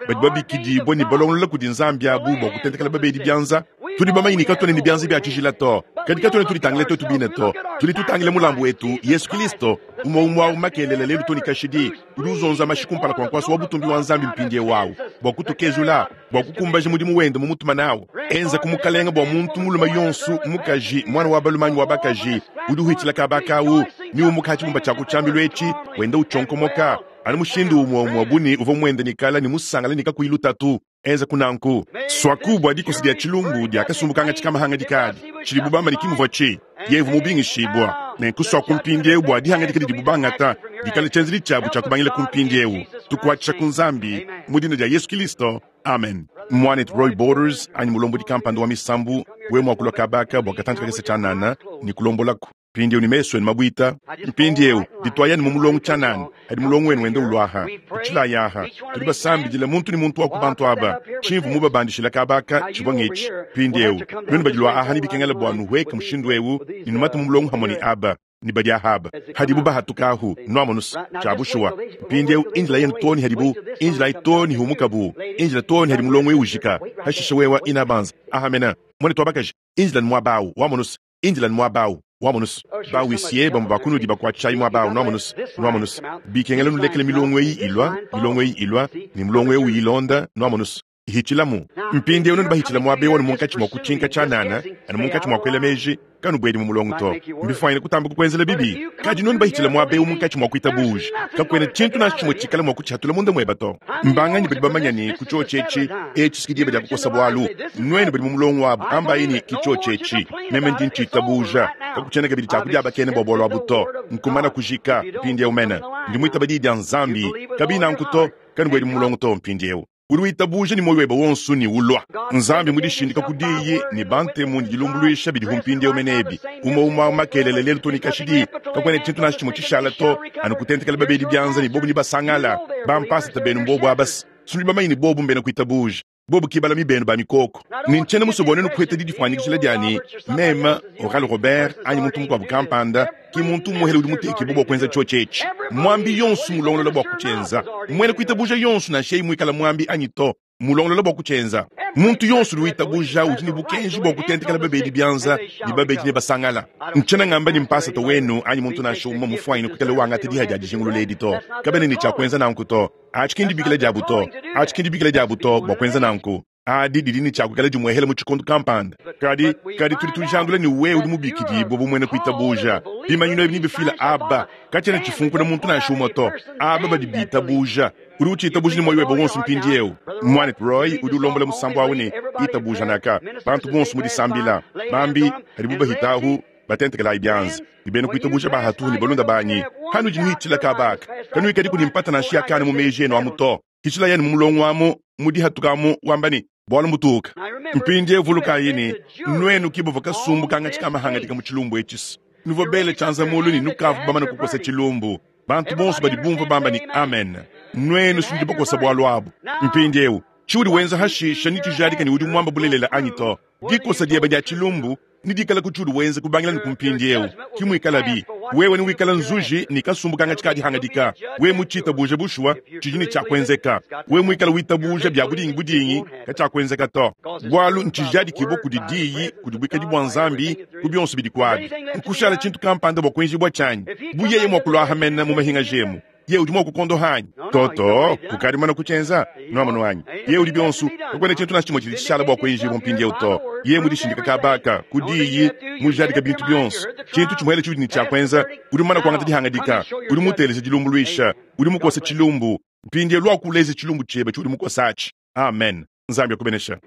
badi babikidibue ne balongolola kudi Nzambi abu bua kutentekela babedi bianza. Tudi bamanye ne katuena ne bianza bia tshijila to, kadi katuena tuditangila tuetu bine to. Tudi tutangila mulambu wetu, Yesu Kilisto, umue umue au makelela lelu to ne kashidi, udi uzonza mashi kumpala kua nkuasa wa butumbi wa Nzambi mpindieu au bua kutukezula, bua kukumbaja mudimu wende mumutuma nawu. Enza ku Mukalenga bua muntu mulume yonso, mukaji, muana wa balume anyi wa bakaji, udi uhitshila kaba kawu ne umuka ha tshibumba tshia ku tshiambilu etshi, wenda utshionkomoka anu mushindu umue umue bu ne uvua muende ne kala ne musangale ne kakuyi lutatu. Enza ku nanku suaku bua dikosa dia tshilumbu dia kasumbu kangatshi ka mahangadika adi tshidibu bamba ne ki muvua tshi yevu mubingishibua, nenku suaku mpindieu bua dihangadika didibu bangata dikale tshienzedi tshiabu tshia kubangila ku mpindieu. Tukuatshisha ku Nzambi mu dina dia Yesu Kilisto, amen. Muanetu Roy Borders anyi mulombodi kampanda wa misambu, wewe mua kulua kabaka bua katantshi kakese tshianana ne kulombolaku. Mpindieu ne mesu enu mabuita, mpindieu dituayanu mu mulongo tshianana hadi mulongo wenu wenda uluaha. Tutshilayi aha, tudi basambidila muntu ne muntu wa ku bantu aba. Tshimvua mubabandishila kaba aka tshivua ngetshi. Mpindieu nuenu badi lua aha nebikengela bua nuhueke mushindu eu ne numate mu mulongo hamue ne aba ne badi aha aba hadibu bahatuka ahu. Nuamonus tshia bushuwa. Mpindieu injila yenu too ne hadibu injilayi too ne humukabu injila too ne hadi mulongo eu ujika. Hashishe wewa inabanza aha mena muanetu wa bakaji injila ne muaba au. Wamonus Indila muaba au, wamonus bawisie bamue ba kunudi bakuatshishayi muaba au, nuamonus, nuamonus bikengela nulekele milongo eyi ilua, milongo eyi ilua, ne mulongo eu uyilonda, nuamonus ihitshilamu. Mpindieu nuenu bahitshila muaba eu anu munkatshi mua kutshinka tshianana, anu munkatshi mua kuela meji, kanubuedi mu mulongo to. Mbifuanyine kutamba kukuenzela bibi. Kadi nuenu bahitshila muaba eu munkatshi mua kuitabuja, kakuena tshintu nansha tshimue tshikala mua kutshihatula munda mueba to. Mbanganyi badi bamanya ne ku tshiotshi etshi, etshi si diba dia kukosa bualu? Nuenu badi mu mulongo wabu, ambayi ne, Ki tshiotshi etshi, meme ndi ntshitabuja. Kakutshiena kabidi tshia kudiabakena bua bualu abu to. Nkumana kujika, mpindieu mene. Ndi muitaba diyi dia Nzambi. Kabiyi nanku to, kanubuedi mu mulongo to mpindieu. Udi witabuja ne muoyo webe wonso ne ulua. Nzambi mudishindika ku diyi ne bantemu ne dilumbuluisha bidihu mpindieu mene ebi. Umue umue au makelela lelu to ne kashidi. Kakuena tshintu nansha tshimue tshishala to, anu kutentekela babedi bianza ne bobu ne basangala. Bampasata benu mbobu aba se nudi bamanye ne bobu mbena kuitabuja. Bobu ki balami benu ba mikoko. Ne ntshiena musue bua nuenu kuheta didifuanyikijila dia ne, meme, Oral Robert, anyi muntu mukuabu kampanda, ki muntu umuehele udi mutekibue bua kuenza tshiotshi etshi. Muambi yonso mulongolola bua kutshienza. Muena kuitabuja yonso, nansha yeye muikale muambi anyi to, mulongolola bua kutshienza. Muntu yonso udi witabuja udi ne bukenji bua kutentekela babedi bianza, ne babedi nebasangala. Ntshiena ngamba ne mpasata wenu anyi muntu nansha umue mufuanyine kuikala wangata diha dia dijingulula edi to. Kabena ne tshia kuenza nanku to. Atshi ki ndibikila diabu to. Atshi ki ndibikila diabu to bua kuenza nanku. Adi didi ne tshia kuikala dimuehela mu tshikondo kampanda. Kadi, kadi tudi tujandula ne wewe udi mubikidibue bu muena kuitabuja. Bimanyinu ebi nebifile aba. Katshiena tshifunkuna muntu nansha umue to. Aba badi bitabuja. Udi utshitabuja ne muoyo webe wonso mpindieu. Muanetu Roy udi ulombola musambu au ne, Itabuja naka. Bantu bonso mu disambila. Bambi, hadibu bahitahu, batentekelayi bianza. Ne bena kuitabuja ba hatuhu ne balunda banyi, hanudi nuhitshila kaba aka, kanuikadiku ne mpata nansha ya kana mu meji enu amu to. Hitshilayi anu mu mulongo amu, mu dihatuka amu, wamba ne, Bualu mbutuuka. Mpindieu vulukayi ne, nuenu ke bavua kasumbu kangatshi ka mahangadika mu tshilumbu etshi. Nuvua bele tshianza muulu ne nukavua bamane kukosa tshilumbu. Bantu bonso badi bumvua bamba ne, Amen. Nuenu si nudi bakosa bualu abu. Mpindieu, tshiudi wenza hashisha netshijadike ne udi muamba bulelela anyi to. Dikosa diebe dia tshilumbu nedikale ku tshiudi wenza kubangila ne ku mpindieu. Ke muikalabi, wewe newikale nzuji ne kasumbu kangatshi ka dihangadika. Wewe mutshitabuje bushuwa, tshidi ne tshia kuenzeka. Wewe muikale witabuja bia budingi-budingi, katshiakuenzeka to. Bualu ntshijadikibue kudi Diyi, kudi buikadi bua Nzambi, ku bionso bidi kuabi. Nkushala tshintu kampanda bua kuenjibua tshianyi. Bu yeye mua kuluaha mene mu mahingaji emu, yeye udi mua kukondoha anyi? To, to, kukadi mumane kutshienza. Nuamonu anyi? Yeye udi bionso, kakuena tshintu nansha tshimue tshidi tshishala bua kuenjibua mpindieu to. Yeye mudishindika kaba aka, ku Diyi, mujadika bintu bionso. Tshintu tshimuele tshiudi ne tshia kuenza, udi mumane kuangata dihangadika, udi muteleja dilumbuluisha, udi mukose tshilumbu. Mpindieu luaku uleje tshilumbu tshiebe tshiudi mukose atshi. Amen. Nzambi akubenesha.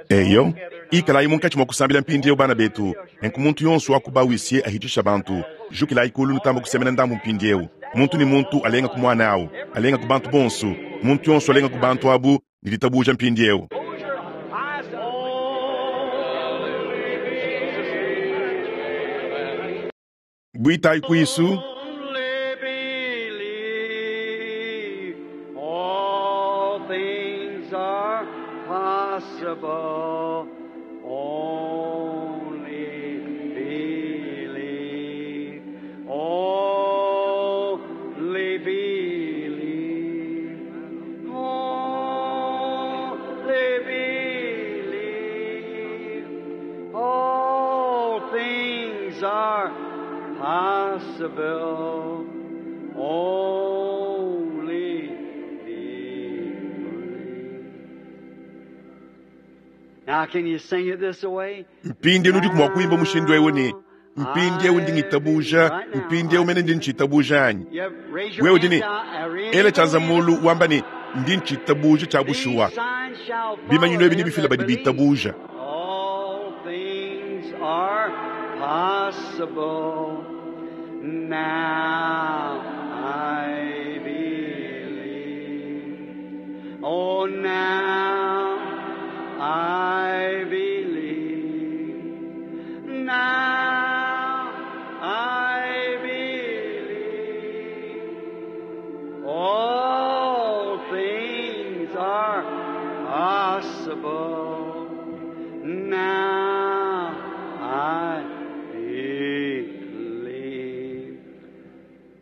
Eyo, ikalayi munkatshi mua kusambila mpindieu bana betu. Nenku muntu yonso wa ku ba-huissier ahitshisha bantu. Jukilayi kulu nutamba kusemena ndambu mpindieu. Muntu ne muntu alenga ku muana au, alenga ku bantu bonso. Muntu yonso alenga ku bantu abu ne ditabuja mpindieu. Buitayi kuisu. Only believe all things are possible. Only believe. Only believe. Only believe. All things are possible. Only believe. Now, can you sing it this way? Mpindieu nudiku mua kuimba mushindu eu ne, mpindieu ndi ngitabuja, mpindieu mene ndi ntshitabuja anyi? You raise your Wewe udi ne, hands now. I really ela tshianza believe muulu it. wamba ne, ndi ntshitabuja tshia bushuwa. These signs shall follow Bimanyinu ebi them nebifila that badi believe. bitabuja. All things are possible. Now I believe. Oh, now I believe. Now I believe. All things are possible. Now I believe.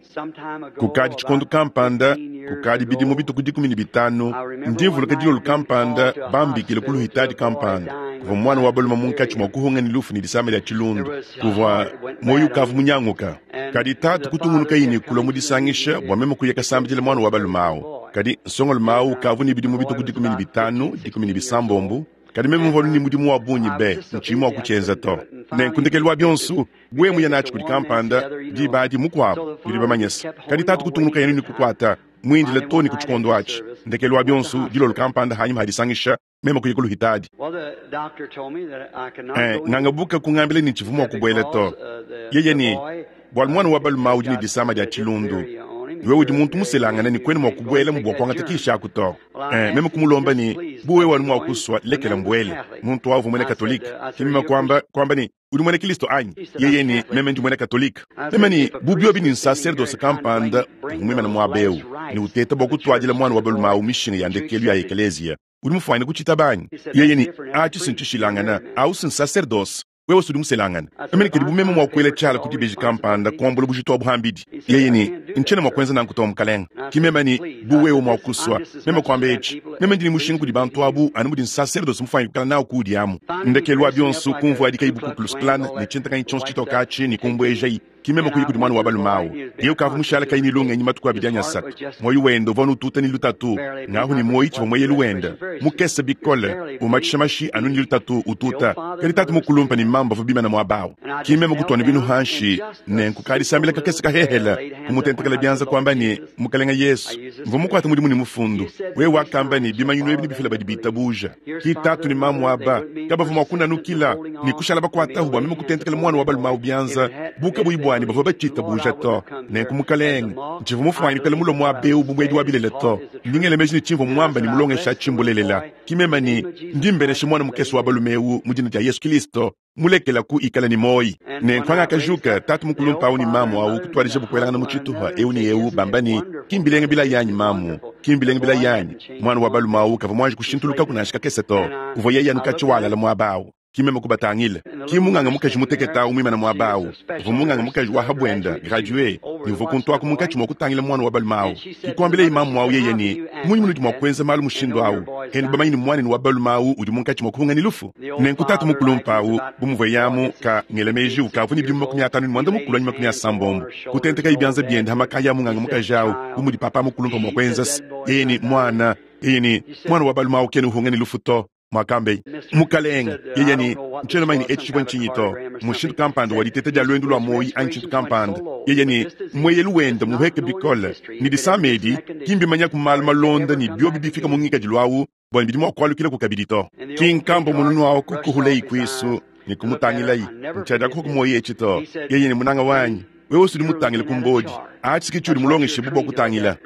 Some time ago, Kukadi tshikondo about kampanda, 15 years kukadi bidimu ago, bituku 15, ndi mvuluka dilolo kampanda bambikile ku luhitadi kampanda. Kuvua muana wa balume munkatshi mua kuhunga ne lufu ne disama dia tshilundu. Kuvua muoyo ukavu munyanguka. Kadi tatu kutungunukayi ne kulua mu disangisha bua meme kuya kasambidila muana wa balume awu. Kadi nsongalume awu ukavu ne bidimu bituku 15, 16, kadi meme mvua ne mudimu wa bungi be, ntshiyi mua kutshienza to. Nenku ndekelu wa bionso, wewe muya natshi kudi kampanda, diba adi mukuabu, nudi bamanye se. Kadi tatu kutungunukaye ne kukuata, muindile too ne ku tshikondo atshi. Ndekelu wa bionso, dilolo kampanda hanyima hadisangisha, meme kuya ku luhitadi. well, the doctor told me that I could not go in Ngangabuka kungambila ne tshivua mua kubuela to. because Yeye the ne, boy bualu muana wa balume udi ne got disama dia tshilundu. diphtheria on him. Wewe udi muntu muselangane ne kuena mua Can't go kubuela and mu bua take that kuangata germ. kishi aku to. Well, I Meme asked him, kumulomba just ne, please bu let wewe me wanu mua go in. kusua, The lekela man was mbuele. Catholic. Muntu wavu muena I said, Katolika. I said, Ke are meme you a kuamba, Christian? kuamba ne, udi muena Kristo anyi? He said, I'm Yeye ne, Catholic. meme ndi muena Katolika. I Meme said, ne, if a bu priest biobi ne was standing here nsaserdose and trying to kampanda bring uvua muimane the muaba eu, last ne rites uteta bua of the kutuadila church muana to wa the balume boy, awu mishinga ya would you ndekelu ya accept it? ekeleziya. Udi mufuane kutshitaba anyi? He said, Yeye that's ne, different. That's a atshi priest. You're a sintshishilangana, married man. awu sinsaserdose. Wewe usudi muselangana. I said, Meme ne if kadi I bu meme sign mua a kuela paper to tshiala all ku dibeji kampanda responsibility, kuambula bujitu abu hambidi. he said, Yeye I ne, can't do ntshiena that, mua sir. kuenza nanku to mukalenga. And I Ki said, meme ne, please. bu I wewe said, mua this, I'm kusua. just as Meme much to kuamba them etshi. people Meme as ndi ne the mushinga priest kudi would be bantu to you. abu anu mudi nsaserdose mufuane kukala nawu kuudi amu. Finally, he Ndekelu wa dressed me up bionso like a kumvua adikayi Ku bu Klux Ku Klux Klan, Klan all ne that tshintakanyi tshionso white tshitoka stuff, atshi ne taking me. kumbuejayi. Ki meme And kuya I kudi went muana wa to the balume boy, awu. and he was Yeye being ukavua conscious mushala to kayi his ne lungenyi matuku His abidi anyi heart asatu. was just Muoyo wende uvua nututa ne lutatu. barely Ngahu beating ne up muoyo with tshivua what mueyelu the wenda. respiration very soon. Mukese He was bikole, barely umatshisha breathing. mashi anu ne lutatu The old ututa. father Kadi and tatu mother were mukulumpa standing ne there. mamba avua bimana muaba awu. And I Ki just meme knelt kutuana binu down and hanshi, just a ne simple nkukadisambila kakese little prayer, kahehela, laid hands up kumutentekela on. I said, bianza Lord kuamba ne, Jesus, Mukalenga I Yesu, use this mvua mukuate scripture. mudimu ne mufundu. You said Wewe these wakamba ne, signs shall bimanyinu ebi follow them nebifila that badi believe. bitabuja. Here's Ki father tatu ne and mamu mother, they aba, wouldn't be kabavua mua persistent in kunanukila, holding ne on kushala for me to bakuatahu bua lay meme hands kutentekela upon muana wa that balume awu boy. If bianza, it had, buka if buyi they bua ne bavua batshitabuja to. Nenku Mukalenge, ntshivua mufwanyikale mulue muaba eu bu muedi wa bilele to. Ndi ngela meji ne tshimvua muambe ne mulongeshe atshi mbulelela. Ki meme ne, ndi mbenesha muana mukese wa balume eu mu dina dia Yesu Kilisto, mulekelaku ikala ne muoyi. Nenku pangakajuka, tatu mukulumpe au ne mamu au kutuadijabu kuelangana mu tshitupa eu ne eu, bamba ne, Ki mbilenga bilayi anyi, mamu? Ki mbilenga bilayi anyi? Muana wa balume au kavua muanji kushintulukaku nansha kakese to. Uvua yeye anu katshia walala muaba au. Ki meme kubatangila. Ki munganga mukaji mutekete au muimane muaba au. Uvua munganga mukaji wa ha buenda, graduee, ne uvua kuntu aku munkatshi mua kutangila muana wa balume au. Ki kuambilaye mamu au yeye ne, Mmunyi munudi mua kuenza malu mushindu au, enu bamanye ne muanenu wa balume au udi munkatshi mua kuhunga ne lufu? Nenku tatu mukulumpe au, bu muvuaye amu, ka, ngela meji, ukavua ne bidimu 51 anyi 60, kutentekaye bianza biende ha makaya a munganga mukaji au, bu mudi papa mukulumpe mua kuenza. Yeye ne, Muana, yeye ne, muana wa balume au kena uhunga ne lufu to. Muakambeye Mukalenge, yeye ne, Ntshiena mumanye ne etshi tshivua ntshinyi to, mushindu kampanda wa diteta dia luendu lua muoyi anyi tshintu kampanda. Yeye ne, Mueyelu wende mmuhueke bikole, ne disama edi ki mbimanyaku malu malonda ne biobi bifika mu ngikadilu au bua ne bidi mua kualukilaku kabidi to. Ki nkambua mununu au kukuhuleyi kuisu ne kumutangilayi. Ntshiadiakupa ku muoyi etshi to. Yeye ne, Munanga wanyi, wewe udi mutangile ku mbodi. Atshi ke tshiudi mulongeshibue bua kutangila.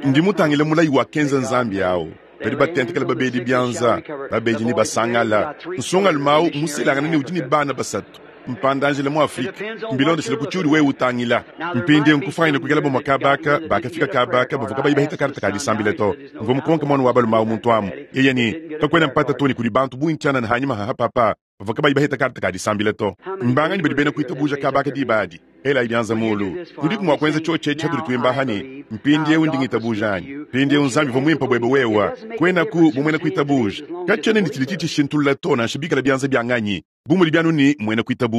Ndi mutangile mulayi wakenza Nzambi au. Badi batentekela babedi bianza, babedi ne basangala. Nsongalume au mmuselangane ne udi ne bana basatu. Mpanda-njila mu Afrike. Mbilondeshile ku tshiudi wewe utangila. Mpindieu nkufuanyine kuikala bamue kaba aka bakafika kaba aka bavua kabayi baheta karte ka disambila to. Mvua mukonke muana wa balume au muntu amu. Yeye ne, Kakuena mpata to ne kudi bantu bungi tshianana hanyima ha papa bavua kabayi baheta karte ka disambila to. Mbanganyi badi bena kuitabuja kaba aka diba adi? Elayi bianza mulu. Nudiku mua kuenza tshiotshi etshi hatudi tuimba aha ne, Mpindieu ndi ngitabuja anyi? Mpindieu Nzambi uvua muimpe buebe wewe. Kuenaku bu muena kuitabuja. Katshiena ne tshidi tshitshishintulula to nansha bikala bianza bia nganyi, bu mudi bianu ne muena kuitabuja.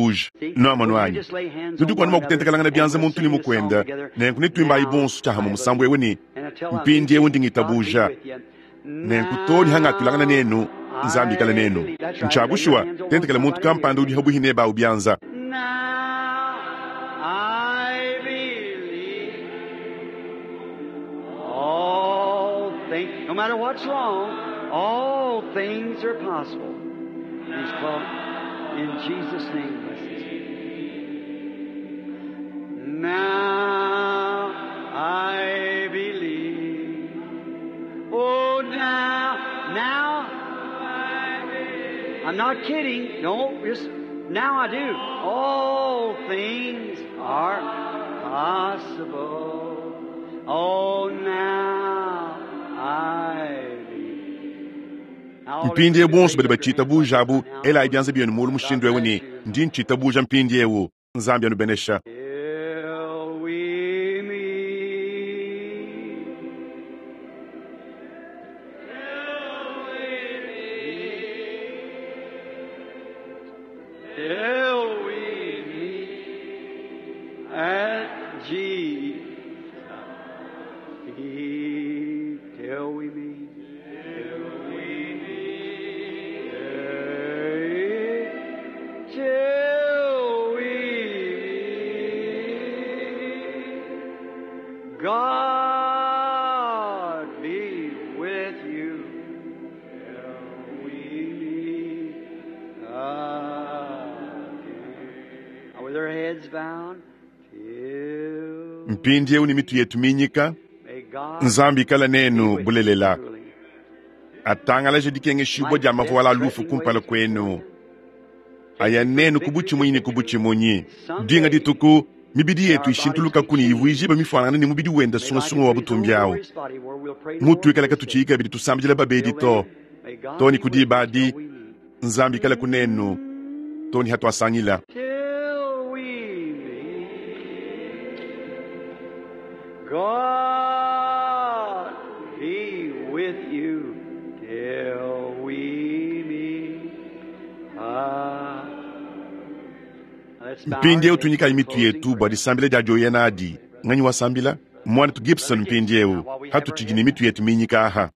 Nuamonu anyi? Nudiku anu mua kutentekelangana bianza muntu ne mukuende. Nenku netuimbayi bonso tshiahamue musambu eu ne, Mpindieu ndi ngitabuja. Nenku too ne hangatuilangana nenu, Nzambi ikale nenu. Ntshia bushuwa, tentekela muntu kampanda udi habuihi nebe au bianza. Now I believe all things, no matter what's wrong, all things are possible. He's called in Jesus' name. Bless his name. Now I believe. Oh, now, now I believe. I'm not kidding. No, just now I do. All things are possible. Oh, now I believe. Now, all Mpindieu of you bonso raise badi up your hands batshitabuja right abu, now. elayi bianza bienu mulu mushindu eu God ne, bless you. ndi ntshitabuja mpindieu. Nzambi anubenesha. Till we meet. Till we meet at Jesus' feet. Till we meet. Till we meet. Till we meet. God be with you. Till we meet again. Now with our heads bowed, till Mpindieu ne mitu yetu minyika, may God Nzambi ikala be nenu with you bulelela. truly. Atangalaje dikengeshibua Like dia death mavuala a lufu threatening kumpala ways before kuenu. you. Aya Take you from nenu ku victory to butshimunyi ne ku victory. butshimunyi. Dinga Someday dituku, mibidi may yetu our bodies ishintulukaku be ne changed. ivuijiba mifuanangane ne mubidi wenda May like sungasunga unto wa his own butumbi au. glorious body, where we'll pray no more for Mutuikala the sick. katutshiyi kabidi tusambidila babedi Till to. then, may God Too ne be ku with you diba till adi, we meet. Nzambi ikala ku nenu, too ne hatuasangila. Till we meet. God be with you till we meet. Let's bow our Mpindieu heads tunyikayi for mitu closing yetu bua prayer. disambila dia dioya nadi. Nganyi wasambila? Muanetu Gibson Brother Gibson, now mpindieu while we have our hatutshidi heads ne mitu bowed. yetu minyika aha.